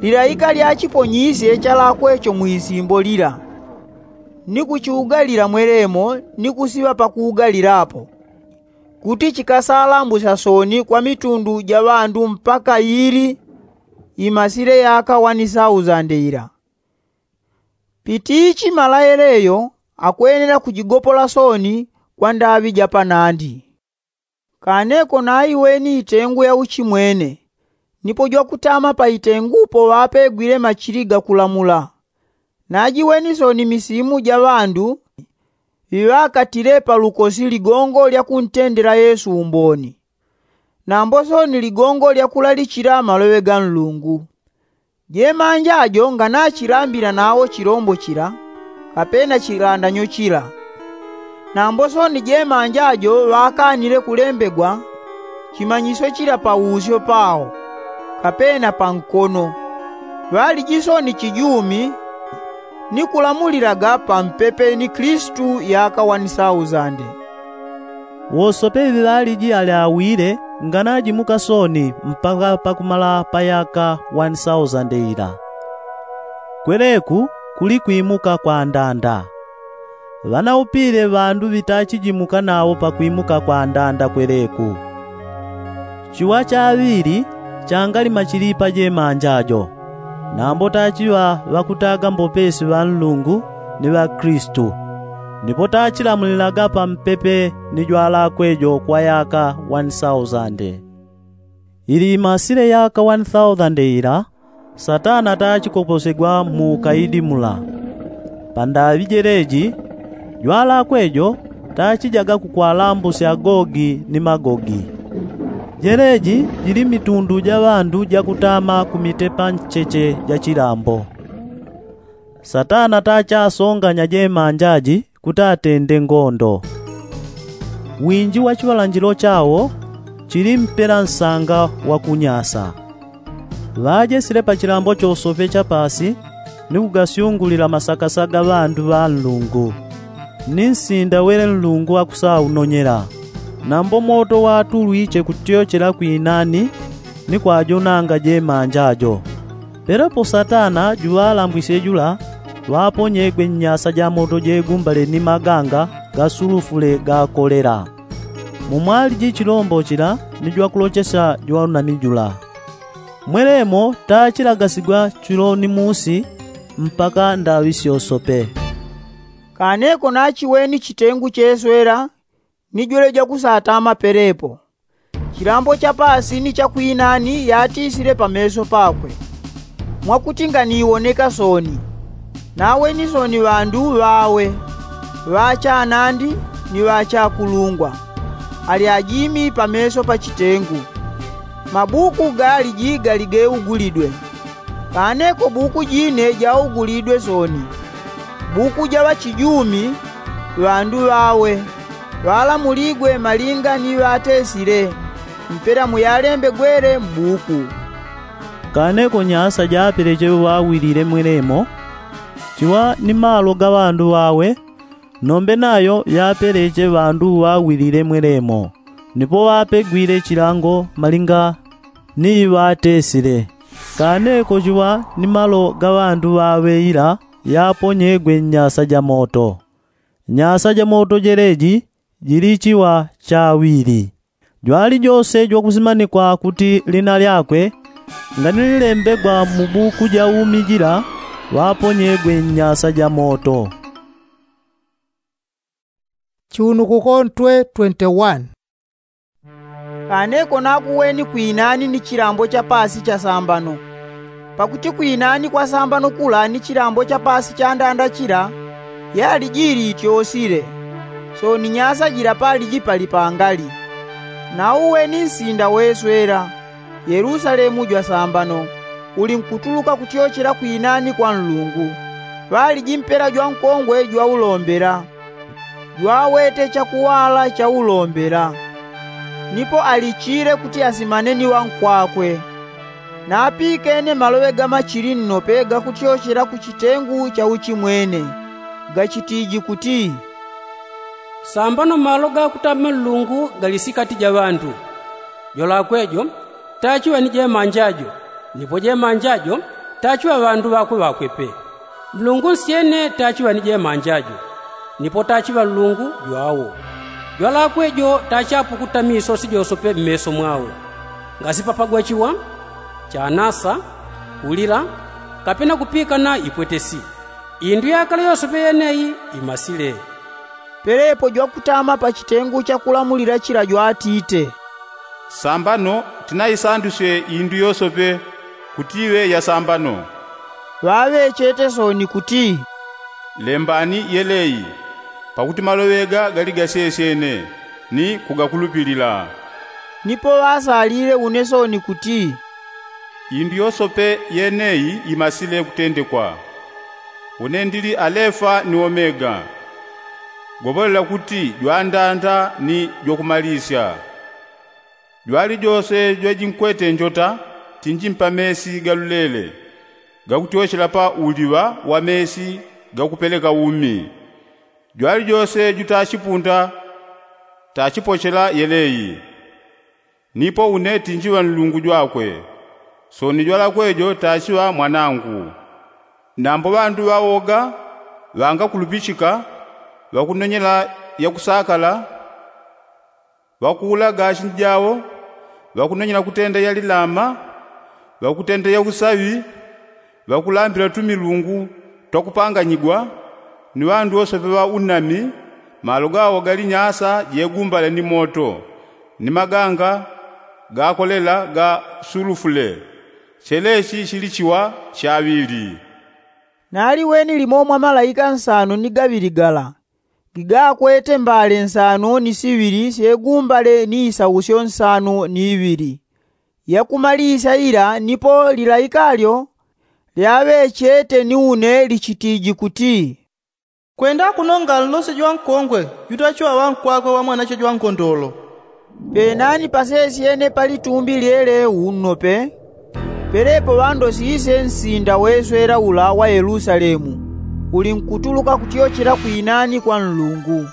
Lilaika lyachiponyisye chalakwecho mwisimbo lila ni kuchiugalila mwelemo ni kusiŵa pakuugalilapo kuti chikasalambusya soni kwa mitundu ja ŵandu mpaka ili imasile yaka wani sauzande ila. Pitichi mala yeleyo akwenela kujigopola soni kwa ndaŵi ja panandi. Kaneko naiweni itengu ya uchimwene nipo jwakutama pa itengupo ŵapegwile machili gakulamula. Najiweni soni misimu ja ŵandu ŵiŵakatile pa lukosi ligongo lya kuntendela yesu umboni. Nambo soni ligongo lyakulalichila maloŵe ga nlungu. Jemanja jo nganachilambila nawo chilombo chila kapena chilandanyo chila. Nambo soni jemanja jo ŵakanile kulembegwa chimanyisyo chila pausyo pao, kapena pankono. Ŵaliji soni chijumi ni kulamulilaga pampepe ni kilisitu yaka wani sausande. Wosope iŵi ŵaliji ali awile nganajimuka soni mpaka pakumala pa yaka wani sausande ila. Kweleku kuli kwimuka kwa ndanda. Ŵanaupile ŵandu ŵitachijimuka nawo pakwimuka kwa ndanda kweleku. Chiŵa chaŵili changalima chili pa jemanja jo. Nambo tachiŵa ŵakutaga mbopesi ŵa nlungu ni ŵakilisitu. Nipo tachilamulilaga pampepe ni jwalakwe jo kwa yaka wani sausande. Ili imasile yaka wani sausande ila, satana tachikoposegwa mu ukaidi mula. Pandaŵi jeleji jwalakwe jo tachijaga kukwalambusya gogi ni magogi. Jeleji jili mitundu ja ŵandu jakutama kumitepa ncheche ja chilambo. Satana tachasonganya jemanja ji kuti atende ngondo. Winji wa chiŵalanjilo chawo chili mpela nsanga wa kunyasa. Ŵajesile pa chilambo chosope cha pasi ni kugasyungulila masakasa ga ŵandu ŵa nlungu. Ni nsinda wele nlungu akusaunonyela. Nambo moto watulwiche kutyochela kwinani ni kwajonanga jemanja jo. Pelepo satana juŵalambwisye jula ŵaponyegwe nnyasa ja moto jegumbale ni maganga ga sulufule ga kolela. Mumwaliji chilombo chila ni jwakulochesya jwanami jula. Mwelemo tachilagasigwa chilo ni musi mpaka ndaŵi syosope. Kaneko nachiweni chitengu cheswela ni jwele jakusatama pelepo. Chilambo cha pasi ni cha kwinani yatisile pameso pakwe, mwakuti nganiwoneka soni. Naweni soni ŵandu ŵawe, ŵachanandi ni ŵachakulungwa, ali ajimi pameso pa chitengu. Mabuku galiji gali geugulidwe. Kaneko buku jine jaugulidwe soni, buku ja ŵachijumi, ŵandu ŵawe ŵalamuligwe malinga ni ŵatesile mpela muyalembegwele mbuku. Kaneko nyasa japeleche ŵawilile mwelemo, chiŵa ni malo ga ŵandu ŵawe, nombe nayo yapeleche ŵandu ŵawilile mwelemo. Nipo ŵapegwile chilango malinga ni iŵatesile. Kaneko chiŵa ni malo ga ŵandu ŵaŵeila yaponyegwe nnyasa ja moto. Nyasa ja moto jeleji jili chiŵa chaŵili. Jwali jose jwakusimanikwa kuti lina lyakwe nganililembegwa mu buku ja umi jila ŵaponyegwe nnyasa ja moto. Chiunukuko ntwe twenty-one. Kaneko nakuweni kwinani ni chilambo cha pasi cha sambano. Pakuti kwinani kwa sambano kula ni chilambo cha pasi cha ndanda chila yali jili ityosile. Soni nyasa jila paliji pali pangali. Nauweni nsinda weswela, yelusalemu jwa sambano, uli nkutuluka kutyochela kwinani kwa nlungu. Ŵaliji mpela jwa nkongwe jwaulombela, jwawete chakuŵala chaulombela. Nipo alichile kuti asimane ni ŵankwakwe. Napikene maloŵe ga machili nnope gakutyochela ku chitengu cha uchimwene, gachitiji kuti, sambano malo ga kutama nlungu gali sikati ja ŵandu. Jolakwe jo tachiŵa ni jemanja jo, nipo jemanja jo tachiŵa ŵandu ŵakwe ŵakwe pe. Nlungu nsyene tachiŵa ni jemanja jo, nipo tachiŵa nlungu jwawo. Jwalakwe jo tachapukuta misosi josope mmeso mwawo, ngasipapagwa chiŵa, chanasa, kulila, kapena kupikana ipwetesi. Indu yakale yosope yeneyi imasile. Pelepo jwakutama pa chitengu chakulamulila chila jwatite, sambano tinaisandusye indu yosope kuti iŵe ya sambano. Ŵaŵechete soni kuti, lembani yeleyi, pakuti maloŵe ga gali gasesyene ni kugakulupilila. Nipo ŵasalile une soni kuti, indu yosope yeneyi imasile kutendekwa. Une ndili alefa ni omega, Gopolela kuti jwandanda ni jwakumalisya. Jwalijose jwajinkwete njota tinji mpamesi galulele, gakutyochela pa uliŵa wa mesi gakupeleka umi. Jwalijose juta chipunda tachipochela yeleyi. Nipo une tinjiŵa nlungu jwakwe, soni jwalakwe jo tachiŵa mwanangu. Nambo ŵandu ŵawoga ŵangakulupichika, ŵakunonyela yakusakala, ŵakuulaga achinji jawo, ŵakunonyela kutenda yalilama, ŵakutenda yausaŵi, ŵakulambila tumilungu twakupanganyigwa, ni ŵandu wosepe ŵa unami. Malo gawo gali nyasa jegumbale ni moto, ni maganga gakolela ga sulufule. Chelechi chili chiŵa chaŵili. Naliweni limo mwa malaika nsano ni gaŵili gala, gigakwete mbale nsano ni siŵili syegumbale ni isausyo nsano ni iŵili. Yakumalisya ila nipo lilaika lyo lyaŵechete ni une lichitiji kuti, kwenda kunonga nlose jwankongwe jutachiŵa ŵankwakwe wa mwanache jwangondolo. Penani pasesyene pa litumbi lyeleu nnope, pelepo ŵandosisye nsinda weswela ula wa yelusalemu, ulinkutuluka kutyochela kwinani kwa nlungu.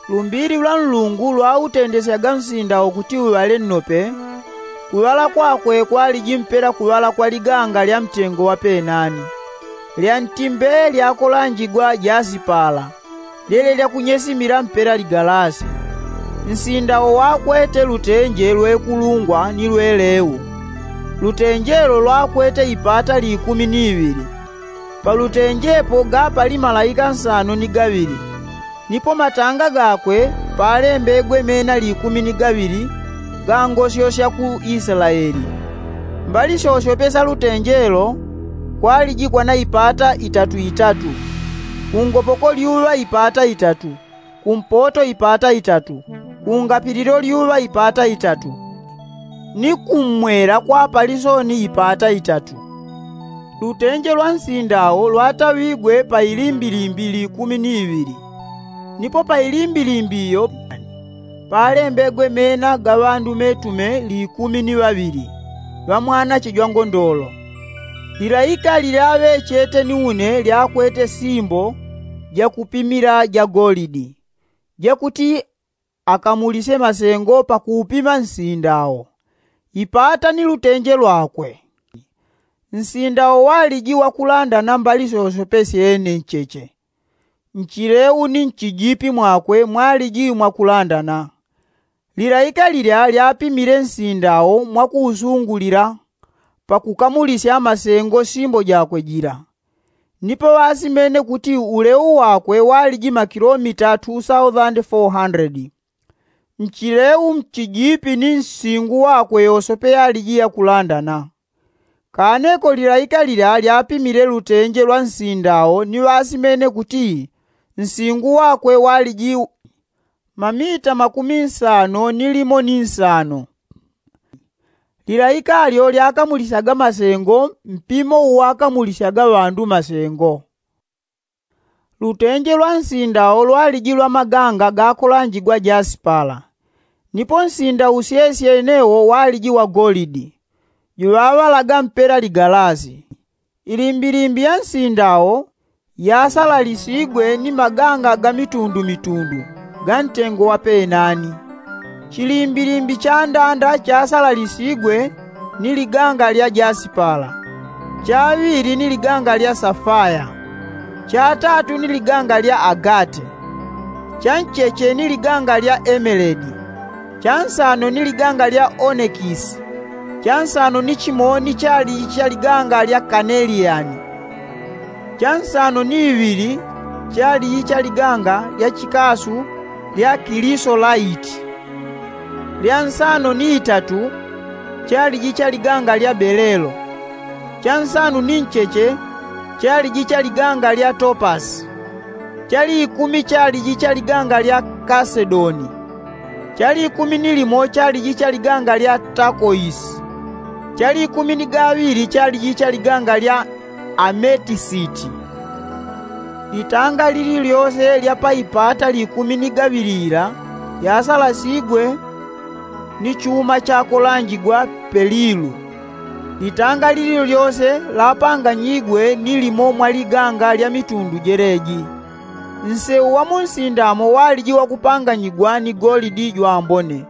Lumbili lwa nlungu lwautendesyaga nsinda wo kuti uŵale nnope. Kuŵala kwakwe kwaliji mpela kuŵala kwa liganga lya mtengo wa penani, lya ntimbe lyakolanjigwa jasipala, lyele lyakunyesimila mpela ligalasi. Nsinda wo wakwete lutenje lwekulungwa ni lweleu. Lutenje lo lwakwete ipata likumi ni iŵili. Palutenjepo gapali malaika nsano ni gaŵili. Nipo matanga gakwe palembegwe mena likumi ni gaŵili gangosyosya ku Isilaeli. Mbali syosyope sya lutenje lo kwaliji kwana ipata itatu itatu, kungopoko lyuŵa ipata itatu, kumpoto ipata itatu, kungapililo lyuŵa ipata itatu, ni kummwela kwapali soni ipata itatu. Lutenje lwa nsinda wo lwataŵigwe pa ilimbilimbi likumi ni iŵili. Nipo pa ilimbilimbi iyo palembegwe mena ga ŵandu metume likumi ni ŵaŵili ŵa mwanache jwangondolo. Lilaika lilyaŵechete ni une lyakwete simbo jakupimila ja golidi, jakuti akamulisye masengo pakuupima nsinda wo, ipata ni lutenje lwakwe. Nsinda wo waliji wakulandana mbali syosyope syene ncheche. Nchileu ni nchijipi mwakwe mwaliji mwakulandana. Lilaika lilya lyapimile nsinda wo mwakuusungulila pakukamulisya masengo simbo jakwe jila. Nipo ŵasimene kuti uleu wakwe waliji makilomita two thousand four hundred. Nchileu mchijipi ni nsingu wakwe yosope yaliji yakulandana. Kaneko lilaika lilya lyapimile lutenje lwa nsinda wo ni ŵasimene kuti nsingu wakwe waliji mamita makumi nsano ni limo ni nsano. Lilaika lyo lyakamulisyaga masengo mpimo uwakamulisyaga ŵandu masengo. Lutenje lwa nsinda wo lwaliji lwa maganga gakolanjigwa jasipala. Nipo nsinda usyesye yene wo waliji wa golidi, juŵaŵalaga mpela ligalasi. Ilimbilimbi ya nsinda wo yasalalisigwe ni maganga ga mitundumitundu ga ntengo wa penani. Chilimbilimbi cha ndanda chasalalisigwe ni liganga lya jasipala, cha ŵili ni liganga lya safaya, cha tatu ni liganga lya agate, cha ncheche ni liganga lya emeledi, cha nsano ni liganga lya onekisi, cha nsano ni chimo ni chaliji cha liganga lya kaneliyani, cha nsano ni iŵili chaliji cha liganga lya chikasu lya kilisolaiti, lya nsano ni itatu chaliji cha liganga lya belelo, cha nsano ni ncheche chaliji cha liganga lya topasi, cha likumi chaliji cha liganga lya kasedoni, cha likumi ni limo chaliji cha liganga lya takoisi, cha likumi ni gaŵili chaliji cha liganga lya ametisiti. Litanga lililyose lya pa ipata likumi ni gaŵili ila lyasalasigwe ni chuma chakolanjigwa pelilu. Litanga lililyose lapanganyigwe ni limo mwa liganga lya mitundu jeleji. Nsewu wa mu nsindamo waliji wakupanganyigwa ni golidi jwambone,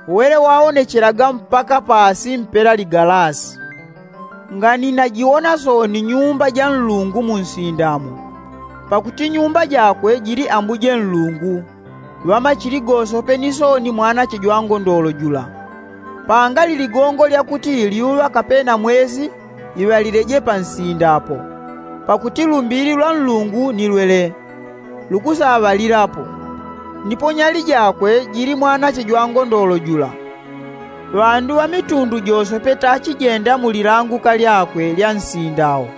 wele waonechelaga mpaka paasi mpela ligalasi. Ngani najiwona sooni nyuumba ja nlungu mu nsindamo, pakuti nyuumba jakwe jili ambuje nlungu, ŵamachili gosope ni sooni mwanache jwa ngondolo jula. Pangali ligongo lya kuti lyuŵa kapena mwesi iŵalileje pa nsinda apo, pakuti lumbili lwa nlungu ni lwele lukusaŵalilapo. Nipo nyali jakwe jili mwanache jwa ngondolo jula. Ŵandu ŵa mitundu josope tachijenda mu lilanguka lyakwe lya nsinda awo.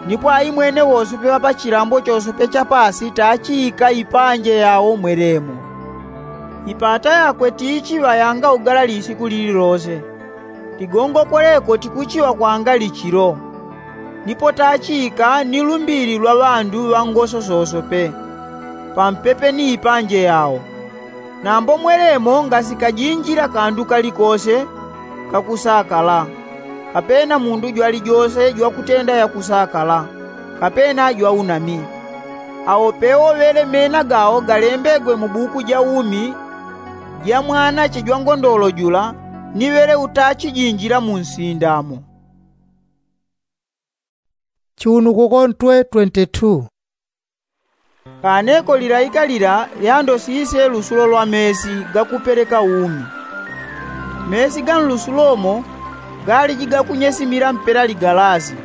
Nipo aimwene wosope ŵa pa chilambo chosope cha paasi tachiika ipanje yawo mwelemo. Ipata yakwe tichiŵa yanga ugalali isiku lililose. Ligongo kweleko tikuchiŵa kwangali chilo. Nipo tachiika ni lumbili lwa ŵandu ŵa ngoso sosope pampepe ni ipanje yawo. Nambo mwelemo ngasikajinjila kandu kalikose kakusakala, kapena mundu jwalijose jwakutenda yakusakala, kapena jwaunami. Awo pewo ŵele mena gawo galembegwe mu buku ja umi ja mwanache jwa ngondolo jula, ni ŵele utachijinjila mu nsinda amo. Chiunukuko ntwe twenty-two. Kaneko lilaika lila lyandosise lusulo lwa mesi gakupeleka umi. Mesi ga nlusulo mo galiji gakunyesimila mpela ligalasi,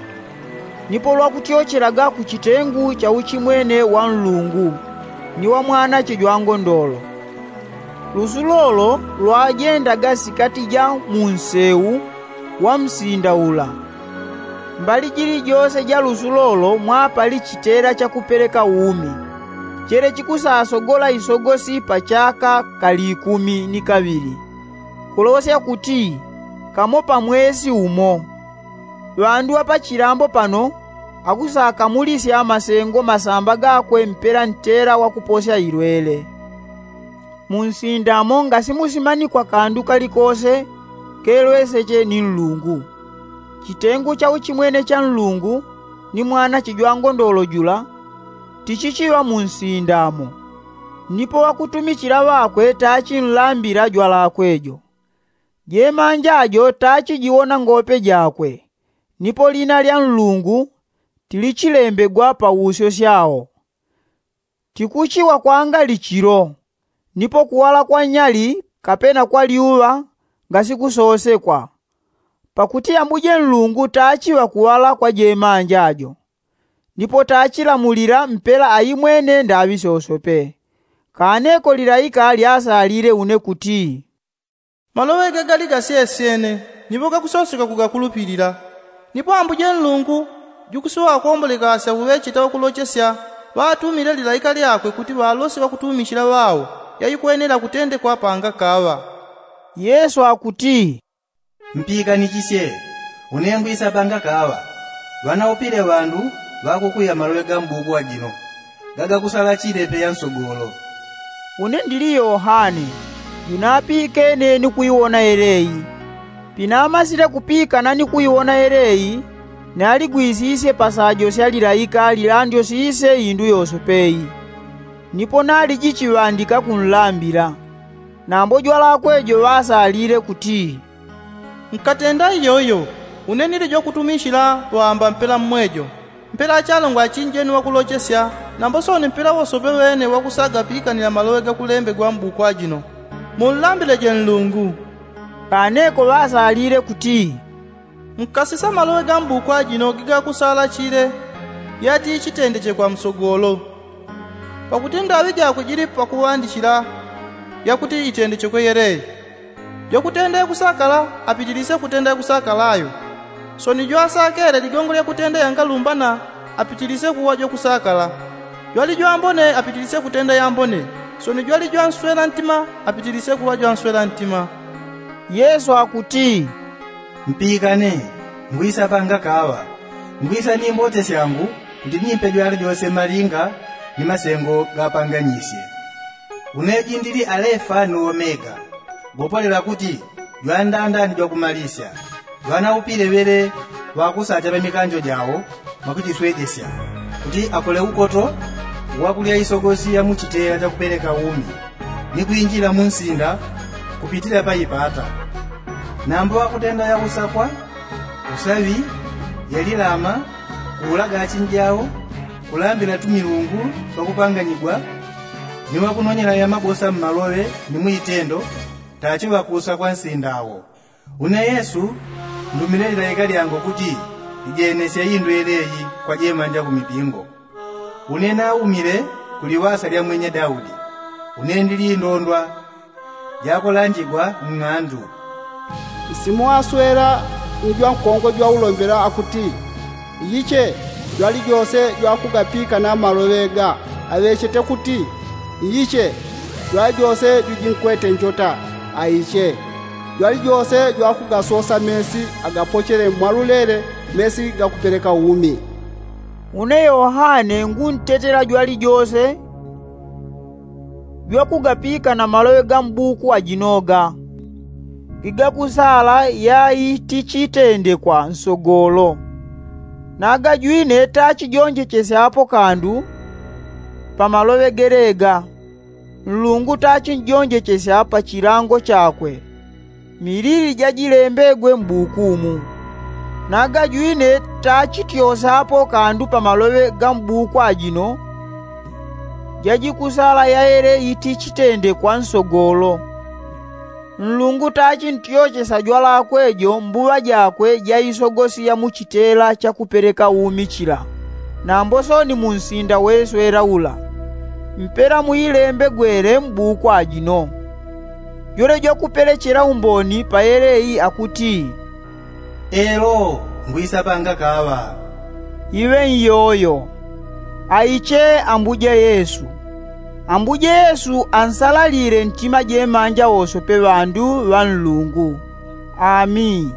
nipo lwakutyochelaga ku chitengu cha uchimwene wa nlungu ni wa mwanache jwa ngondolo. Lusulo lo lwajendaga sikati ja mu nsewu wa msinda ula. Mbali jilijose ja lusulo lo mwapali chitela chakupeleka umi, chele chikusasogola isogosi pa chaka ka likumi ni kaŵili, kulosya kuti kamo pa mwesi umo. Ŵandu ŵa pa chilambo pano akusakamulisya masengo masamba gakwe mpela ntela wakuposya ilwele. Mu nsinda mo ngasimusimanikwa kandu kalikose kelweseche ni nlungu. Chitengu cha uchimwene cha nlungu ni mwanache jwa ngondolo jula tichichiŵa mu nsinda mo. Nipo ŵakutumichila ŵakwe tachinlambila jwalakwe jo. Jemanja jo tachijiwona ngope jakwe, nipo lina lya nlungu tilichilembegwa pa usyo syawo. Tikuchiŵa kwangali chilo, nipo kuwala kwa nyali kapena kwa lyuŵa ngasikusosekwa. Pakuti ambuje nlungu tachiŵa kuwala kwa jemanja jo, nipo tachilamulila mpela aimwene ndaŵi sosope. Kaneko lilaika lyasalile une kuti, maloŵe gagali gasyesyene, nipo gakusoseka kugakulupilila. Nipo ambuje nlungu jukusuŵa wakuwomboleka asya uŵecheta wakulochesya ŵatumile lilaika lyakwe kuti ŵalosye ŵakutumichila ŵao yaikwenela kutendekwa pangakaŵa. Yesu akuti, mpikanichisye, une ngwisa pangakaŵa. Ŵanaupile ŵandu ŵakukuya maloŵe ga mbuku ajino gagakusala chile peya nsogolo. Une ndili yohane, junapikene ni kuiwona yeleyi. Pinamasile kupikana ni kuiwona yeleyi, naligwisisye pasajo sya lilaika lilandyosisye indu yosope iyi. Nipo naliji chiŵandika kunlambila. Nambo jwalakwe jo ŵasalile kuti, nkatenda iyoyo, une nili jwakutumichila ŵaamba mpela mmwejo. Mpela achalongwa achinjeni wakulochesya, nambo sooni mpela wosope ŵene wakusaga pikanila maloŵe gakulembegwa mbuku ajino. Munlambileje nlungu. Kaneko ŵasalile kuti, nkasisa maloŵe ga mbuku ajino gigakusala chile yati chitendechekwa msogolo. Pakuti ndaŵi jakwe jili pakuŵandichila yakuti itendechekwe yeleyi. Jwakutenda yakusakala apitilisye kutenda yakusakala ayo. Sooni jwasakele ligongo lyakutenda yangalumbana apitilisye kuŵa jwakusakala. Jwali jwambone apitilisye kutenda yambone. Sooni jwali jwanswela ntima apitilisye kuŵa jwanswela ntima. Yesu akuti, mpikane, ngwisa pangakaŵa. Ngwisa ni mbote syangu Ndinimpe jwali jose malinga ni masengo gapanganyisye. Une jindili alefa ni omega, gopolela kuti jwandanda ni jwakumalisya. Jwanaupile ŵele ŵakusacha ŵa mikanjo jao mwakuchiswejesya, kuti akole ukoto wakulya isogosi ya muchitela chakupeleka umi, ni kwinjila mu nsinda kupitila pa ipata. Nambo ŵakutenda yausakwa, usaŵi, yalilama, kuulaga achinjao, kulambila tumilungu twakupanganyigwa, ni ŵakunonyela yamabosa mmaloŵe ni muitendo, tachi ŵakuusakwa nsinda wo. Une yesu, ndumile lilaika lyangu kuti lijenesye indwele iyi kwa jemanja kumipingo. Une naumile kuliŵasa lya mwenya daudi. Une ndili indondwa jakulanjigwa ng'andu. Nsimu aswela ni jwankongo jwaulombela akuti, iyiche, jwali jose jwakugapikana maloŵe ga aŵechete kuti, iyiche, jwali jose jujinkwete njota, aiche. Jwali jose jwakugasosa mesi agapochele mwalulele, mesi gakupeleka umi. Une yohane nguntetela jwali jose jwakugapikana maloŵe ga mbuku ajinoga, gigakusala yai tichitendekwa nsogolo. Naga jwine tachijonjechesyapo kandu pa maloŵe gelega. Nlungu tachinjonjechesya pa chilango chakwe, milili jajilembegwe mbuku mu. Naga jwine tachityosapo kandu pa maloŵe ga mbuku ajino jajikusala yaele itichitendekwa nsogolo. Nlungu tachintyochesa jwalakwe jo mbuŵa jakwe jaisogosi ya muchitela chakupeleka umi chila, nambo soni munsinda weswela ula. Mpela muilembegwele mbuku ajino. Jwele jwakupelechela umboni pa yele iyi akuti, elo ngwisapanga kaŵa. Iŵe nyoyo, aiche ambuje yesu. Ambuje yesu ansalalile ntima jemanja wosope ŵandu ŵa nlungu. Ami.